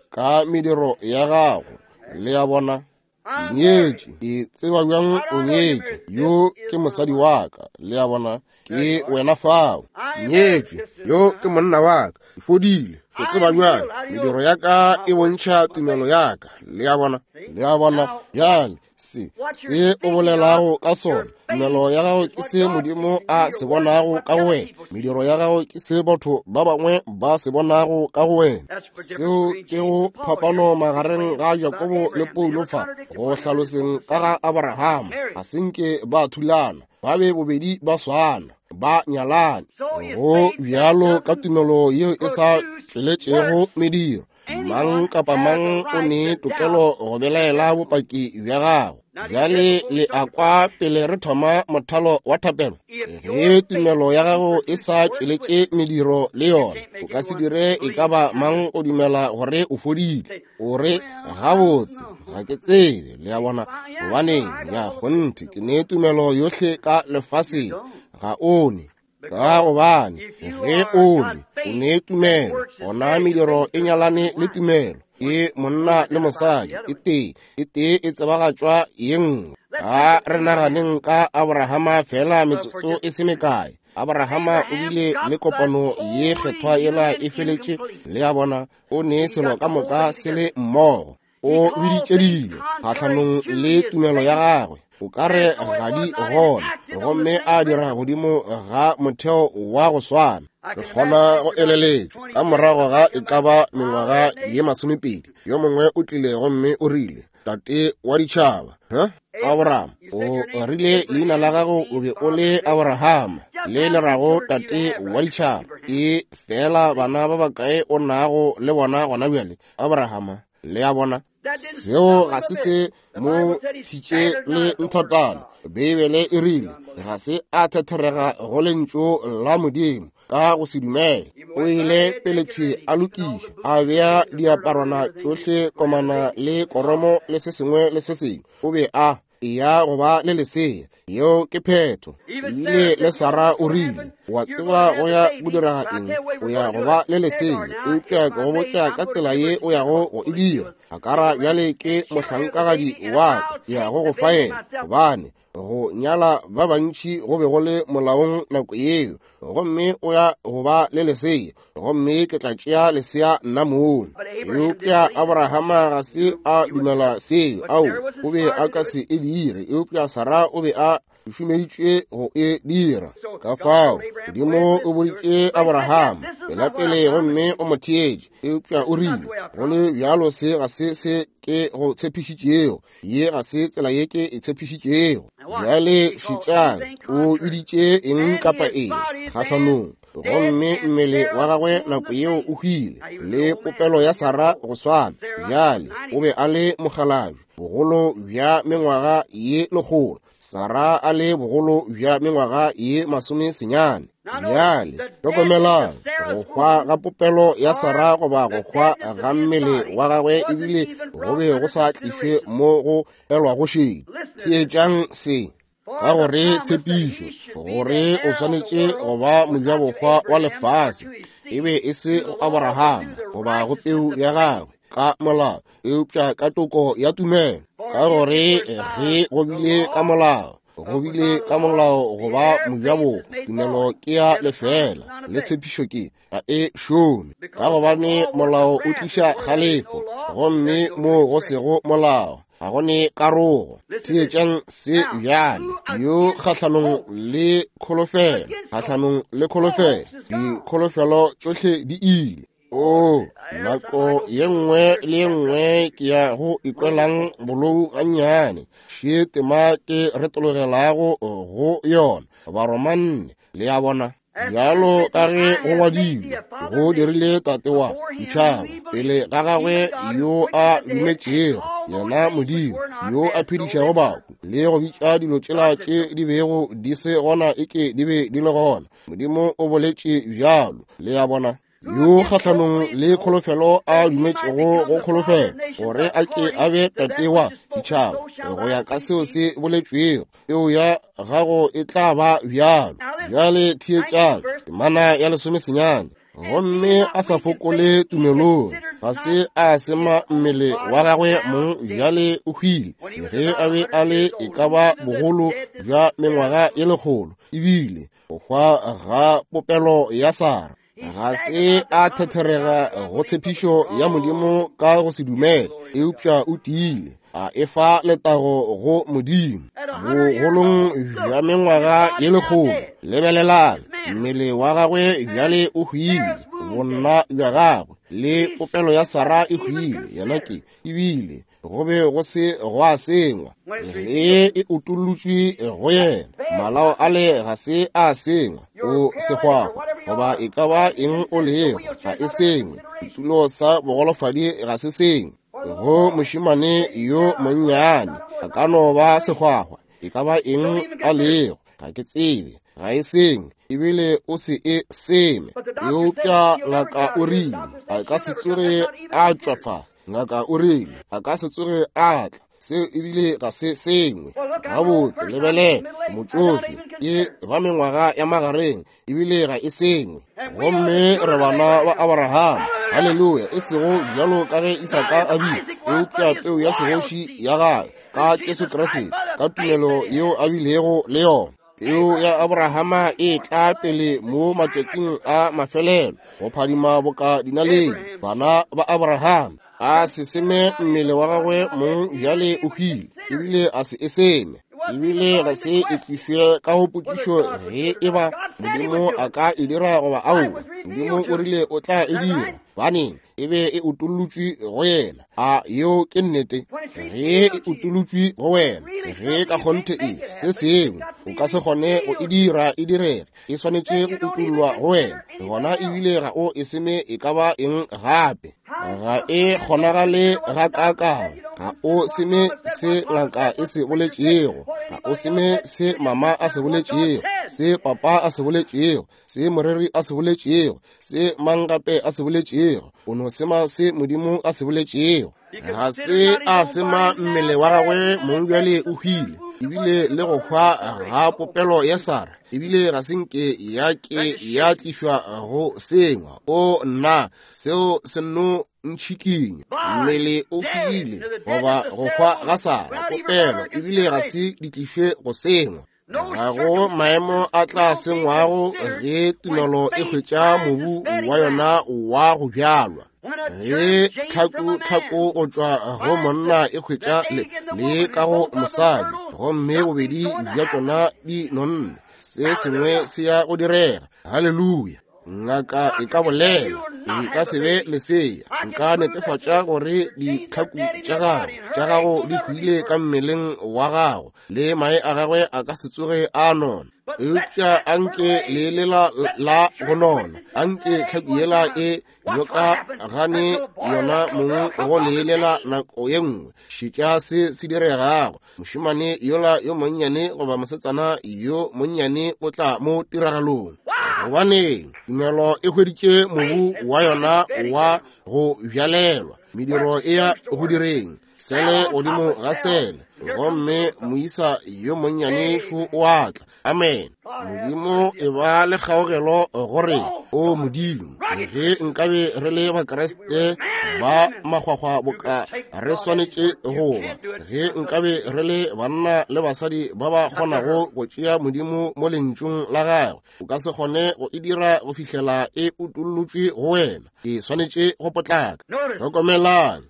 Ka mediro ya gago. Le a bona. Ke nyetše. Ke tseba bjang o nyetše? Yo ke mosadi wa ka. Le a bona? Ke wena fao. Ke nyetše. Yo ke monna wa ka. Ke fodile. O tseba bjang? Mediro ya ka e bontšha tumelo ya ka. Le a bona? Le a bona? Bjale se se o bolelago ka sona, tumelo ya gago ke se Modimo a se bonago ka go wena. Mediro ya gago ke se batho ba bangwe ba se bonago ka go wena. Seo ke go phapano magareng ga Jakobo le Paulo fa go hlaloseng ka ga Abrahama. Ga se nke ba thulana, ba be bobedi ba swana, ba nyalane. Go bjalo ka tumelo yeo e sa tšweletšego mediro. Mang kapa mang o ne tokelo go belaela bopaki bja gago. Bjale le a kwa pele re thoma mothalo wa thapelo. Ge tumelo ya gago e sa tšweletše mediro le yona, o ka se dire e ka ba mang o dumela gore o fodile. O re, gabotse, ga ke tsebe. Le a bona? Gobaneng, ya kgonthe, ke ne tumelo yohle ka lefaseng. Ga o ne. Ka gobane ge o ne o ne tumelo, gona mediro e nyalane le tumelo. Ke monna le mosadi, e tee e tee e tsebagatšwa ye nngwe. A re naganeng ka Abrahama fela metsotso e se mekae. Abrahama o bile le kopano ye kgethwa yela e feletše. Le a bona? O ne selo ka moka se le mmogo. O biditše dilo kgahlanong le tumelo ya gagwe, o ka re ga di gona, gomme a dira godimo ga motheo wa go swana. Re kgona go eleletša ka morago ga e ka ba mengwaga ye masomepedi, yo mongwe o tlile gomme o rile, Tate wa ditšhaba, huh? Abraham, o rile leina la gago o be o le Abrahama, le le rago tate wa ditšhaba. Ke fela bana ba bakae o nago le bona gona bjale, Abrahama? Le a bona? Seo ga se se mo thitše le nthotana. Beibele e rile ga se a thetherega go lentšu la Modimo ka go se dumele. O ile pele thwi a lokiša, a bea diaparwana tšohle komana le koromo le se sengwe le se sengwe. O be a eya go ba le lesea. Yeo ke phetho. Ebile le Sara o rile, wa tseba go ya go dira eng? O ya go ba le lesea, eupša ke go botša ka tsela ye o yago go e dira. Akara bjale ke mohlankagadi wa ka, ke ya go go fa yena, gobane go nyala ba bantši go be go le molaong nako yeo. Gomme o ya go ba le lesea, gomme ke tla tšea lesea nna mong. Eupša Abrahama ga se a dumela seo. Ao, o be a ka se e dire, eupša Sara o be a šomeditšwe go e dira. Ka fao Modimo o boditše Abrahama pela pele gomme o mo theetše, eupša o rile, go le bjalo se ga se se ke go tshepišitšego, ye ga se tsela ye ke e tshepišitšego. Bjale šetšang, o biditše eng kapa eng kgahlanong, gomme mmele wa gagwe nako yeo o hwile, le popelo ya Sara go swana. Bjale o be a le mokgalabje, bogolo bja mengwaga ye lekgolo, Sara a le bogolo bja mengwaga ye masome senyane. Bjale hlokomelang, go hwa ga popelo ya Sara goba go hwa ga mmele wa gagwe ebile go be go sa tlišwe mo go elwago šedi. Theetšang se, ka gore tshepišo gore o swanetše go ba mojabohwa wa lefase e be e se go Abrahama goba go peu ya gagwe ka molao, eupša ka toko ya tumelo. Ka gore ge go bile ka molao, go bile ka molao go ba mojabohwa, tumelo ke ya lefela le tshepišo ke ga e šome. Ka gobane molao o tliša kgalefo, gomme mo go sego molao ga go ne karogo. Theetšang se bjale, yo kgahlanong le kholofelo, kgahlanong le kholofelo, dikholofelo tšohle di ile. O nako ye nngwe le ye nngwe ke ya go ikwelang bolou gannyane, še tema ke retologelago go yona, Baromanne. Le a bona? Bjalo ka ge go ngwadilwe, go dirile tate wa ditšhaba pele ga gagwe yo a dumetšego, yena Modimo yo a phedišago bahu, le go bitša dilo tšela tše di bego di se gona eke di be di le gona. Modimo o boletše bjalo. Le a bona? Yo kgahlanong le kholofelo a dumetšego go kholofelo, gore a ke a be tate wa ditšhaba go ya ka seo se boletšwego, peo ya gago e tla ba bjalo. Bjale theetšang temana ya lesomesenyane. Gomme a sa fokole tumelong, Ga se a sema mmele wa gagwe mong bjale o hwile ge a be a le e ka ba bogolo bja mengwaga ye lekgolo, ebile go hwa ga popelo ya Sara. Ga se a thetherega go tshepišo ya Modimo ka go se dumele, eupša o tiile a efa letago go Modimo. Bogolong bja mengwaga ye lekgolo, lebelelang, mmele wa gagwe bjale o hwile, bonna bja gagwe le popelo ya Sara e hwile, yena ke ebile go be go se gwa sengwa. Ge e utollotšwe go yena, malao ale ga se a sengwa, o sehwahwa goba e ka ba eng o lego, ga e sengwe. Setulo sa bogolofadi ga se sengwe. Go mošemane yo monnyane a ka no ba sehwahwa, e ka ba eng a lego, ga ke tsebe, ga e sengwe, ebile o se e seme. Eupša ngaka o rile a ka se tsoge a tšwa fa, ngaka o rile a ka se tsoge a tla, seo ebile ga se sengwe. Gabotse, lebelela, motšofe ke ba mengwaga ya magareng, ebile ga e sengwe. Gomme re bana ba Abraham, haleluya, e sego bjalo ka ge Isaka a bile, eupša peu ya segoši ya gagwe ka Jesu Kriste, ka tumelo yeo a bilego le yona. Peu ya Abrahama e tla pele mo matšatšing a mafelelo, go phadima boka dinaledi. Bana ba Abraham a se seme mmele wa gagwe mong bjale o hwile, ebile a se e seme, ebile ga se e tlišwe ka go potšišo ge e ba Modimo a ka e dira goba aowa. Modimo o rile o tla e dira, baneng e be e utollotšwe go yena. A yeo ke nnete? Ge e utollotšwe go wena, ge ka kgonthe e se sengwe o ka se kgone go e dira e direge, e swanetše go utollwa go wena, gona ebile ga o e seme e ka ba eng gape. Ga e kgonagale ga kaakang. Ga o seme se ngaka e se boletšego, ga o seme se mama a se boletšego, se papa a se boletšego, se moreri a se boletšego, se mang gape a se boletšego. O no sema se Modimo a se boletšego. Ga se a sema mmele wa gagwe mong bjale o hwile, ebile le go hwa ga popelo ya Sara, ebile ga se nke ya ke ya tlišwa go sengwa. O nna, seo se nno ntšhikinya. Mmele o hwile goba go hwa ga Sara popelo, ebile ga se di tlišwe go sengwa. Ga go maemo a tla sengwago ge tumelo e hwetša mobu wa yona wa go bjalwa. Ge tlhaku tlhaku go tšwa go monna e hwetša le, le ka go mosadi, gomme bobedi bja tšona di nonne, se sengwe se ya go direga. Haleluya. Ngaka e ka bolela, e ka se be lesea. Nka netefatša gore ditlhaku tša gago tša gago di hwile ka mmeleng wa gago, le mae a gagwe a ka se tsoge a nona. Eupša anke le lela la go nona, anke tlhaku yela e yoka gane yona mong go lelela nako ye nngwe. Šetša se se diregago. Mošemane yola yo monnyane goba mosetsana yo monnyane o tla mo tiragalong. Gobane tumelo e hweditše mobu wa yona wa go bjalelwa, mediro e ya go direng sele godimo ga sele, gomme moisa yo monnyane šo o a tla. Amen. Modimo e ba le kgaogelo gore o Modimo, ge nkabe re le Bakriste ba makgwakgwa boka re swanetše go ba, ge nkabe re le banna le basadi ba ba kgonago go tšea Modimo mo lentšung la gagwe, o ka se kgone go e dira go fihlela e utollotšwe go wena. E swanetše go potlaka. Hlokomelang,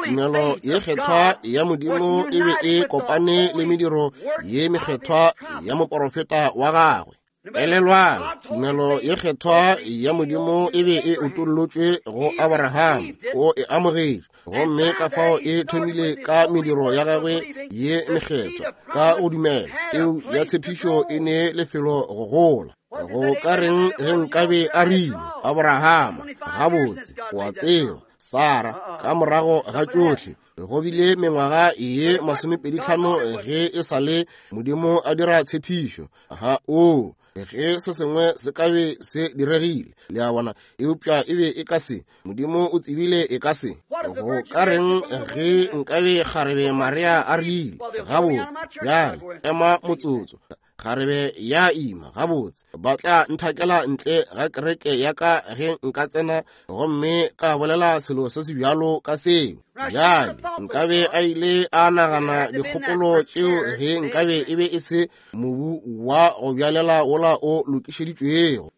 tumelo ye kgethwa ya Modimo e be e kopane le mediro ye mekgethwa ya moporofeta wa gagwe. Elelwang, tumelo ye kgethwa ya Modimo e be e utollotšwe go Abraham, o e amogetše, gomme ka fao e thomile ka mediro ya gagwe ye mekgethwa ka go dumela. Eo ya tshepišo e ne lefelo go gola. Go ka reng ge nkabe a rile, Abrahama, gabotse, o a tseba, Sara, ka morago ga tšohle, go bile mengwaga ye masomepedi tlhano ge e sa le Modimo a dira tshepišo. Ha o ge se sengwe se ka be se diregile, le a bona, eupša e be e ka se. Modimo o tsebile e ka se. Go ka reng ge nkabe kgarebe Maria a rile, gabotse, bjale ema motsotso, Kgarebe ya ima gabotse, ba tla nthakela ntle ga kereke ya ka ge nka tsena gomme ka bolela selo se se bjalo ka seo. Bjale nkabe a ile a nagana dikgopolo tšeo ge nkabe e be e se mobu wa go bjalela wola o lokišeditšwego.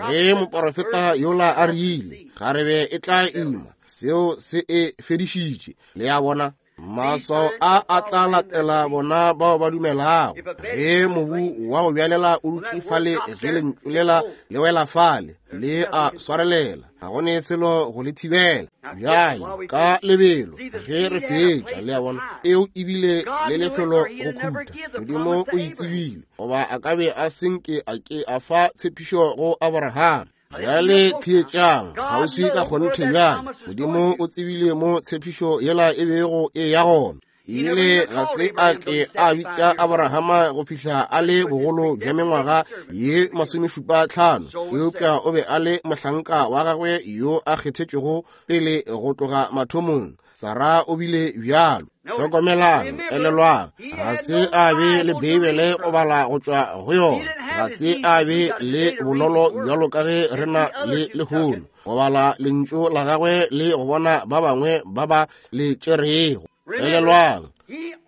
Ge moporofeta yola a rile kgarebe e tla ima, seo se e fedišitše. Le a bona, maswao a a tla latela bona bao ba dumelago. Ge mobu wa go bjalela o dutše fale, ge lentšu lela le wela fale, le a swarelela, ga go ne selo go le thibela. Bjale ka lebelo ge re fetša, le a bona, eo ebile le lefelo go khuta. Modimo o itsebile, goba a ka be a senke a ke a fa tshepišo go Abraham. Bjale theetšang kgauswi ka kgonthe bjale. Modimo o tsebile mo tshepišo yela e bego e ya gona. Ebile ga se a ke a bitša Abrahama go fihla a le bogolo bja mengwaga ye masomešupa tlhano, eupša o be a le mohlanka wa gagwe yo a kgethetšwego pele go tloga mathomong. Sara o bile bjalo. Hlokomelang, elelwang, ga se a be le Beibele go bala go tšwa go yona. Ga se a be le bonolo bjalo ka ge re na le lehono go bala lentšu la gagwe le go bona ba bangwe ba ba le tšerego. Elelwang,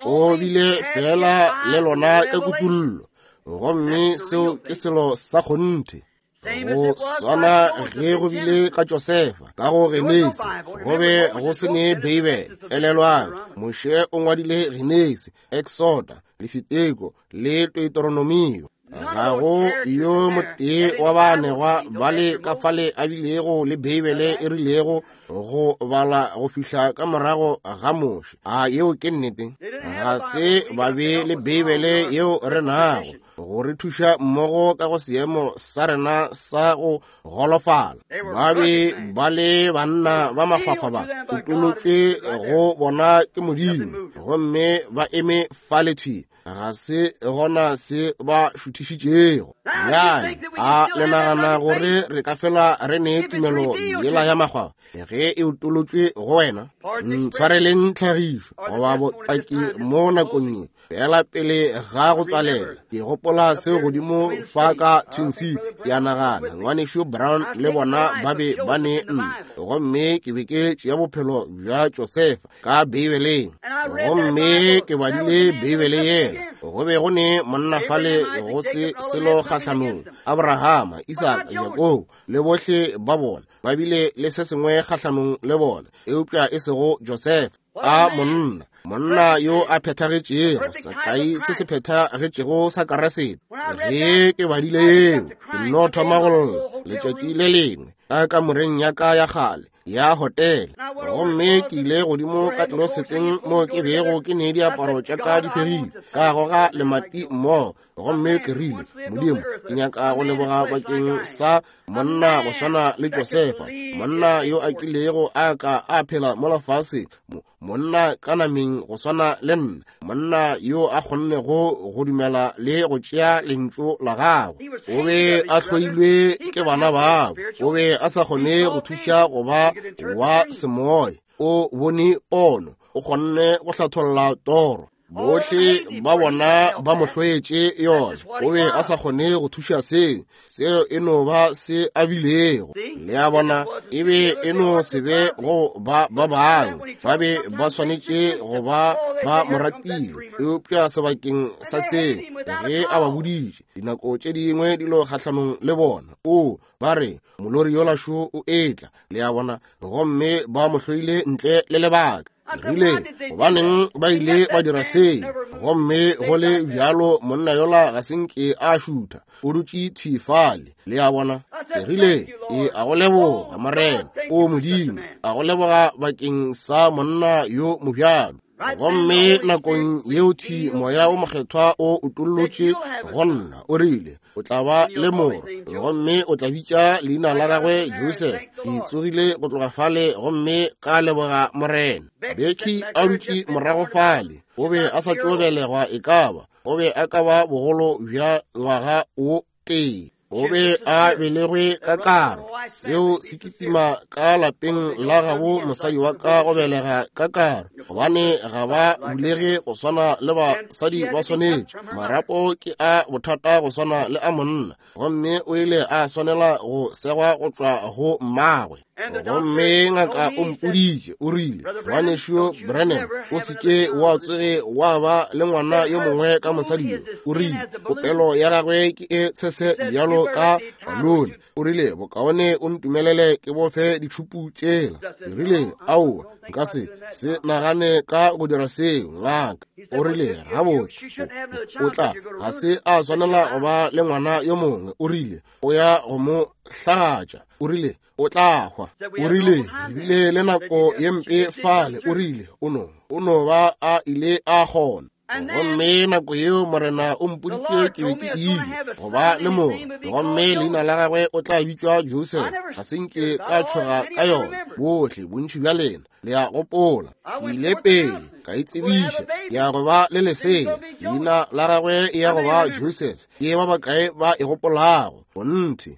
o bile fela le lona ka kutullo, gomme seo ke selo sa kgonthe. Go swana ge go bile ka Josefa ka go Genesi, go be go se ne Beibele. Elelwang, Moshe o ngwadile Genesi, Exoda, Lefiteko le Deuteronomio. Ga go yo motee wa baanegwa ba le ka fale a bilego le Beibele e rilego go bala go fihla ka morago ga Moshe. A yeo ke nnete? Ga se ba be le Beibele yeo re nago go re thuša mmogo ka go seemo sa rena sa go golofala. Ba be ba le banna ba makgwakgwa ba utolotšwe go bona ke Modimo, gomme ba eme fale thwi, ga se gona se ba šuthišitšego. Bjale a le nagana gore re ka fela re ne tumelo yela ya makgwakgwa ge e utolotšwe go wena? Ntshwareleng tlhagišo goba botaki mo nakong ye fela pele ga go tswalela. Ke gopola seo godimo fa ka Twin City. Ke a nagana ngwanešu Brown le bona ba be ba ne nna, gomme ke be ke tšea bophelo bja Josefa ka Beibeleng, gomme ke badile Beibele yela. Go be go ne monna fale go se selo kgahlanong, Abrahama, Isaka, Jakobo le bohle ba bona ba bile le se sengwe kgahlanong le bona, eupša e sego Josefa. A monna, monna yo a phethagetšego, sekai se se phethagetšego sa Keresete. Ge ke badile yeo, ke nno thoma go lla letšatši le lengwe ka kamoreng ya ka ya kgale ya hotele, gomme ke ile godimo ka tloseteng mo ke bego ke ne diaparo tša ka di fegile, ka goga lemati mmogo, gomme ke rile, Modimo, ke nyaka go leboga bakeng sa monna go swana le Josefa, monna yo a kilego a ka a phela mo lefaseng, monna ka nameng go swana le nna, monna yo a kgonnego go dumela le go tšea lentšu la gagwe. O be a hloilwe ke bana babo, o be a sa kgone go thuša go ba wa semoya. O bone pono, o kgonne go hlatholla toro. Bohle ba bona ba mo hloetše yona. O be a sa kgone go thuša seo, seo e no ba se a bilego. Le a bona, e be e no se be go ba ba bangwe, ba be ba swanetše go ba ba mo ratile, eupša sebakeng sa seo, ge a ba boditše dinako tše dingwe dilo kgahlanong le bona, o ba re molori yola šo o etla. Le a bona, gomme ba mo hloile ntle le lebaka. Rile, gobaneng ba ile ba dira seo? Gomme go le bjalo monna yola ga se nke a šutha, o dutše thwi fale. Le a bona, ke rile, e a go leboga Morena, o Modimo, a go leboga bakeng sa monna yo mobjalo. Gomme nakong yeo thwi Moya o Mokgethwa o utollotše go nna, o rile, o tla ba le morwa, gomme o tla bitša leina la gagwe Joseph. Ke tsogile go tloga fale gomme ka leboga Morena. Becky a dutše morago fale, o be a sa tšo belegwa, e ka ba o be a ka ba bogolo bja ngwaga o tee. O be a belegwe ka karo. Seo se kitima ka lapeng la gabo mosadi wa ka go belega ka karo, gobane ga ba bulege go swana le basadi ba swanetše. Marapo ke a bothata go swana le a monna, gomme o ile a swanela go segwa go tšwa go mmagwe. Gomme ngaka o mpoditše, o rile, ngwanešu Branham, o se ke wa tsoge wa ba le ngwana yo mongwe ka mosadi yo. O rile, popelo ya gagwe ke e tshese bjalo ka balone. O rile, bokaone o ntumelele ke bofe ditšhupu tšela. Ke rile, aowa, nka se se nagane ka go dira seo, ngaka. O rile, gabotse, o tla ga se a swanela go ba le ngwana yo mongwe. O rile, o ya go mo hlagatša. O rile, o tla hwa. O rile, ebile le nako ye mpe fale. O rile, o no o no ba a ile a kgona. Gomme nako yeo Morena o mpoditše ke be ke ile go ba le morwa, gomme leina la gagwe o tla bitšwa Joseph. Ga se nke ka tšhoga ka yona. Bohle bontši bja lena le a gopola. Ke ile pele ka itsebiša ke ya go ba le lesea, leina la gagwe e ya go ba Joseph. Ke ba bakae ba e gopolago? Gonthe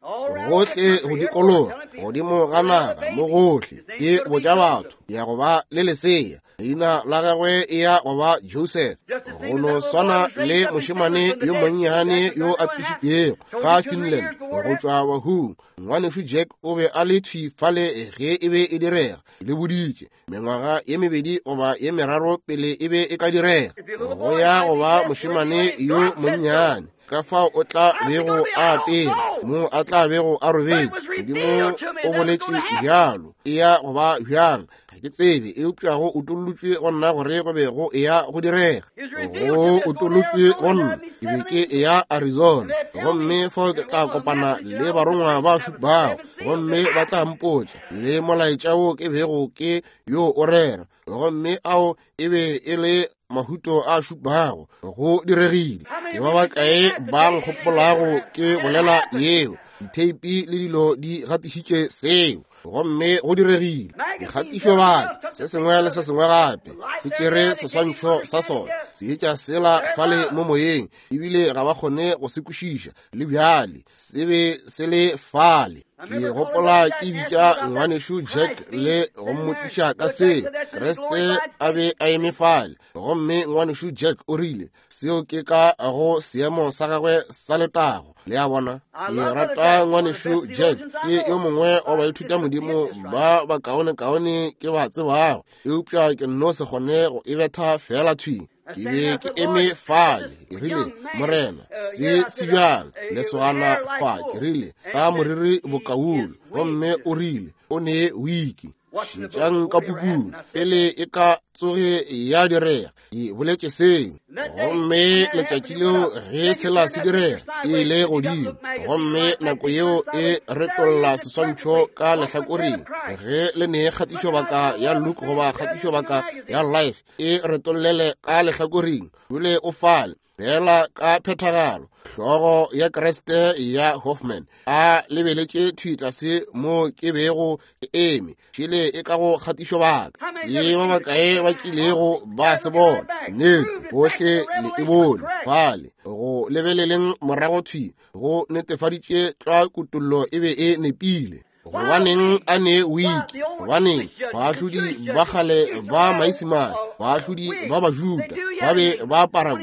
gohle go dikologa godimo ga naga mo gohle ke botša batho ke ya go ba le lesea, leina la gagwe e ya go ba Joseph. Go no swana le mošemane yo monnyane yo a tsošitšwego ka Finland go tšwa bahung. Ngwanešu Jack o be a le thwi fale ge e be e direga. Le boditše mengwaga ye mebedi goba ye meraro pele e be e ka direga. Go ya go ba mošemane yo monnyane, ka fao o tla bego a apere, mo a tla bego a robetše. Modimo o boletše bjalo. E ya go ba bjang? Ga ke tsebe, eupša go utollotšwe go nna gore go be go eya go direga. Go utollotšwe go nna ke be ke eya Arizona, gomme fao ke tla kopana le barongwa ba šupago, gomme ba tla mpotša le molaetša wo ke bego ke yo o rera, gomme ao e be e le mahuto a šupago. Go diregile. Ke ba bakae ba nkgopolago ke bolela yeo? Ditheipi le dilo di gatišitše seo, gomme go diregile. Dikgatišobaka se sengwe le se sengwe gape se tšere seswantšho sa sona, se etša sela fale mo moyeng, ebile ga ba kgone go se kwešiša le bjale. Se be se le fale. Ke gopola ke bitša ngwanešu Jack le go mmotšiša ka seo. Kriste a be a eme fale, gomme ngwanešu Jack o rile seo ke ka go seemo sa gagwe sa letago. Le a bona? Ke rata ngwanešu Jack, ke yo mongwe wa baithuta modimo ba bakaonekaone ke ba tsebago, eupša ke nno se kgone go e betha fela thwi. Ke be ke eme fale, ke rile, Morena, se se bjang lesogana fa? Ke rile, ka moriri bokaulu. Gomme o rile, o ne wiki. Šetšang ka pukung pele e ka tsoge ya direga. Ke boletše seo. Gomme letšatši leo ge sela se direga, e ile godimo, gomme nako yeo e retolla seswantšho ka lehlakoreng. Ge le ne kgatišobaka ya Luke goba kgatišobaka ya Life, e retollele ka lehlakoreng, dule o fale fela ka phethagalo. Hlogo ya Kriste ya Hoffman a lebeletše thwi tlase mo ke bego ke eme, šele e ka go kgatišobaka. Ke ba bakae ba kilego ba se bona? Nnete, bohle le e bone fale. Go lebeleleng morago thwi go netefaditše tlwa kutollo e be e nepile. Gobaneng a ne wiki? Gobaneng baahlodi ba kgale ba Maisemane, baahlodi ba Bajuda ba be ba apara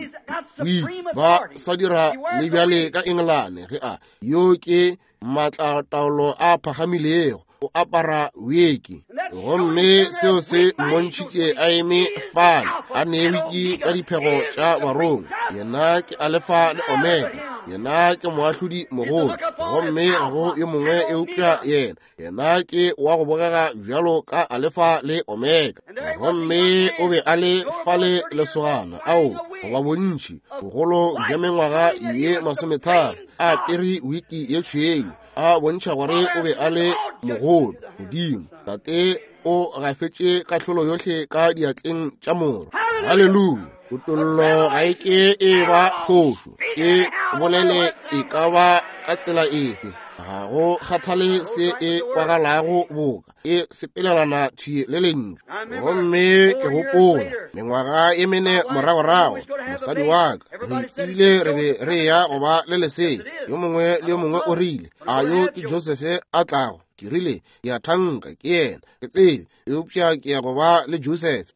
wiki? Ba sa dira le bjale ka Engelane. Ge a yo ke maatlataolo a phagamilego, o apara wiki. Gomme seo se mmontšhitše a eme fale a ne wiki ka diphego tša barongwa. Yena ke Alfa le Omega, yena ke moahlodi mogolo, gomme ga go yo mongwe eupša yena. Yena ke wa go bogega bjalo ka Alfa le Omega. Gomme o be a le fale lesogana ao goba bontši bogolo bja mengwaga ye masometharo, a apere wiki ye tšhweu, a bontšha gore o be a le mogolo. Modimo Tate o gafetše kahlolo yohle ka diatleng tša Morwa. Haleluya! Kutollo ga e ke e ba phošo, e bolele e ka ba ka tsela efe. Ga go kgathale se e kwagalago boka, e sepelelana thwi le lentšu. Gomme ke gopola mengwaga e mene moragorago, mosadi wa ka, re tsebile re be re ya go ba le lesea. Yo mongwe le yo mongwe o rile, a yo ke Joseph a tlago? Ke rile, ke a thanka ke yena, ke tsebe, eupša ke ya go ba le Joseph.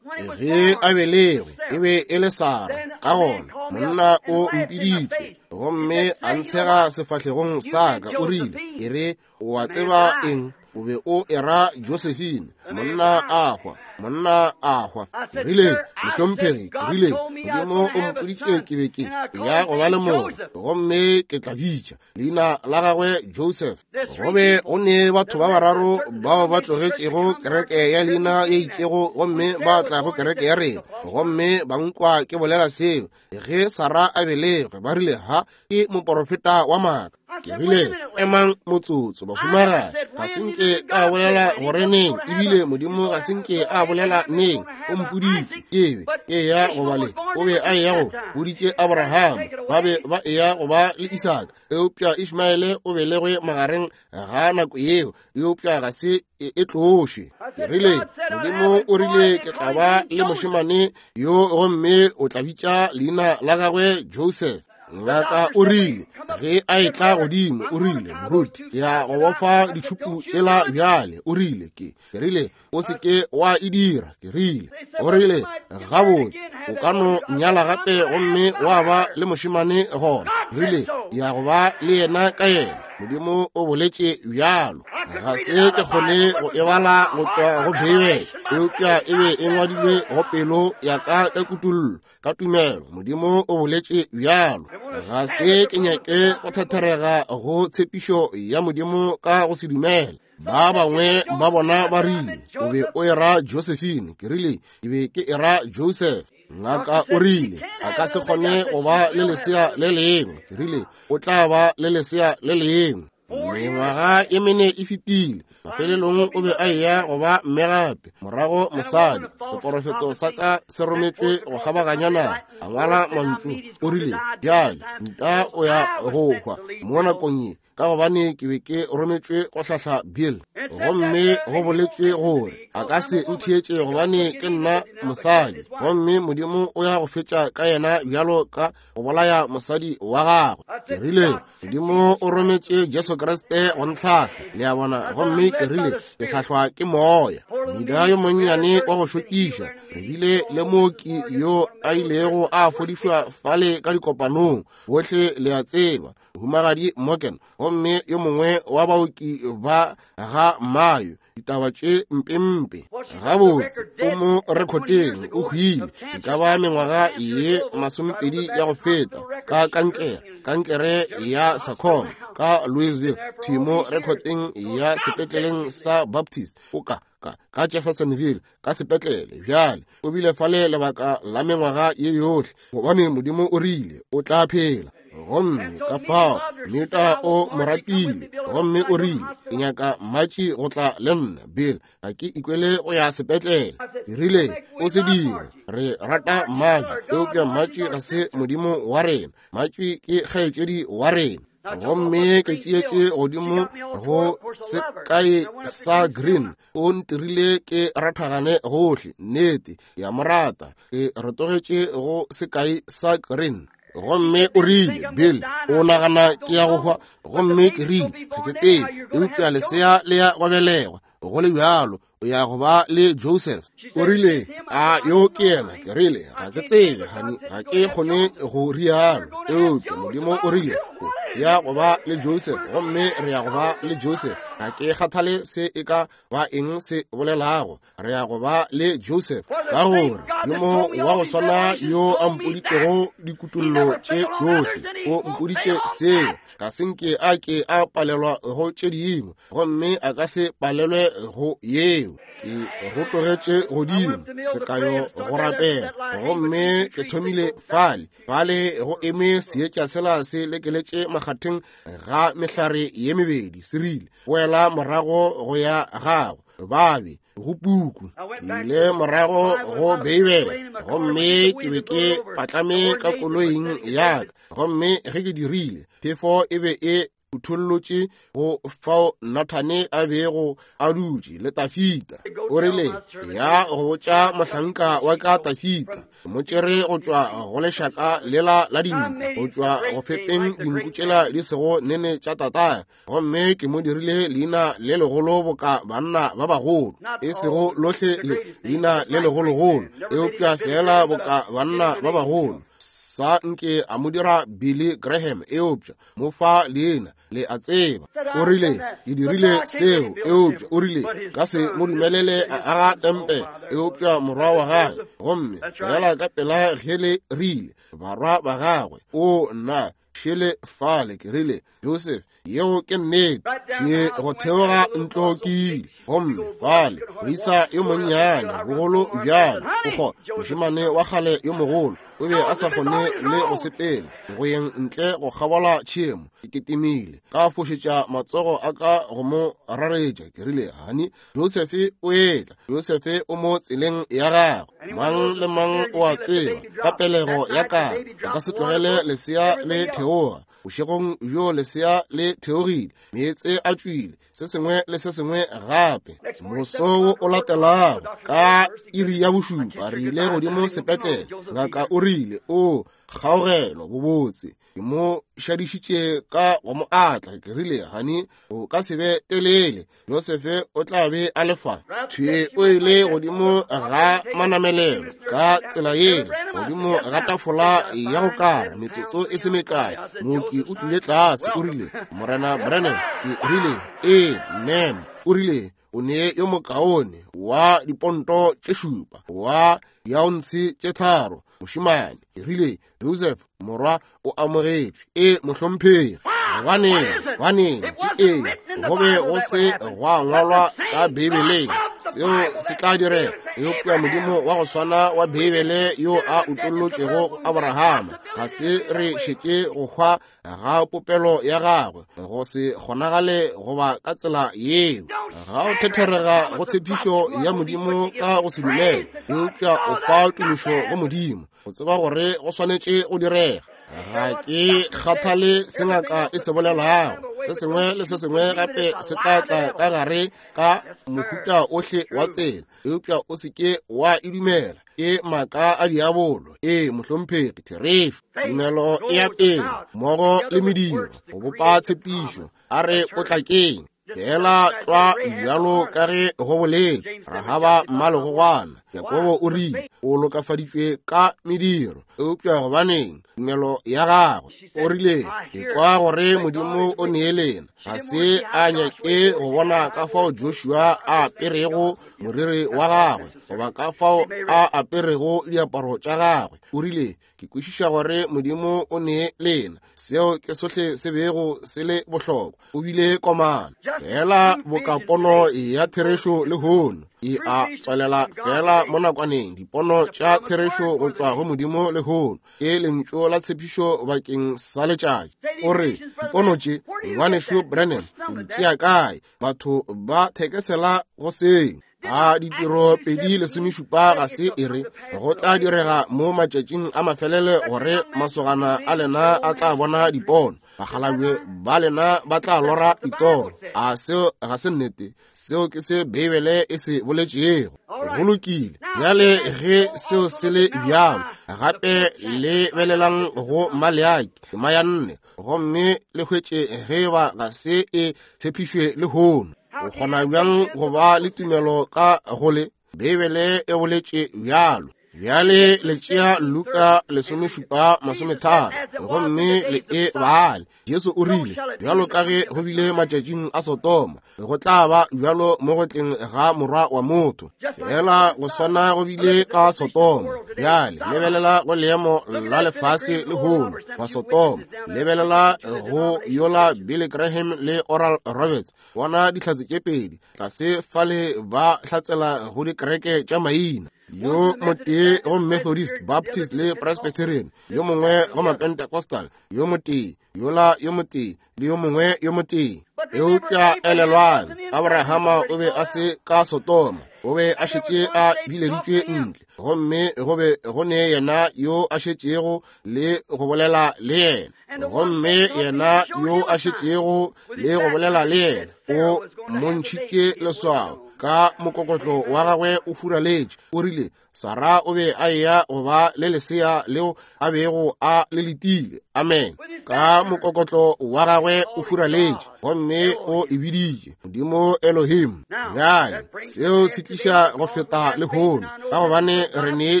Ge a belegwe e be e le Sara, ka gona monna o mpiditše gomme a ntshega sefahlegong sa ka, o rile, e re, o a tseba eng? O be o era Josephine. Monna a hwa, monna a hwa. Ke rile, mohlomphegi, ke rile, Modimo o mpoditše ke be ke ya go ba le mongwe, gomme ke tla bitša leina la gagwe Joseph. Go be go ne batho ba bararo bao ba tlogetšego kereke ya leina ye itšego gomme ba tla go kereke ya rena, gomme ba nkwa ke bolela seo. Ge Sara a belegwe, ba rile, ha, ke moporofeta wa maaka. Ke rile, emang motsotso, bahumagadi, ga se nke a bolela gore neng, ebile Modimo ga se nke a bolela neng. O mpoditše ke be ke ya go ba le, o be a eya go boditše Abraham, ba be ba eya go ba le Isaka, eupša Ishmaele o belegwe magareng ga nako yeo, eupša ga se e tloše. Ke rile, Modimo o rile ke tla ba le mošemane yo, gomme o tla bitša leina la gagwe Joseph. Ngaka o rile ge a etla godimo, o rile, moruti, ke ya go bofa ditšhupu tšela bjale. O rile, ke ke rile, o se ke wa e dira. Ke rile, o rile, gabotse, o ka no nyala gape gomme wa ba le mošemane gona. Rile, ke ya go ba le yena ka yena. Modimo o boletše bjalo. Ga se ke kgone go e bala go tšwa go Beibele, eupša e be e ngwadilwe go pelo ya ka ka kutollo, ka tumelo. Modimo o boletše bjalo. Ga se ke nyake go thatherega go tshepišo ya Modimo ka go se dumele. Ba bangwe ba bona ba rile, o be o era Josephine. Ke rile, ke be ke era Joseph. Ngaka o rile, a ka se kgone go ba le lesea le lengwe. Ke rile, o tla ba le lesea le lengwe. Mengwaga e mene e fetile. Mafelelong o be a eya go ba mme gape, morago mosadi. Seporofeto sa ka se rometšwe go kgabaganya naga. A ngwala mantšu, o rile, bjale nta o ya go hwa mo nakong ye, ka gobane ke be ke rometšwe go hlahla Bill, gomme go boletšwe gore a ka se ntheetše gobane ke nna mosadi, gomme Modimo o ya go fetša ka yena bjalo ka go bolaya mosadi wa gagwe. Ke rile, Modimo o rometše Jesu Kriste go ntlhahla, le a bona, gomme ke rile, ke hlahlwa ke moya. Meda yo monnyane wa go šokiša, re bile le mooki yo a ilego a fodišwa fale ka dikopanong, bohle le a tseba, Mohumagadi Morgan, gomme yo mongwe wa baoki ba ga Mayo, ditaba tše mpempe. Gabotse, o mo rekoteng, o hwile e ka ba mengwaga ye masomepedi ya go feta ka kankere, kankere ya sarcoma ka Louisville, thimo rekoteng ya sepetleleng sa Baptist, o ka ka ka Jeffersonville, ka sepetlele. Bjale o bile fale lebaka la mengwaga ye yohle, gobane Modimo o rile o tla phela. Gomme ka fao Mita o mo ratile, gomme o rile, ke nyaka Matši go tla le nna, Bill, ga ke ikwele go ya sepetlele. Ke rile, o se dire, re rata Matši, eupša Matši ga se Modimo wa rena, Matši ke kgaetšedi wa rena. Gomme ke tšeetše godimo go sekae sa Green, o ntirile ke rathagane gohle, nnete, ke a mo rata. Ke rotogetše go sekae sa Green. Gomme o rile, Bill, o nagana ke ya go hwa? Gomme ke rile, ga ke tsebe, eupša lesea le ya go belegwa, go le bjalo, o ya go ba le Joseph. O rile, a yo ke yena? Ke rile, ga ke tsebe, honey, ga ke kgone go rialo, eupša Modimo o rile o ya go ba le Joseph, gomme re ya go ba le Joseph. Ga ke kgathale se e ka ba eng se bolelago, re ya go ba le Joseph, ka gore Modimo wa go swana yo a mpoditšego dikutollo tše tšohle, o mpoditše seo. Ga se nke a ke a palelwa go tše dingwe, gomme a ka se palelwe go yeo. Ke rotogetše godimo sekayo go rapela, gomme ke thomile fale fale go eme seetša sela se lekeletše makgatheng ga mehlare ye mebedi, se rile, boela morago go ya gago babe go puku. Ke ile morago go Beibele, gomme ke be ke patlame ka koloing ya ka, gomme ge ke dirile, phefo e be e uthollotše go fao Nathane a bego a dutše le Tafita. O rile, ya go botša mohlanka wa ka Tafita, mo tšere go tšwa go lešaka lela la dinku, go tšwa go fepeng dinku tšela di sego nene tša tatae, gomme ke mo dirile leina le legolo boka banna ba bagolo, e sego lohle le leina le legologolo, eupša fela boka banna ba bagolo. Sa nke a mo dira Billy Graham, eupša mo fa leina, le a tseba. O rile, ke dirile seo, eupša o rile, ka se mo dumelele a aga tempe, eupša morwa wa gagwe, gomme fela ka pela ge le rile barwa ba gagwe, o nna šele fale. Ke rile, Joseph, yeo ke nnete. Tšhe go theoga ntlo ke ile, gomme fale moisa yo monnyane bogolo bjalo, o mošemane wa kgale yo mogolo, o be a sa kgone le go sepela go yeng ntle go kgabola tšhemo. Ke ketimile ka fošetša matsogo a ka go mo raretša. Ke rile, hani, Joseph o etla, Joseph o mo tseleng ya gagwe. Mang le mang o a tseba ka pelego ya ka, o ka se tlogele lesea le theoga. Bošegong bjo lesea le theogile, meetse a tšwile, se sengwe le se sengwe gape. Moso wo o latelago ka iri ya bošupa re ile godimo sepetlele. Ngaka o rile, o kgaogelo bobotse. Ke mo šadišitše ka go mo atla. Ke rile, hani, o ka se be telele, Joseph o tla be a le fa. Thwe o ile godimo ga manamelelo ka tsela yela, godimo ga tafola ya go kara, metsotso e se mekae. Mooki o tlile tlase, o rile, Morena Brennan. Ke rile, ee, ma'am. O rile, o ne yo mokaone wa diponto tše šupa, wa diaonse tše tharo, mošemane. Ke rile, Joseph, morwa o amogetšwe. E mohlomphegi. Gobaneng, gobaneng, ke eng? Go be go se gwa ngwalwa ka Beibeleng seo se tla direga, eupša Modimo wa go swana wa Beibele yo a utollotšego go Abrahama, ga se re šetše go hwa ga popelo ya gagwe, go se kgonagale goba ka tsela yeo. Ga o thetherega go tshepišo ya Modimo ka go se dumele, eupša o fa tumišo go Modimo, go tseba gore go swanetše go direga. Ga ke kgathale se ngaka e se bolelago, se sengwe le se sengwe gape se tla tla ka gare ka mohuta ohle wa tsela, eupša o se ke wa e dumela. Ke maaka a diabolo. Ee, mohlomphegi, therešo. Tumelo e ya pele mmogo le mediro go bopa tshepišo. A re potlakeng fela tlwa bjalo ka ge go boletšwe. Rahaba mmalegogwana, Jakobo o rile o lokafaditšwe ka mediro, eupša gobaneng? Tumelo ya gagwe. O rile, ke kwa gore Modimo o nee lena. Ga se a nyake go bona ka fao Joshua a aperego moriri wa gagwe, goba ka fao a aperego diaparo tša gagwe. O rile, ke kwešiša gore Modimo o nee lena. Seo ke sohle se bego se le bohlokwa. O bile komana fela boka pono ya therešo lehono e a tswalela fela mo nakwaneng. Dipono tša therešo go tšwa go Modimo lehono ke lentšu la tshepišo bakeng sa letšatši. O re, dipono tše, ngwanešu Brennan, o di tšea kae? Batho ba thekesela go seng. A ditiro pedi lesomešupa ga se e re go tla direga mo matšatšing a mafelele gore masogana a lena a tla bona dipono, bakgalabje ba lena ba tla lora ditoro. A seo ga se nnete? Seo ke se Beibele e se boletšego. Go lokile. Bjale ge seo se le bjalo, gape le belelang go Maleaki tema ya nne, gomme le hwetše ge ba ga se e tshepišwe lehono. O kgona bjang go ba le tumelo ka go le? Beibele e boletše bjalo. Bjale le tšea Luka lesomešupa masometharo gomme le e bale. Jesu o rile, bjalo ka ge go bile matšatšing a Sodoma, go tla ba bjalo mo go tleng ga morwa wa motho. Fela go swana go bile ka Sodoma. Bjale lebelela go leemo la lefase lehono wa Sodoma. Lebelela go yola Billy Graham le Oral Roberts, bona dihlatse tše pedi tlase fale ba hlatsela go dikereke tša maina. Yo motee go Methodist, Baptist le Presbyterian, yo mongwe go Mapentecostal, yo motee yola yo motee le yo mongwe yo motee. Eupša elelwang, Abrahama o be a se ka Sodoma. O be a šetše a bileditšwe ntle, gomme go be go ne yena yo a šetšego le go bolela le yena. Gomme yena yo a šetšego le go bolela le yena o montšhitše leswao ka mokokotlo wa gagwe o furaletše. O rile Sara o be a eya go ba le lesea leo a bego a le letile. Amen. Ka mokokotlo wa gagwe o furaletše, gomme o e biditše Modimo Elohim. Bjale seo se tliša go feta lehono, ka gobane re ne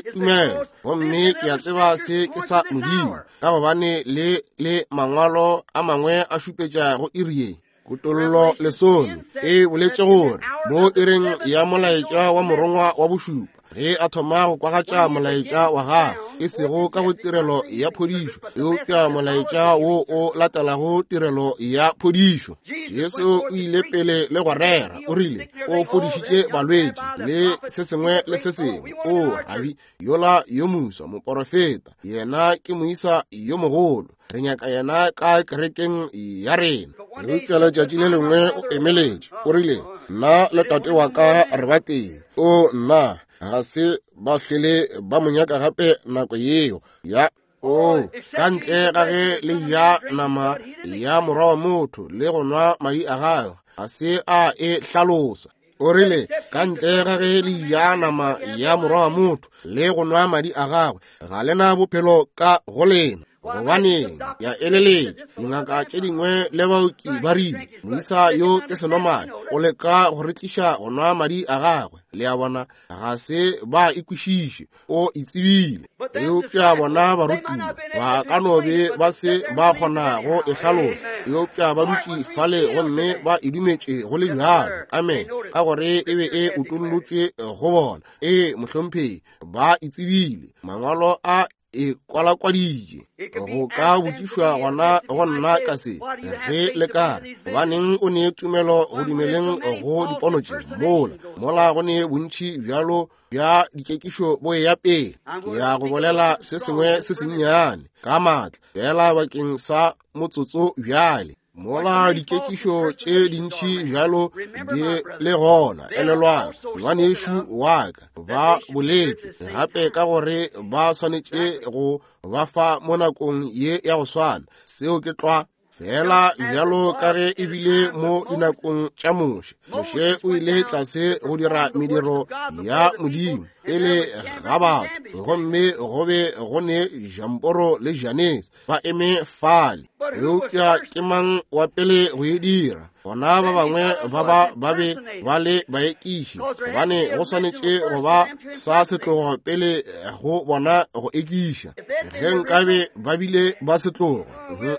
tumelo, gomme ke a tseba se ke sa Modimo, ka gobane le le mangwalo a mangwe a šupetša go iri ye. Kutollo lesome e boletše gore mo iring ya molaetša wa morongwa wa bošupa, ge a thoma go kwagatša molaetša wa gagwe, e sego ka go tirelo ya phodišo, eupša molaetša wo o latelago tirelo ya phodišo. Jesu o ile pele le go rera, o rile o fodišitše balwetši le se sengwe le se sengwe. O rabi yola yo moswa moporofeta, yena ke moisa yo mogolo, re nyaka yena ka kerekeng ya rena. Eupša letšatši le lengwe o emeletše, o rile nna le tate wa ka re ba tee. O nna ga se ba hlwele ba mo nyaka gape nako yeo ya o ka ntle ga ge le ja nama ya morwa wa motho le go nwa madi a gagwe, ga se a e hlalosa. O rile ka ntle ga ge le ja nama ya morwa wa motho le go nwa madi a gagwe, ga lena bophelo ka go lena. Gobane ya eleletša dingaka tše dingwe le baoki ba rile moisa yo ke senomane, o leka go re tliša go nwa madi a gagwe. Le a bona, ga se ba ikwešiše, o itsebile. Eupša bona barutiwa ba ka no be ba se ba kgona go e hlalosa, eupša ba dutše fale gomme ba e dumetše go le bjalo. Amen. Ka gore e be e utollotšwe go bona. Ee, mohlomphegi, ba itsebile. Mangwalo a e kwalakwaditše. Go ka botšišwa gona go nna ka se ge le ka re, gobaneng o ne tumelo go dumeleng go dipono tše mola mola go ne bontši bjalo bja dikekišo bo ya pele. Ke ya go bolela se sengwe se sennyane ka maatla fela bakeng sa motsotso bjale. Mola dikekišo tše dintši bjalo di le gona, elelwang ngwanešu wa ka ba boletšwe gape ka gore ba swanetše go ba fa mo nakong ye ya go swana. Seo ke tlwa fela bjalo ka ge e bile mo dinakong tša Moshe. Moshe o ile tlase go dira mediro ya Modimo pele ga batho, gomme go be go ne Jamporo le Janese ba eme fale. Eupša ke mang wa pele go e dira? Bona ba bangwe ba ba ba be ba le baekiši, gobane go swanetše go ba sa setlogo pele go bona go ekiša. Ge nkabe ba bile ba setlogo,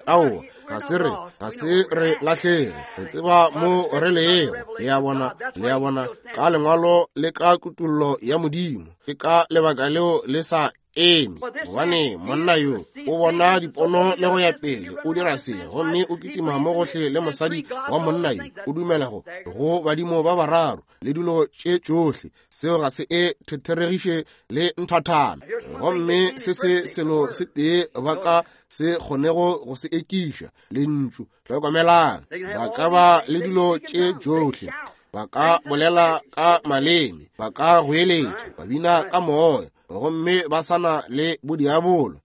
ao ga se re ga se re lahlege, re tseba mo re lego. Le a bona, le a bona, ka lengwalo le ka kutollo ya Modimo. Ke ka lebaka leo le sa eme, gobane monna yo o bona dipono le go ya pele, o dira se gomme o kitima mo gohle le mosadi wa monna yo, o dumela go go badimo ba bararo le dilo tše tšohle. Seo ga se e thetheregiše le nthathana. Gomme se se selo se tee ba ka se kgonego go se ekiša, lentšu. Hlokomelang, ba ka ba le dilo tše tšohle, ba ka bolela ka maleme, ba ka goeletša, ba bina ka moya, gomme ba sana le bodiabolo.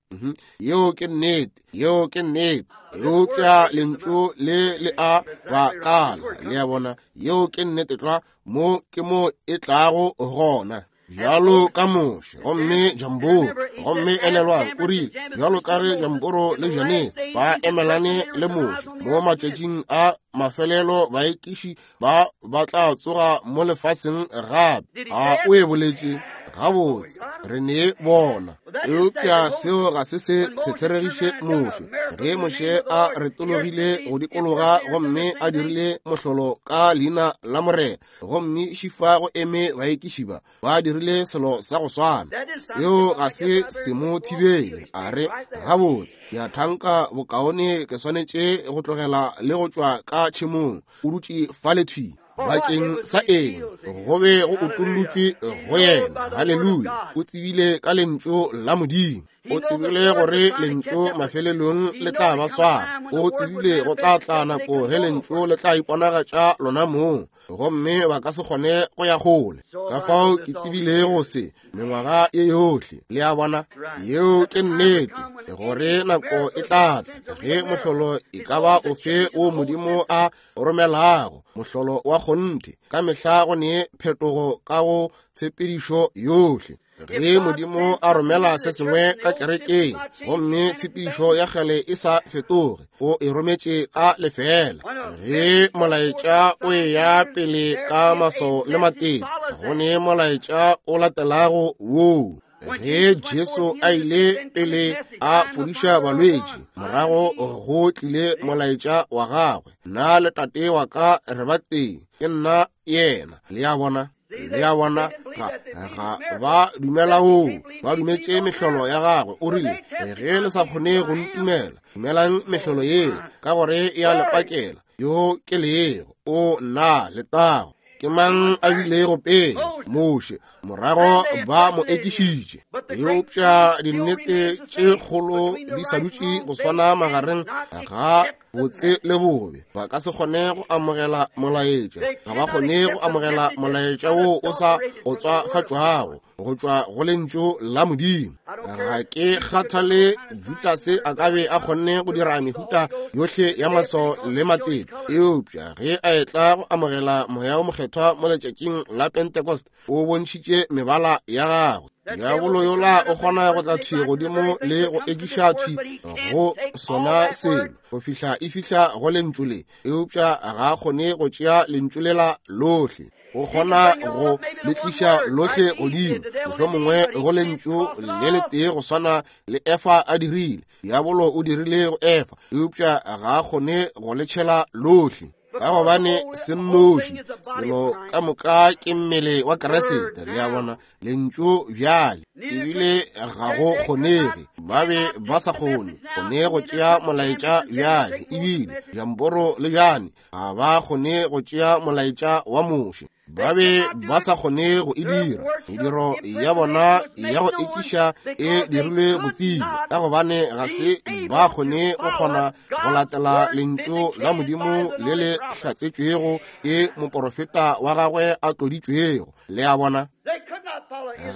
Yeo ke nnete, yeo ke nnete. Eupša lentšu le le a ba kala. Le a bona, yeo ke nnete tlwa. Mo ke mo e tlago gona. Bjalo ka Moshe gomme Jamboro, gomme elelwang o rile bjalo ka ge Jamboro le Janese ba emelane le Moshe mo matšatšing a mafelelo, baekiši ba ba tla tsoga mo lefaseng gape. A o e boletše gabotse, re ne bona. Eupša seo ga se se thetheregiše Moshe. Ge Moshe a retologile go dikologa gomme a dirile mohlolo ka leina la Morena, gomme šifa go eme baekiši ba ba dirile selo sa go swana, seo ga se se mo thibele. A re gabotse, ke a thanka bokaone ke swanetše go tlogela le go tšwa ka tšhemong. O dutše fale thwi. Bakeng sa eng? Go be go utollotšwe go yena. Haleluya. O tsebile ka lentšu la Modimo. O tsebile gore lentšu mafelelong le tla ba swara. O tsebile go tla tla nako ge lentšu le tla iponagatša lona mong, gomme ba ka se kgone go ya kgole. Ka fao ke tsebilego se mengwaga ye yohle. Le a bona, yeo ke nnete, gore nako e tla tla ge mohlolo e ka ba ofe wo Modimo a romelago, mohlolo wa kgonthe, ka mehla go ne phetogo ka go tshepedišo yohle. Ge Modimo a romela se sengwe ka kerekeng, gomme tshepedišo ya kgale e sa fetoge, o e rometše ka lefela. Ge molaetša o eya pele ka maswao le matete, go ne molaetša o latelago woo. Ge Jesu a ile pele a fodiša balwetši, morago go tlile molaetša wa gagwe, nna le tate wa ka re ba tee, ke nna yena. Le a bona? Le a bona, ga, ga ba dumela woo, ba dumetše mehlolo ya gagwe. O rile, ge le sa kgone go ntumela, dumelang mehlolo yeo, ka gore e a le pakela yo ke lego. O nna letago. Ke mang a bilego pele? Moshe. Morago ba mo ekišitše. Eupša dinnete tše kgolo di sa dutše go swana magareng ga botse le bobe. Ba ka se kgone go amogela molaetša. Ga ba kgone go amogela molaetša wo o sa otswafatšwago go tšwa go lentšu la Modimo. Ga ke kgathale Judase a ka be a kgonne go dira mehuta yohle ya maswao le matete, eupša ge a etla go amogela Moya o Mokgethwa mo letšatšing la Pentecost, o bontšhitše mebala ya gagwe. Diabolo yola o kgona go tla thwi godimo le go ekiša thwi go sona selo go fihla e fihla go lentšu le, eupša ga a kgone go tšea lentšu lela lohle. O kgona go le tliša lohle godimo, mohlomongwe go lentšu le letee go swana le Efa a dirile. Diabolo o dirile go Efa, eupša ga a kgone go le tšhela lohle, ka gobane se nnoši. Selo ka moka ke mmele wa Kriste. Le a bona, lentšu bjale ebile ga go kgonege. Ba be ba sa kgone kgone go tšea molaetša bjale, ebile Jamboro le Jane ga ba kgone go tšea molaetša wa Moshe. Ba be ba sa kgone go e dira. Mediro ya bona ya go ekiša e dirilwe botsebja, ka gobane ga se ba kgone go kgona go latela lentšu la Modimo le le hlatsetšwego ke moporofeta wa gagwe a tloditšwego. Le a bona,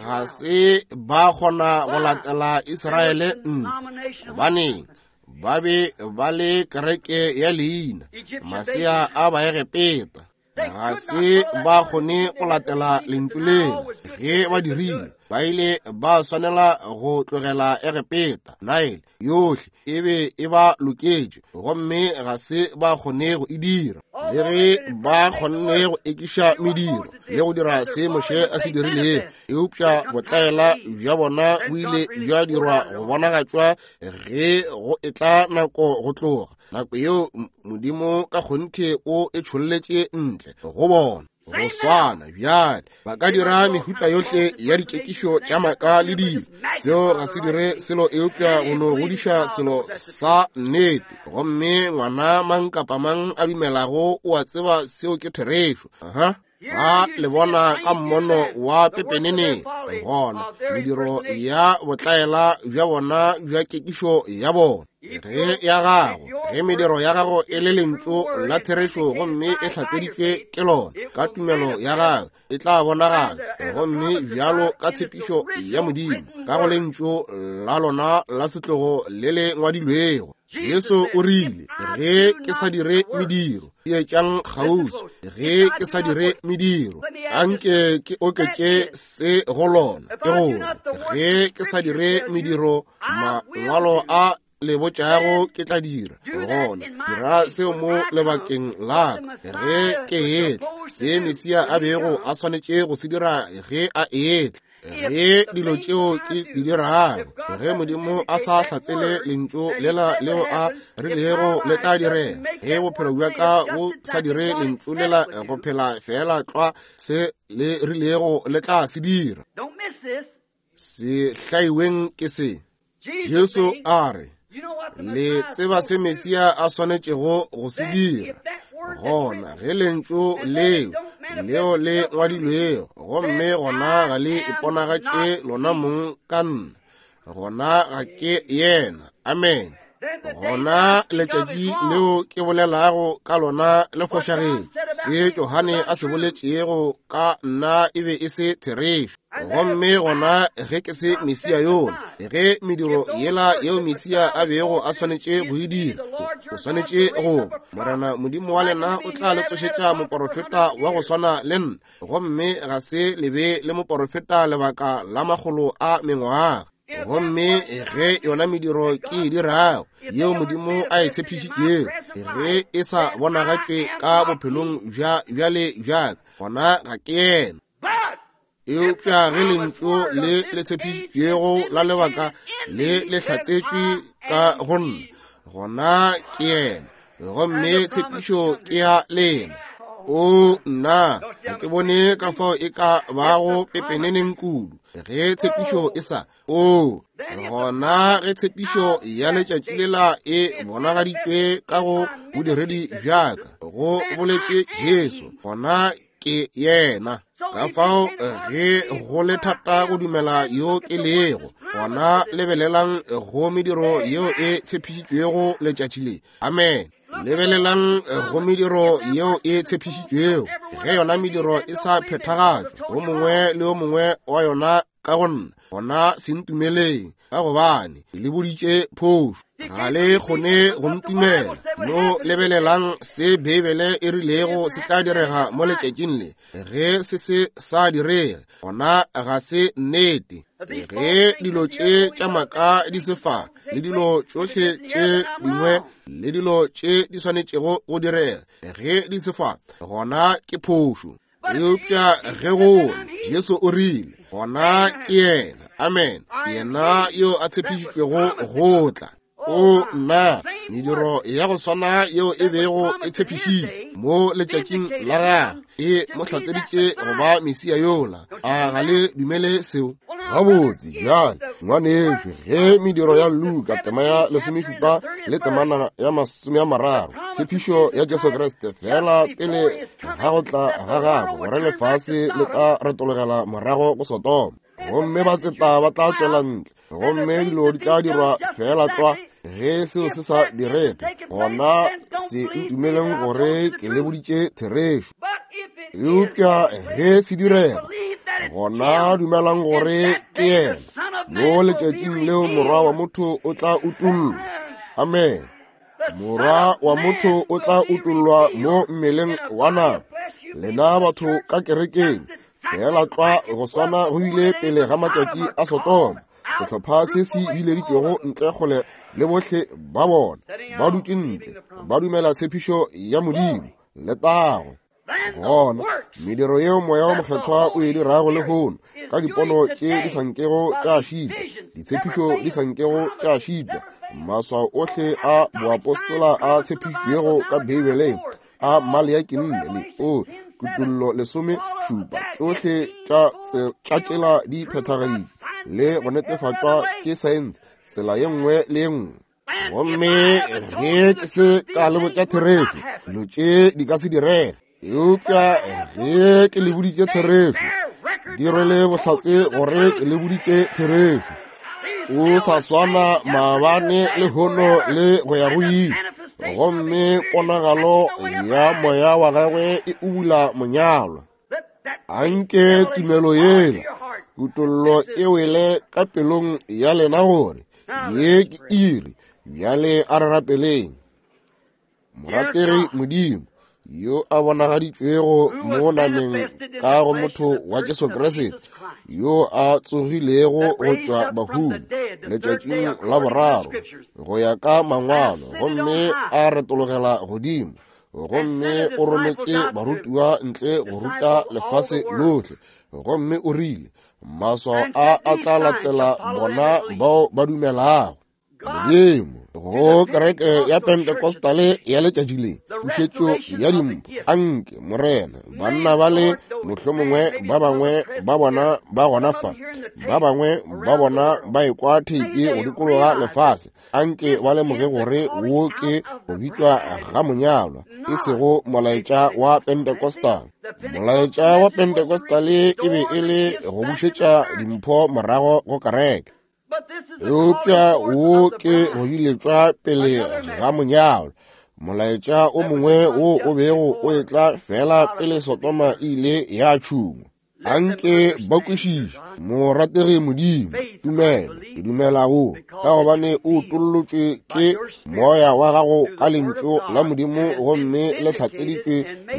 ga se ba kgona go latela Israele ntle, gobaneng ba be ba le kereke ya leina, masea a Baegepeta. Ga se ba kgone go latela lentšu leo. Ge ba dirile, ba ile ba swanela go tlogela Egepeta. Nile yohle e be e ba loketše, gomme ga se ba kgone go e dira. Le ge ba kgonne go ekiša mediro le go dira se Moshe a se dirilego, eupša botlaela bja bona bo ile bja dirwa go bonagatšwa ge go etla nako go tloga. Nako yeo Modimo ka kgonthe o e tšholletše ntle go bona. Go swana bjale ba ka dira mehuta yohle ya dikekišo tša maaka le dilo. Seo ga se dire selo eupša go no godiša selo sa nnete. Gomme ngwana mang kapa mang a dumelago o a tseba seo ke therešo. Aha. Fa le bona ka mmono wa pepenene, gona mediro ya botlaela bja bona bja kekišo ya bona. Ge ya gago, ge mediro ya gago e le lentšu la therešo gomme e hlatseditšwe ke lona ka tumelo ya gago, e tla bonagala gomme bjalo ka tshepišo ya Modimo ka go lentšu la lona la setlogo le le ngwadilwego. Jesu o rile, ge ke sa dire mediro, etšang kgauswi. Ge ke sa dire mediro, anke ke oketše se go lona, ke gore ge ke sa dire mediro, mangwalo a le botšago ke tla dira. Gona dira seo mo lebakeng la ka ge ke etla, se Mesia a bego a swanetše go se dira ge a etla. Ge dilo tšeo ke di dirago, ge Modimo a sa hlatsele lentšu lela leo a rilego le tla direga, ge bophelo bja ka bo sa dire lentšu lela go phela fela tlwa se le rilego le tla se dira. Se hlaiweng ke se. Jesu a re, le tseba se Mesia a swanetšego go se dira. Gona ge lentšu leo leo le ngwadilwego, gomme gona ga le iponagatše lona mong ka nna, gona ga ke yena. Amen. Gona letšatši leo ke bolelago ka lona le fošagetše. Se Johane a se boletšego ka nna e be e se therešo. Gomme gona ge ke se Mesia yola, ge mediro yela yeo Mesia a bego a swanetše go e dira, o swanetše go Morena Modimo wa lena o tla le tsošetša moporofeta wa go swana le nna, gomme ga se le be le moporofeta lebaka la makgolo a mengwaga. Gomme ge yona mediro ke e dirago yeo Modimo a e tshepišitšego, ge e sa bonagatšwe ka bophelong bja bjale bjaka, gona ga ke yena. Eupša ge lentšu le le tshepišitšwego la lebaka le le hlatsetšwe ka go nna, gona ke yena, gomme tshepišo ke ya lena. O nna, ga ke bone ka fao e ka bago pepeneneng kudu ge tshepišo e sa. O gona ge tshepišo ya letšatši lela e bonagaditšwe ka go bodiredi bjaka, go boletše Jesu, gona ke yena. Ka fao ge go le thata go dumela yo ke lego, gona lebelelang go mediro yeo e tshepišitšwego letšatši le. Amen. Lebelelang go mediro yeo e tshepišitšwego. Ge yona mediro e sa phethagatšwa, o mongwe le o mongwe wa yona ka go nna, gona se ntumeleng, ka gobane le boditše phošo. Ga le kgone go ntumela. No lebelelang se Beibele e rilego se tla direga mo letšatšing le. Ge se se sa direge, gona ga se nnete. Ge dilo tše tša maaka di se fa, le dilo tšohle tše dingwe, le dilo tše di swanetšego go direga, ge di se fa, gona ke phošo. Eupša ge go Jesu o rile, gona ke yena. Amen. Yena yo a tshepišitšwego go tla. O nna, mediro ya go swana yeo e bego e tshepišitšwe mo letšatšing la gagwe e mo hlatseditše go ba Mesia yola. A ga le dumele seo? Gabotse bjale, ngwanešo, ge mediro ya Luka tema ya lesomešupa le temana ya masome a mararo, tshepišo ya Jesu Kriste fela pele ga go tla ga gagwe, gore lefase le tla retologela morago go Sodoma, gomme batseta ba tla tšwela ntle, gomme dilo di tla dirwa fela tlwa. Ge seo se sa direge, gona se ntumeleng gore ke le boditše therešo. Eupša ge se direga, gona dumelang gore ke yena. Mo letšatšing leo Morwa wa motho o tla utollwa. Amen. Morwa wa motho o tla utollwa mo mmeleng wa nama. Lena batho ka kerekeng, fela tlwa go swana go ile pele ga matšatši a Sodoma. Sehlopha se se bileditšwego ntle kgole le bohle ba bona ba dutše ntle, ba dumela tshepišo ya Modimo. Letago. Gona mediro yeo Moya wa Mokgethwa o e dirago lehono, ka dipono tše di sa nkego tša šitwa, ditshepišo di sa nkego tša šitwa, maswao ohle a boapostola a tshepišitšwego ka Beibeleng, a Maleaki nne le o Kutullo lesome šupa, tšohle tša tšela di phethagaditšwe le go netefatšwa ke saense tsela ye nngwe le ye nngwe. Gomme ge ke se ka le botša therešo, dilo tše di ka se direge. Eupša ge ke le boditše therešo, di rwele bohlatse gore ke le boditše therešo. O sa swana maabane lehono le go ya go ile. Gomme ponagalo ya moya wa gagwe e ubula monyalwa. Anke tumelo yela, kutollo e wele ka pelong ya lena gore ye ke iri. Bjale a re rapeleng. Morategi Modimo, yo a bonagaditšwego mo nameng ka go motho wa Jesu Kriste, yo a tsogilego go tšwa bahung letšatšing la boraro go ya ka mangwalo, gomme a retologela godimo, gomme o rometše barutiwa ntle go ruta lefase lohle, gomme o rile, maswao a a tla latela bona bao ba dumelago. Modimo, go kereke ya Pentecostale ya letšatši le, pušetšo ya dimpho, anke Morena, banna ba le mohlomongwe ba bangwe ba bona ba gona fa, ba bangwe ba bona ba ekwa theipi go dikologa lefase, anke ba lemoge gore wo ke go bitšwa ga monyalwa, e sego molaetša wa Pentecostal. Molaetša wa Pentecostale e be e le go bušetša dimpho morago go kereke. Eupša wo ke go biletšwa pele ga monyalo, molaetša o mongwe wo o bego o etla fela pele Sodoma e ile ya tšhungwa. Anke ba kwešiše, morategi Modimo, tumelo, ke dumela go, ka gobane o utollotšwe ke moya wa gago ka lentšu la Modimo gomme le hlatseditšwe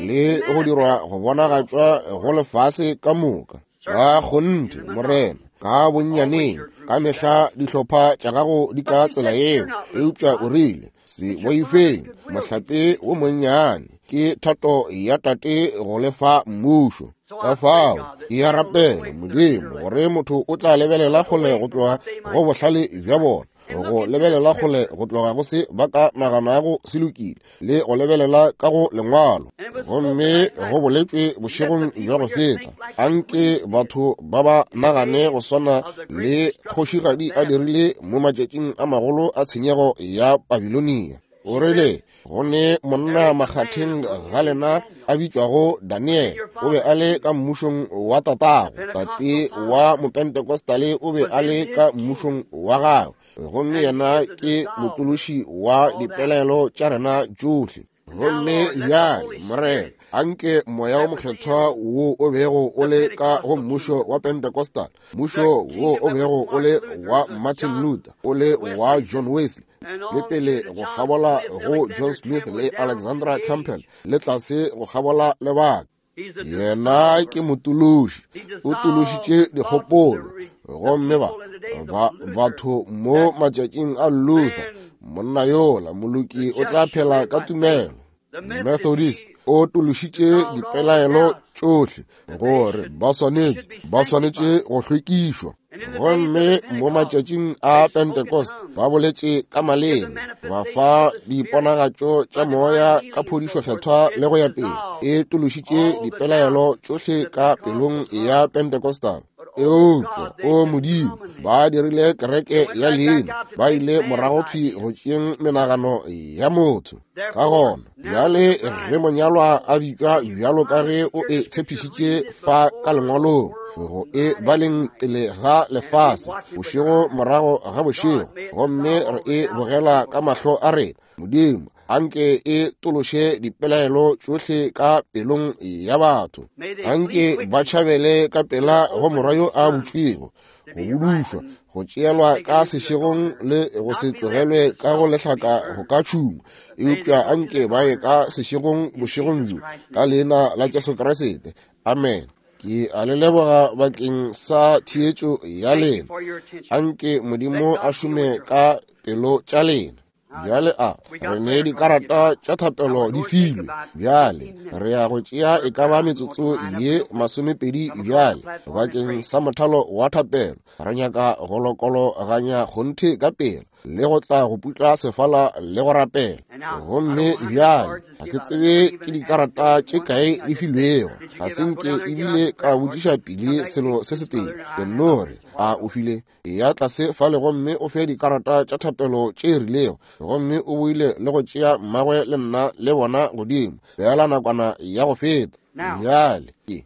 le go dirwa go bonagatšwa go lefase ka moka. Ka kgonthe, Morena, ka bonnyaneng, ka mehla dihlopha tša gago di ka tsela yeo, eupša o rile, se boifeng, mohlape wo monnyane, ke thato ya Tate go lefa mmušo. Ka fao ke a rapela Modimo gore motho o tla lebelela kgole go tloga go bohlale bja bona, go lebelela kgole go tloga go se ba ka naganago se lokile, le go lebelela ka go lengwalo. Gomme go boletšwe bošegong bja go feta, anke batho ba ba nagane go swana le kgošigadi a dirile mo matšatšing a magolo a tshenyego ya Babilonia. O rile, go ne monna makgatheng ga lena a bitšwago Daniel, o be a le ka mmušong wa tatago, tate wa Mopentecostale o be a le ka mmušong wa gagwe, gomme yena ke motološi wa dipelaelo tša rena tšohle. Gomme bjale, Morena, anke moya o mokgethwa wo o bego o le ka go mmušo wa Pentecostal, mmušo wo o bego o le wa Martin Luther, o le wa John Wesley, le pele go kgabola go John Smith le Alexandra Campbell, le tlase go kgabola lebaka. Yena ke motološi, o tološitše dikgopolo, gomme ba ba batho mo matšatšing a Luther, monna yola moloki o tla phela ka tumelo. Methodist o tološitše dipelaelo tšohle gore ba swanetše ba swanetše go hlwekišwa. Gomme mo matšatšing a Pentecost ba boletše ka maleme, ba fa diponagatšo tša moya ka phodišo kgethwa le go ya pele. E tološitše dipelaelo tšohle ka pelong ya Pentecostal. Eupša o Modimo, ba dirile kereke ya leina, ba ile morago thwi go tšeeng menagano ya motho. Ka gona bjale ge monyalwa a bitšwa bjalo ka ge o e tshepišitše fa ka lengwalong, go e baleng pele ga lefase, bošego morago ga bošego, gomme re e bogela ka mahlo a rena, Modimo, anke e tološe dipelaelo tšohle ka pelong ya batho. Anke ba tšhabele ka pela go morwa yo a butšwego, go budušwa, go tšeelwa ka sešegong le go se tlogelwe ka go lehlaka go ka tšhungwa, eupša anke ba ye ka sešegong bošegong bjo, ka leina la Jesu Kriste. Amen. Ke a le leboga bakeng sa theetšo ya lena. Anke Modimo a šome ka pelo tša lena. Bjale a re ne dikarata tša thapelo di filwe. Bjale re ya go tšea e ka ba metsotso ye masomepedi bjale bakeng sa mothalo wa thapelo. Re nyaka go lokologanya kgonthe ka pela le go tla go putla sefala le go rapela. Gomme bjale ga ke tsebe ke dikarata tše kae di filwego, ga se nke ebile ka botšiša pele selo se setee. Ke nno re, a o file? Eya tlase fale gomme o fe dikarata tša thapelo tše rilego, gomme o boile le go tšea mmagwe le nna le bona godimo feela nakwana ya go feta. Bjale ke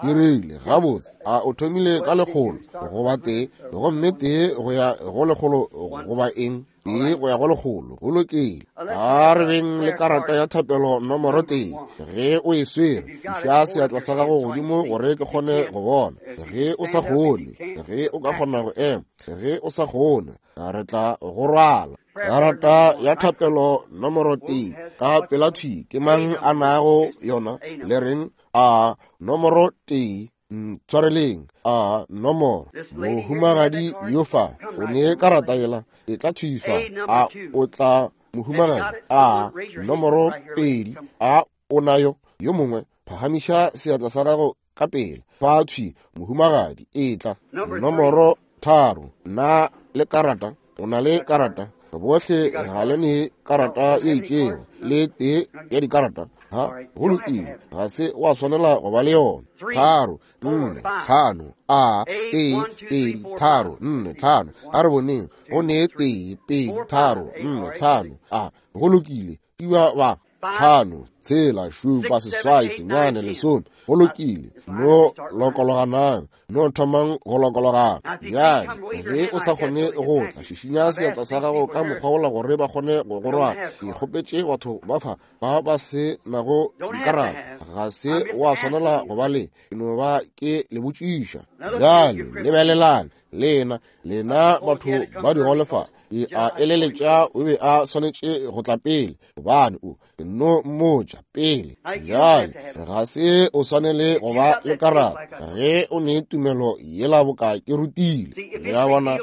ke rile, gabotse, a o thomile ka lekgolo goba tee, gomme tee go ya go lekgolo goba eng, tee go ya go lekgolo, go lokile. A re beng le karata ya thapelo nomoro tee. Ge o e swere, iša seatla sa gago godimo gore ke kgone go bona. Ge o sa kgone, ge o ka kgona go ema, ge o sa kgone, re tla go rwala. Karata ya thapelo nomoro tee ka pela thwi, ke mang a nago yona? Le reng a nomoro tee? Ntshwareleng, a nomoro. Mohumagadi yo fa o ne karata yela, e tla thwi fa. A o tla mohumagadi? A nomoro pedi, a o nayo? Yo mongwe phagamiša seatla sa gago ka pele fa thwi, mohumagadi, e tla. Nomoro tharo, na le karata? O na le karata? Bohle ga le ne karata ye itšego, le tee ya dikarata. Ha, go lokile, ga se wa swanela go ba le yona. Tharo, nne, tlhano, a, tee, pedi, tharo, nne, tlhano. A re boneng, go ne tee, pedi, tharo, nne, tlhano. A, go lokile, iwa ba. tlhano, tshela, šupa, seswai, senyane, lesome. Go lokile, no lokologanang, no thomang go lokologana. Bjale ge o sa kgone go tla, šišinya seatla sa gago ka mokgwa wola gore ba kgone go go rwala. Ke kgopetše batho ba fa ba ba se nago dikarata, ga se wa swanela go ba le, ke no ba ke le botšiša. Bjale lebelelang lena, lena batho ba digolefa, ke a eleletša o be a swanetše go tla pele, gobane o no mmotša pele. Bjale ga se o swanele go ba le karata ge o ne tumelo yela boka ke rutile. Le a bona,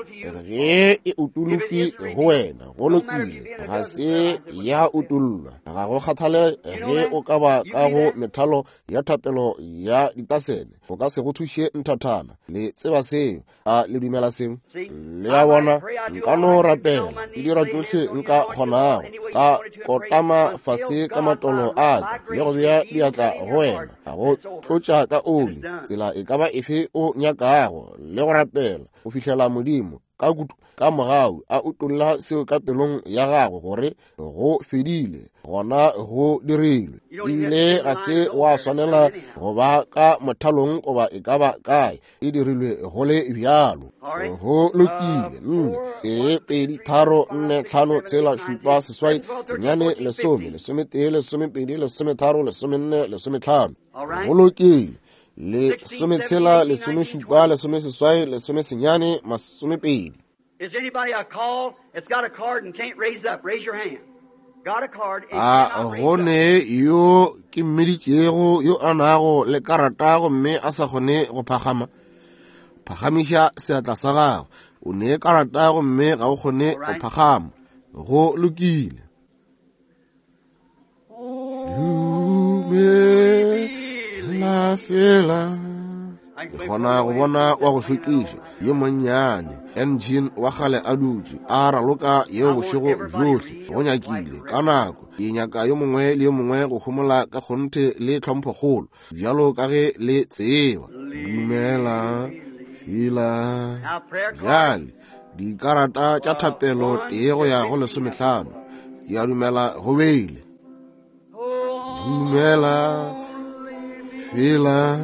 ge e utolotšwe go wena, go lokile, ga se ya utollwa. Ga go kgathale ge o ka ba ka go methalo ya thapelo ya ditasene, o ka se go thuše nthathana. Le tseba seo, a le dumela seo? Le a bona, nka no rapela, ke dira tšohle nka kgonago, ka kotama fase ka matolo a ka le go bea diatla go wena, go tlotša ka oli, tsela e ka ba efe o nyakago, le go rapela go fihlela Modimo ka kutu ka mogau a utolla seo ka pelong ya gago gore go fedile, gona go dirilwe. Ebile ga se wa swanela go ba ka mothalong goba e ka ba kae, e dirilwe go le bjalo. Go lokile. Nne, tee, pedi, tharo, nne, tlhano, tshela, šupa, seswai, senyane, lesome, lesometee, lesomepedi, lesometharo, lesomenne, lesometlhano. Go lokile. Lesometshela, lesomešupa, lesomeseswai, lesomesenyane, masomepedi. Is anybody I call that's got a card and can't raise up? Raise your hand. Got a card and A cannot raise go up. ne yo ke mmiditšego yo a nago le karata gomme a sa kgone go phagama? Phagamiša seatla sa gago. O ne karata gomme ga o kgone go phagama. Go lokile. Dumela fela. Ke kgona go bona wa go šokiša yo monnyane engine wa kgale a dutše a raloka yeo bošego bjohle go nyakile ka nako. Ke nyaka yo mongwe le yo mongwe go homola ka kgonthe le tlhomphokgolo bjalo ka ge le tseba. Dumela fela. Bjale dikarata tša thapelo tee go ya go lesomehlano, ke a dumela go beile. Dumela fela.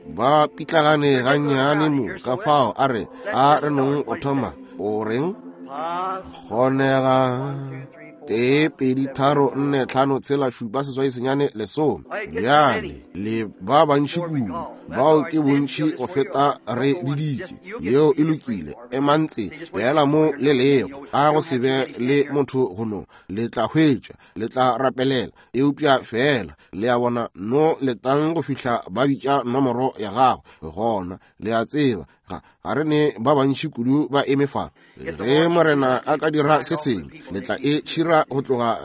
Ba pitlagane gannyane mo ka fao a re a re nong o thoma o reng kgonega tee pedi tharo nne tlhano tshela šupa seswai senyane lesome. Bjale le ba bantši kudu, bao ke bontši go feta re biditše. Yeo e lokile, emantse fela mo le lego, a go se be le motho go no le tla hwetša, le tla rapelela, eupša fela le a bona no letang go fihla ba bitša nomoro ya gago. Gona le a tseba ga ga re ne ba bantši kudu ba eme fa. Ge Morena a ka dira se sengwe, le tla e tšhira go tloga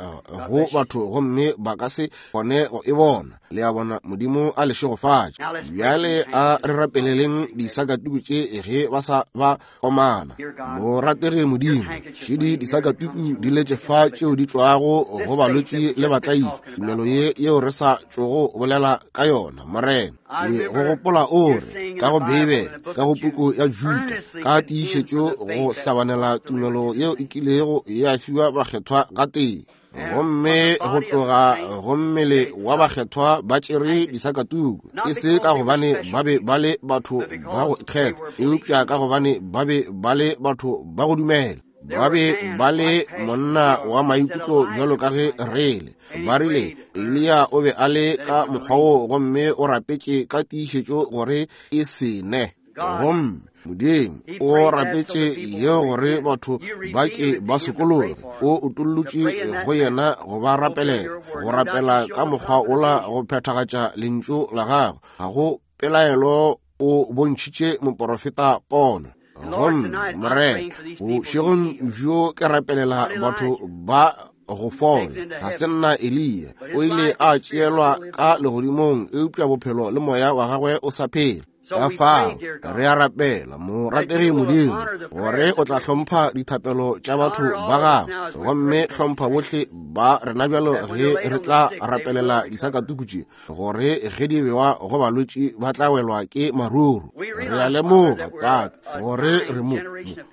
go batho gomme ba ka se kgone go e bona. Le a bona, Modimo a le šegofatše. Bjale a re rapeleleng disakatuku tše ge ba sa ba komana. Morategi Modimo, šedi disakatuku di letše fa tšeo di tšwago go balwetši le batlaiši, tumelo ye yeo re sa tšogo bolela ka yona. Morena, ke go gopola o re ka go Beibele, ka go puku ya Juda, ka tiišetšo go hlabanela tumelo yeo e kilego ya fiwa bakgethwa gatee, gomme go tloga go mmele wa bakgethwa ba tšere disakatuku, e se ka gobane ba be ba le batho ba go ikgetha, eupša ka gobane ba be ba le batho ba go dumela. Ba be ba le monna wa maikutlo bjalo ka ge re le. Ba rile Eliya o be a le ka mokgwa wo, gomme o rapetše ka tiišetšo gore e se ne. Gomme Modimo o rapetše yeo gore batho ba ke ba sokologe. O utollotše go yena go ba rapelela, go rapela ka mokgwa ola go phethagatša lentšu la gagwe. Ga go pelaelo o bontšhitše moporofeta pono. Gomme Morena, bošegong bjo ke rapelela batho ba go fola. Ga se nna Eliya, o ile a tšeelwa ka legodimong, eupša bophelo le moya wa gagwe o sa phela. Ka fao re a rapela, morategi Modimo, gore o tla hlompha dithapelo tša batho ba gago, gomme hlompha bohle ba rena bjalo ge re tla rapelela disakatuku tše, gore ge di bewa go balwetši ba tla welwa ke maruru. Re a lemoga, Tate, gore re mo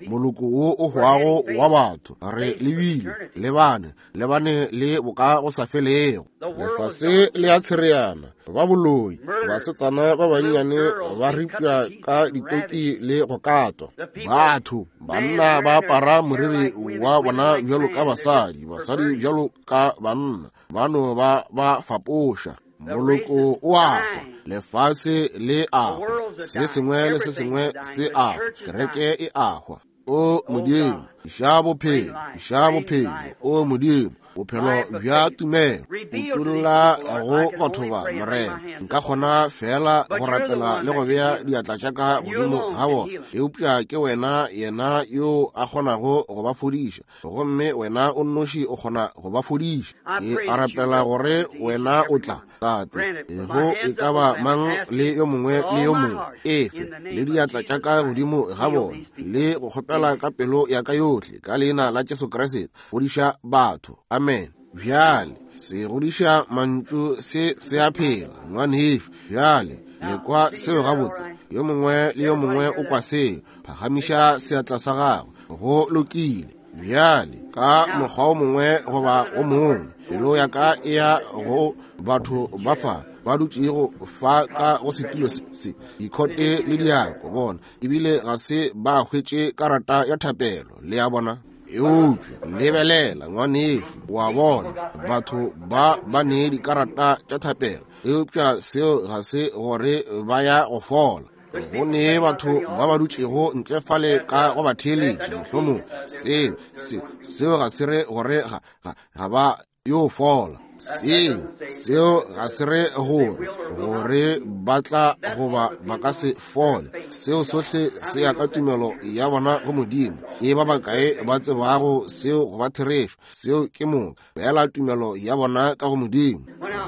moloko wo o hwago wa batho, re lebile lebane lebane le boka go sa felego. Lefase le a tshereana, ba boloi, basetsana ba bannyane ba ripša ka ditoki le go katwa. Batho banna ba apara moriri wa bona bjalo ka basadi, basadi bjalo ka banna, ba no ba ba fapoša. Moloko o a hwa, lefase le a hwa, se sengwe le se sengwe se a hwa, kereke e a hwa. O Modimo, iša bophelo, iša bophelo, o Modimo, bophelo bja tumelo, utolla go batho ba, Morena. Nka kgona fela go rapela le go bea diatla tša ka godimo ga bona, eupša ke wena yena yo a kgonago go ba fodiša, gomme wena o nnoši o kgona go ba fodiša. Ke a rapela gore wena o tla, Tate, go e ka ba mang le yo mongwe le yo mongwe, efe le diatla tša ka godimo ga bona, le go kgopela ka pelo ya ka yohle, ka leina la Jesu Kriste, fodiša batho. Amen. Bjale se godiša mantšu se se a phela, ngwanešu. Bjale le kwa seo gabotse, yo mongwe le yo mongwe o kwa seo. Phagamiša seatla sa gago. Go lokile. Bjale ka mokgwa o mongwe goba o mongwe, pelo ya ka e ya go batho ba fa ba dutšego fa ka go setulo se, dikhote le diako bona, ebile ga se ba hwetše karata ya thapelo, le a bona. Eupša lebelela, ngwanešu, wa bona batho ba ba ne dikarata tša thapelo, eupša seo ga se gore ba ya go fola. Go ne batho ba ba dutšego ntle fale ka go ba theeletše, mohlomong seo seo seo ga se re gore ga ga ga ba yo fola. Seo seo ga se re gore gore ba tla goba ba ka se fole. Seo sohle se ya ka tumelo ya bona go Modimo. Ke ba bakae ba tsebago seo go ba therešo? Seo ke moka fela tumelo ya bona ka go Modimo.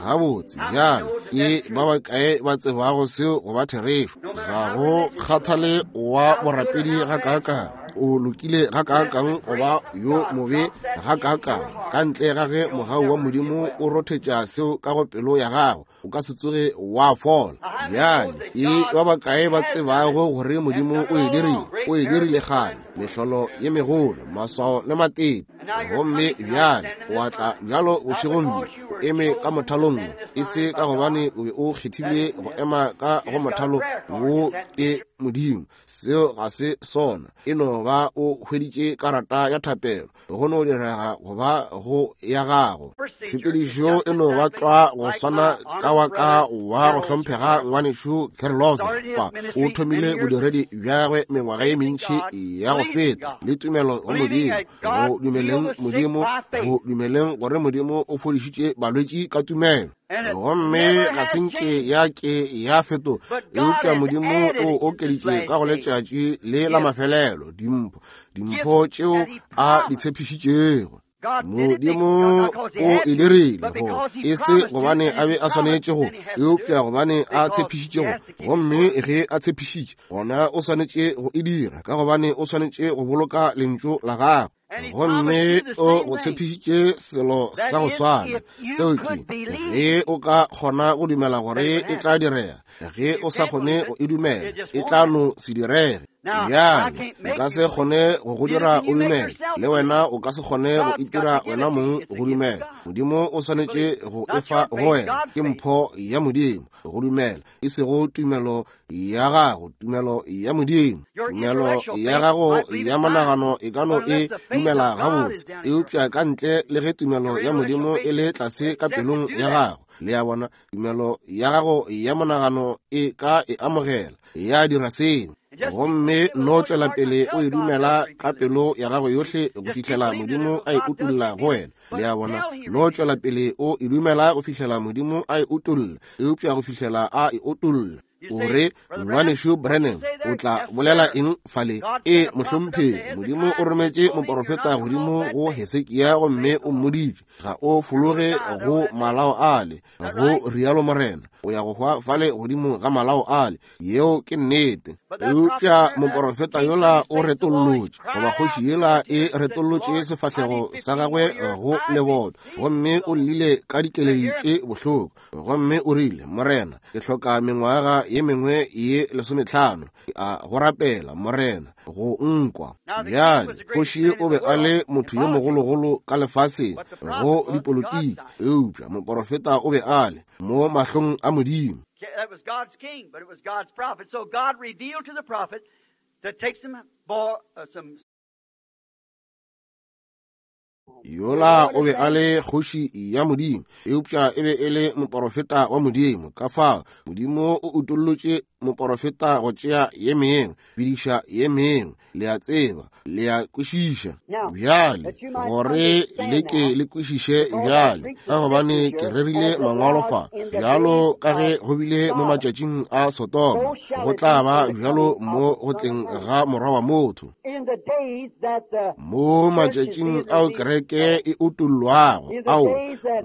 Gabotse, bjale ke ba bakae ba tsebago seo go ba therešo? Ga go kgathale wa borapedi ga kaakang, o lokile ga kaakang goba yo mobe ga kaakang, ka ntle ga ge mogau wa Modimo o rothetša seo ka go pelo ya gago, o ka se tsoge wa fola. Bjale ke ba bakae ba tsebago gore Modimo o e dirile? O e dirile kgale, mehlolo ye megolo, maswao le matete. Gomme bjale o a tla bjalo bošegong bjo, o eme ka mothalong, e se ka gobane o be o kgethilwe go ema ka go mothalo wo ke Modimo. Seo ga se sona. E no ba o hweditše karata ya thapelo, go no direga go ba go ya gago. Tshepedišo e no ba tlwa go swana ka wa ka wa go hlomphega ngwanešu Carlos fa o thomile bodiredi bja gagwe mengwaga ye mentši ya go feta, le tumelo go Modimo, go dumeleng Modimo, go dumeleng gore Modimo o fodišitše balwetši ka tumelo. Gomme ga se nke ya ke ya fetoga, eupša Modimo o okeditše ka go letšatši le la mafelelo dimpho, dimpho tšeo a di tshepišitšego. Modimo o e dirile go e se gobane a be a swanetše go, eupša gobane a tshepišitše go. Gomme ge a tshepišitše, gona o swanetše go e dira, ka gobane o swanetše go boloka lentšu la gagwe. Gomme o go tshepišitše selo sa go swana, seo ke ge o ka kgona go dumela gore e tla direga. Ge o sa kgone go e dumela, e tla no se direge. Bjale o ka se kgone go go dira o dumele, le wena o ka se kgone go itira wena mong go dumela. Modimo o swanetše go efa go wena, ke mpho ya Modimo go dumela, e sego tumelo ya gago, tumelo ya Modimo. Tumelo ya gago ya monagano e ka no e dumela gabotse, eupša ka ntle le ge tumelo ya Modimo e le tlase ka pelong ya gago, le a bona, tumelo ya gago ya monagano e ka e amogela, ya dira seo. Gomme no tšwela pele o e dumela ka pelo ya gago yohle go fihlela Modimo a e utolla go wena. Le a bona, no tšwela pele o e dumela go fihlela Modimo a e utolla, eupša go fihlela a e utolla. O re, Ngwanešu Branham, o tla bolela eng fale? E, mohlomphegi, Modimo o rometše moporofeta godimo go Hesekia gomme o mmoditše, ga o fologe go malao ale, go rialo Morena, o ya go hwa fale godimo ga malao ale. Yeo ke nnete. Eupša moporofeta yola o retollotše, goba kgoši yela e retollotše sefahlego sa gagwe go leboto, gomme o llile ka dikeledi tše bohloko, gomme o rile, Morena, ke hloka mengwaga ye mengwe ye lesometlhano, a go rapela Morena go nkwa. Bjale kgoši o be a le motho yo mogologolo ka lefaseng go dipolotiki, eupša moporofeta o be a le mo mahlong a Modimo. That was God's king, but it was God's prophet. So God revealed to the prophet to take some, uh, some Yola o be a le kgoši ya Modimo, eupša e be e le moporofeta wa Modimo. Ka fao Modimo o utollotše moporofeta go tšea ye mengwe, bidiša ye mengwe. Le a tseba, le a kwešiša bjale, gore le ke le kwešiše bjale, ka gobane ke rerile mangwalo fa. Bjalo ka ge go bile mo matšatšing a Sodoma, go tla ba bjalo mo go tleng ga morwa wa motho. Mo matšatšing ao kereke e utollwago, ao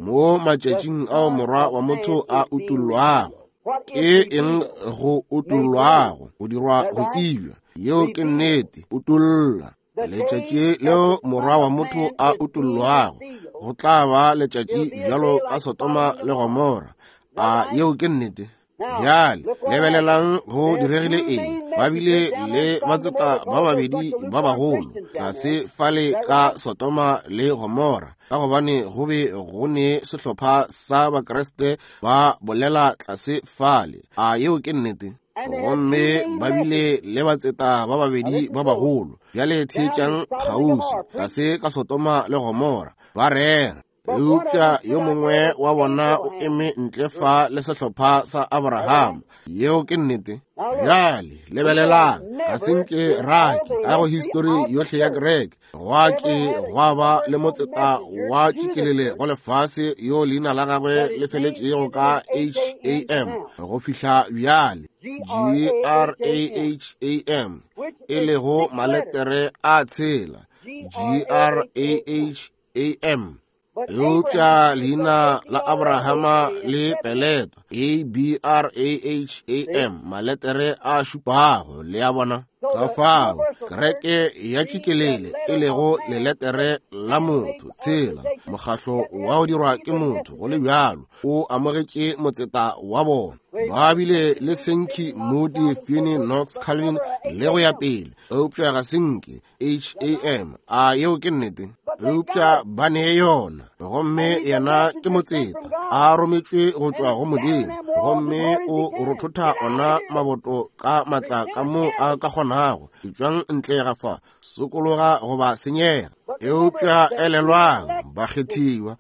mo matšatšing ao morwa wa motho a utollwago, ke eng go utollwago? Go dirwa go tsebja. Yeo ke nnete, utolla. Letšatši leo morwa wa motho a utollwago, go tla ba letšatši bjalo ka Sodoma le Gomora. A yeo ke nnete? Bjale lebelelang go diregile eng. Ba bile le batseta ba babedi ba bagolo tlase fale ka Sodoma le Gomora, ka gobane go be go ne sehlopha sa Bakreste ba bolela tlase fale. A yeo ke nnete? Gomme ba bile le batseta ba babedi ba bagolo. Bjale theetšang kgauswi, tlase ka Sodoma le Gomora, ba rera. Eupša yo mongwe wa bona o eme ntle fa le sehlopha sa Abraham. Yeo ke nnete. Bjale lebelelang, ga se nke rake a go histori yohle ya kereke gwa ke gwa ba le motseta wa tšikelele go lefase yo leina la gagwe le feletšego ka H A M go fihla bjale, G R A H A M, e lego maletere a tshela, G R A H A M. Eupša leina la Abrahama le peletwa A B R A H A M, maletere a šupago, le a bona. Ka fao kereke ya tšikelele e lego leletere la motho tshela, mokgahlo wa go dirwa ke motho, go le bjalo o amogetše motseta wa bona. Ba bile le Sankey, Moody, Finney, Knox, Calvin le go ya pele, eupša ga senke H A M. A yeo ke nnete? Eupša ba ne yona, gomme yena ke motseta a rometšwe go tšwa go Modimo, gomme o rothotha ona maboto ka matla ka mo a ka kgonago. Tšwang ntle ga fa, sokologa goba senyega. Eupša elelwang, bakgethiwa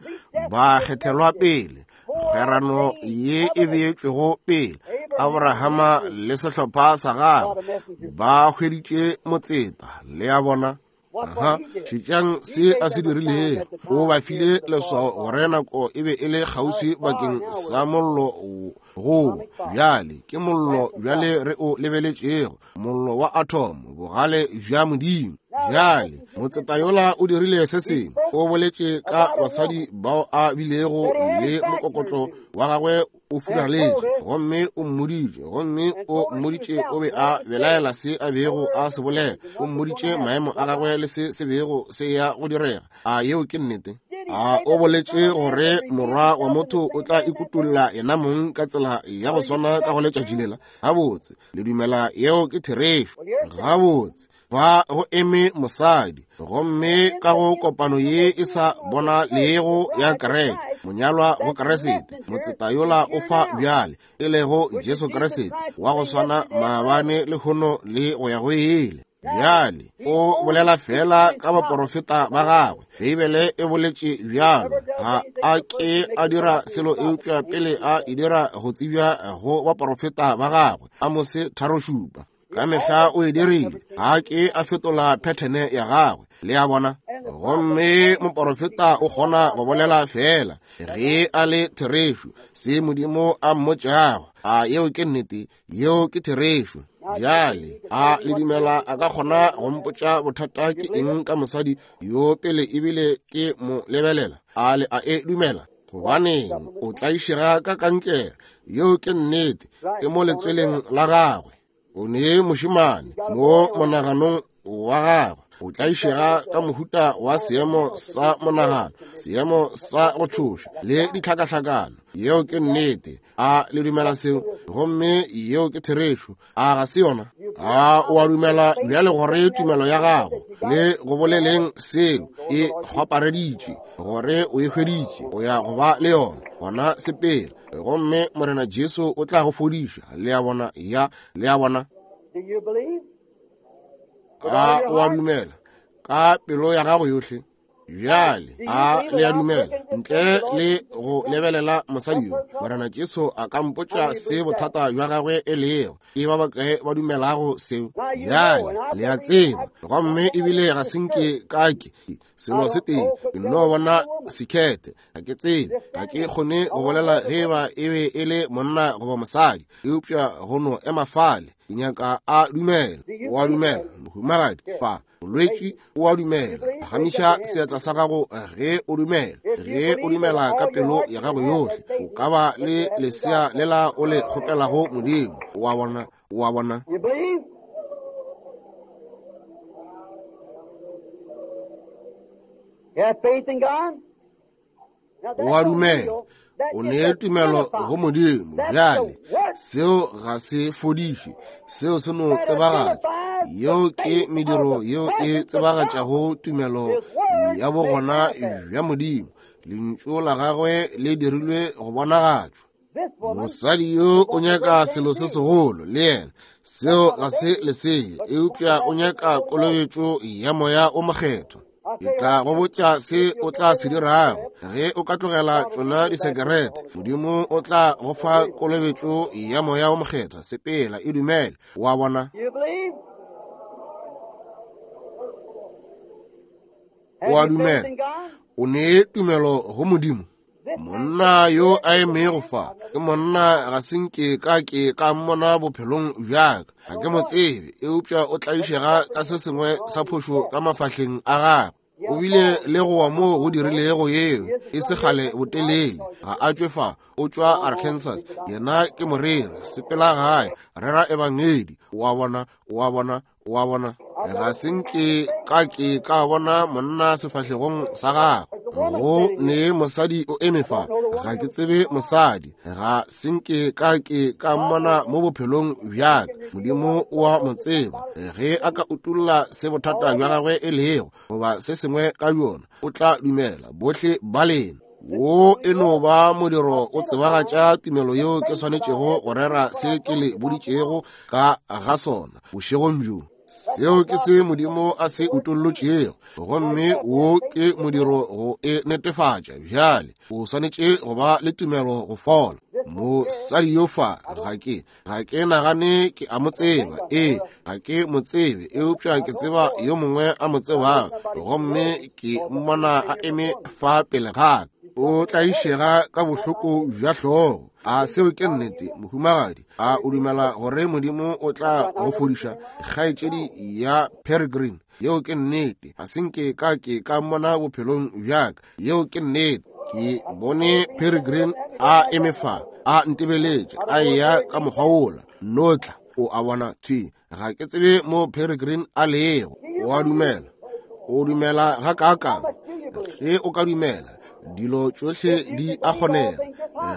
ba kgethelwa pele, kgwerano ye e beetšwego pele. Abrahama le sehlopha sa gagwe ba hweditše motseta, le a bona. Aha, šetšang se a se dirilego. O ba file leswao gore nako e be e le kgauswi bakeng sa mollo go. Bjale ke mollo bjale re o lebeletšego, mollo wa atomo, bogale bja Modimo. Bjale motseta yola o dirile se sengwe, o boletše ka basadi bao a bilego le mokokotlo wa gagwe o furaletše, gomme o mmoditše, gomme o mmoditše o be a belaela se a bego a se bolela, o mmoditše maemo a gagwe le se se bego se ya go direga. A yeo ke nnete? A o boletše gore morwa wa motho o tla ikutolla yena mong ka tsela ya go swana ka go letšatši lela? Gabotse, le dumela yeo ke therešo? Gabotse, ba go eme mosadi, gomme ka go kopano ye e sa bona lego ya kereke, monyalwa go Kriste, motseta yola o fa bjale, e lego Jesu Kriste, wa go swana maabane lehono le go ya go ile. Bjale o bolela fela ka baporofeta ba gagwe. Beibele e boletše bjalo, ga a ke a dira selo eupša pele a e dira go tsebja go baporofeta ba gagwe. Amose tharo šupa. Ka mehla o e dirile, ga ke a fetola phethene ya gagwe, le a bona. Gomme moporofeta o kgona go bolela fela ge a le therešo se Modimo a mmotšago. A yeo ke nnete, yeo ke therešo. Bjale a le dumela a ka kgona go mpotša bothata ke eng ka mosadi yo pele ebile ke mo lebelela? A le a e dumela? Gobaneng o tlaišega ka kankere, yeo ke nnete, ke mo letsweleng la gagwe. O ne mošemane mo monaganong wa gagwe, o tlaišega ka mohuta wa seemo sa monagano, seemo sa go tšhoša le ditlhakahlakano. Yeo ke nnete. A le dumela seo? Gomme yeo ke therešo. A ga se yona? A o a dumela bjale gore tumelo ya gago le go boleleng seo e kgwapareditše, gore o e hweditše, o ya go ba le yona? Gona sepela, gomme Morena Jesu o tla go fodiša. Le a bona? Ya, le a bona? A o a dumela ka pelo ya gago yohle? Bjale a le a dumela ntle le go lebelela mosadi yo, Morena Jesu a ka mpotša se bothata bja gagwe e lego? Ke ba bakae ba dumelago seo? Bjale le a tseba, gomme ebile ga se nke ka ke selo se tee, ke no bona sekhethe, ga ke tsebe, ga ke kgone go bolela ge ba e be e le monna goba mosadi, eupša go no ema fale, ke nyaka a dumela. O a dumela, mohumagadi? Fa bolwetši, o a dumela? Phagamiša seatla sa gago ge o dumela. Ge o dumela ka pelo ya gago yohle, o ka ba le lesea lela o le kgopelago Modimo. O a bona? O a bona? O a dumela, o ne tumelo go Modimo. Bjale seo ga se fodiše, seo se no tsebagatša. Yeo ke mediro yeo e tsebagatšago tumelo ya bogona bja Modimo. Lentšu la gagwe le dirilwe go bonagatšwa. Mosadi yo o nyaka selo se segolo le yena, seo ga se leseye, eupša o nyaka kolobetšo ya Moya o Mokgethwa. Ke tla go botša se o tla se dirago ge o ka tlogela tšona disekerete. Modimo o tla go fa kolobetšo ya Moya o Mokgethwa. Sepela, e dumele. Wa bona? O a dumela, o ne tumelo go Modimo. Monna yo a emego fa ke monna ga se nke ka ke ka mmona bophelong bjaka, ga ke mo tsebe, eupša o tlaišega ka se sengwe sa phošo ka mafahleng a gagwe. O bile le go wa moo go dirilego yeo e se kgale botelele. Ga a tšwe fa, o tšwa Arkansas. Yena ke moreri, sepela gae, rera ebangedi. O a bona? O a bona? O a bona? Ga se nke ka ke ka bona monna sefahlegong sa gagwe. Go ne mosadi o eme fa, ga ke tsebe mosadi, ga se nke ka ke ka mmona mo bophelong bjaka. Modimo o a mo tseba. Ge a ka utolla se bothata bja gagwe e lego goba se sengwe ka bjona, o tla dumela bohle ba lena. Wo e no ba modiro o tsebagatša tumelo yeo ke swanetšego go rera se ke le boditšego ka ga sona bošegong bjo. Seo ke se Modimo a se utollotšego, gomme wo ke modiro go e netefatša. Bjale o swanetše go ba le tumelo go fola. Mosadi yo fa, ga ke ga ke nagane ke a mo tseba. Ee, ga ke mo tsebe, eupša ke tseba yo mongwe a mo tsebago, gomme ke mmona a eme fa pele ga ka. O tlaišega ka bohloko bja hlogo. A seo ke nnete, mohumagadi? A o dumela gore Modimo o tla go fodiša? Kgaetšedi ya Peregrine, yeo ke nnete. Ga se nke ka ke ka mmona bophelong bjaka. Yeo ke nnete. Ke bone Peregrine a eme fa, a ntebeletše, a eya ka mokgwa wola. Notla, o a bona? Thwi, ga ke tsebe mo Peregrine a lego. O a dumela? O dumela ga kaakang? Ge o ka dumela, dilo tšohle di a kgonega.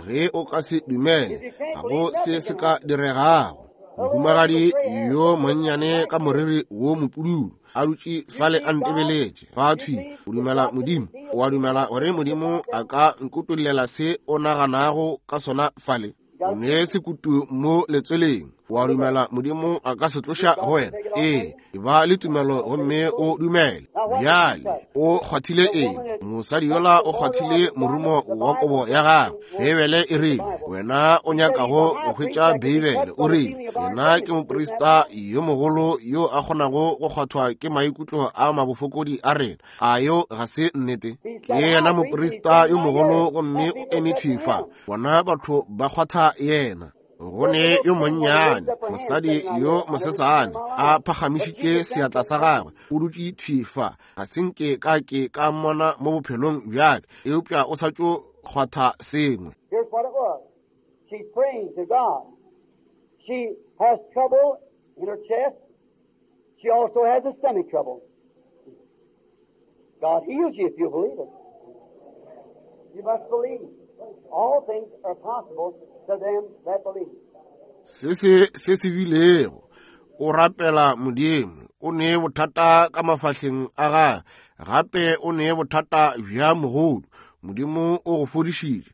Ge o ka se dumele, ga go se se ka diregago. Mohumagadi yo monnyane ka moriri wo mopududu a dutše fale a ntebeletše. Fa thwi, o dumela Modimo? O a dumela gore Modimo a ka nkutollela se o naganago ka sona fale? O ne sekutu mo letsweleng. O a dumela Modimo a ka se tloša go wena? Ee, e ba le tumelo gomme o dumele. Bjale o kgwathile eng? Mosadi yola o kgwathile morumo wa kobo ya gagwe. Beibele e rile, wena o nyakago go hwetša Beibele, o rile, yena ke moprista yo mogolo yo a kgonago go kgwathwa ke maikutlo a mabofokodi a rena. A yo ga se nnete? Ke yena moprista yo mogolo gomme o eme thwi fa. Bona batho ba kgwatha yena. Go ne yo monnyane, mosadi yo mosesane, a phagamišitše seatla sa gagwe, o dutše thwi fa. Ga se nke ka ke ka mmona mo bophelong bjake, eupša o sa tšo kgwatha sengwe. Here's what it was. She's praying to God. She has trouble in her chest. She also has a stomach trouble. God heals you if you believe it. You must believe. All things are possible to them that believe. Se se se se bilego, o rapela Modimo, o ne bothata ka mafahleng a gagwe, gape o ne bothata bja mogodu. Modimo o go fodišitše.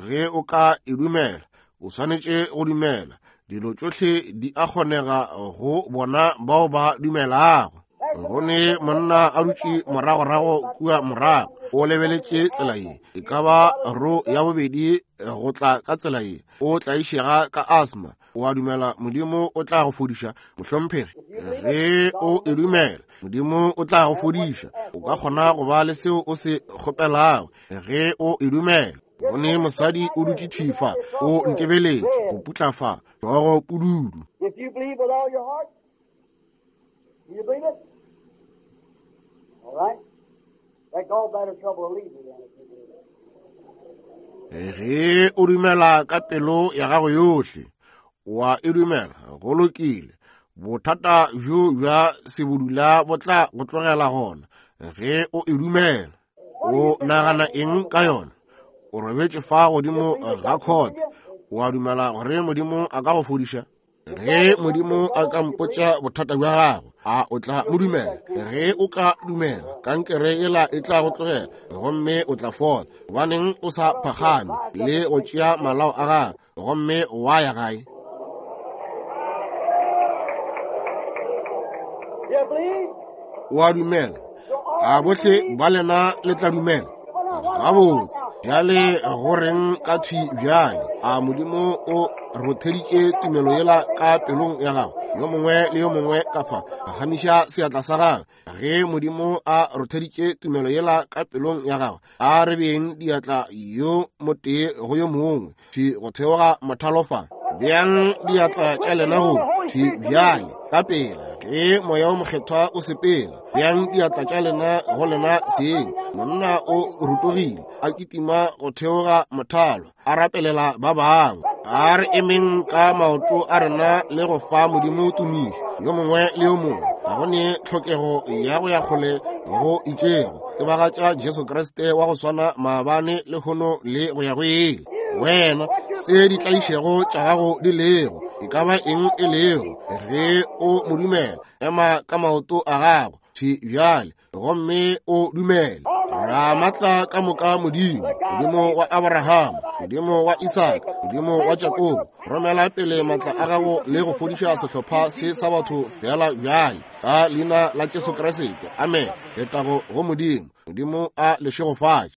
Ge o ka e dumela, o swanetše go dumela. Dilo tšohle di a kgonega go bona bao ba dumelago. Go ne monna a dutše moragorago kua morago, o lebeletše tsela ye, e ka ba ro ya bobedi go tla ka tsela ye, o tlaišega ka asthma. O a dumela Modimo o tla go fodiša, mohlomphegi? Ge o e dumela, Modimo o tla go fodiša. O ka kgona go ba le seo o se kgopelago ge o e dumela. Go ne mosadi o dutše thwi fa, o ntebeletše go putla fa, hlogo pududu. If you believe with all your heart, do you believe it? All right. That gallbladder trouble will leave you then if you believe it. Ge o dumela ka pelo ya gago yohle, wa e dumela, go lokile. Bothata bjo bja sebudula bo tla go tlogela gona ge o e dumela. O nagana eng ka yona? O robetše fa godimo ga khote. O a dumela gore Modimo a ka go fodiša? Ge Modimo a ka mpotša bothata bja gago, a o tla mo dumela? Ge o ka dumela, kankere yela e tla go tlogela gomme o tla fola. Gobaneng o sa phagame le go tšea malao a gago gomme wa ya gae? You believe? O a dumela? A bohle ba lena le tla dumela? Gabotse, bjale go reng ka thwi bjale? A Modimo o rotheditše tumelo yela ka pelong ya gago? Yo mongwe le yo mongwe ka fa, phagamiša seatla sa gago. Ge Modimo a rotheditše tumelo yela ka pelong ya gago, a re beng diatla yo motee go yo mongwe thwi go theoga mothalo fa. Beang diatla tša lena go thwi bjale ka pela. Ge moya o mokgethwa o sepela, beang diatla tša lena go lena seng. Monna o rutogile a kitima go theoga mothalo, a rapelela ba bangwe. A re emeng ka maoto a rena le go fa Modimo tumišo, yo mongwe le yo mongwe. Ga go ne tlhokego ya go ya kgole go itšego. Tsebagatša Jesu Kriste wa go swana maabane, lehono le go ya go ile. Wena, se ditlaišego tša gago di lego, e ka ba eng e lego, ge o mo dumela, ema ka maoto a gago thwi bjale gomme o dumele. Ramatla ka moka Modimo, Modimo wa Abraham, Modimo wa Isaka, Modimo wa Jakobo, romela pele matla a gago le go fodiša sehlopha se sa batho fela bjale, ka leina la Jesu Kriste. Amen. Letago go Modimo. Modimo a le šegofatše.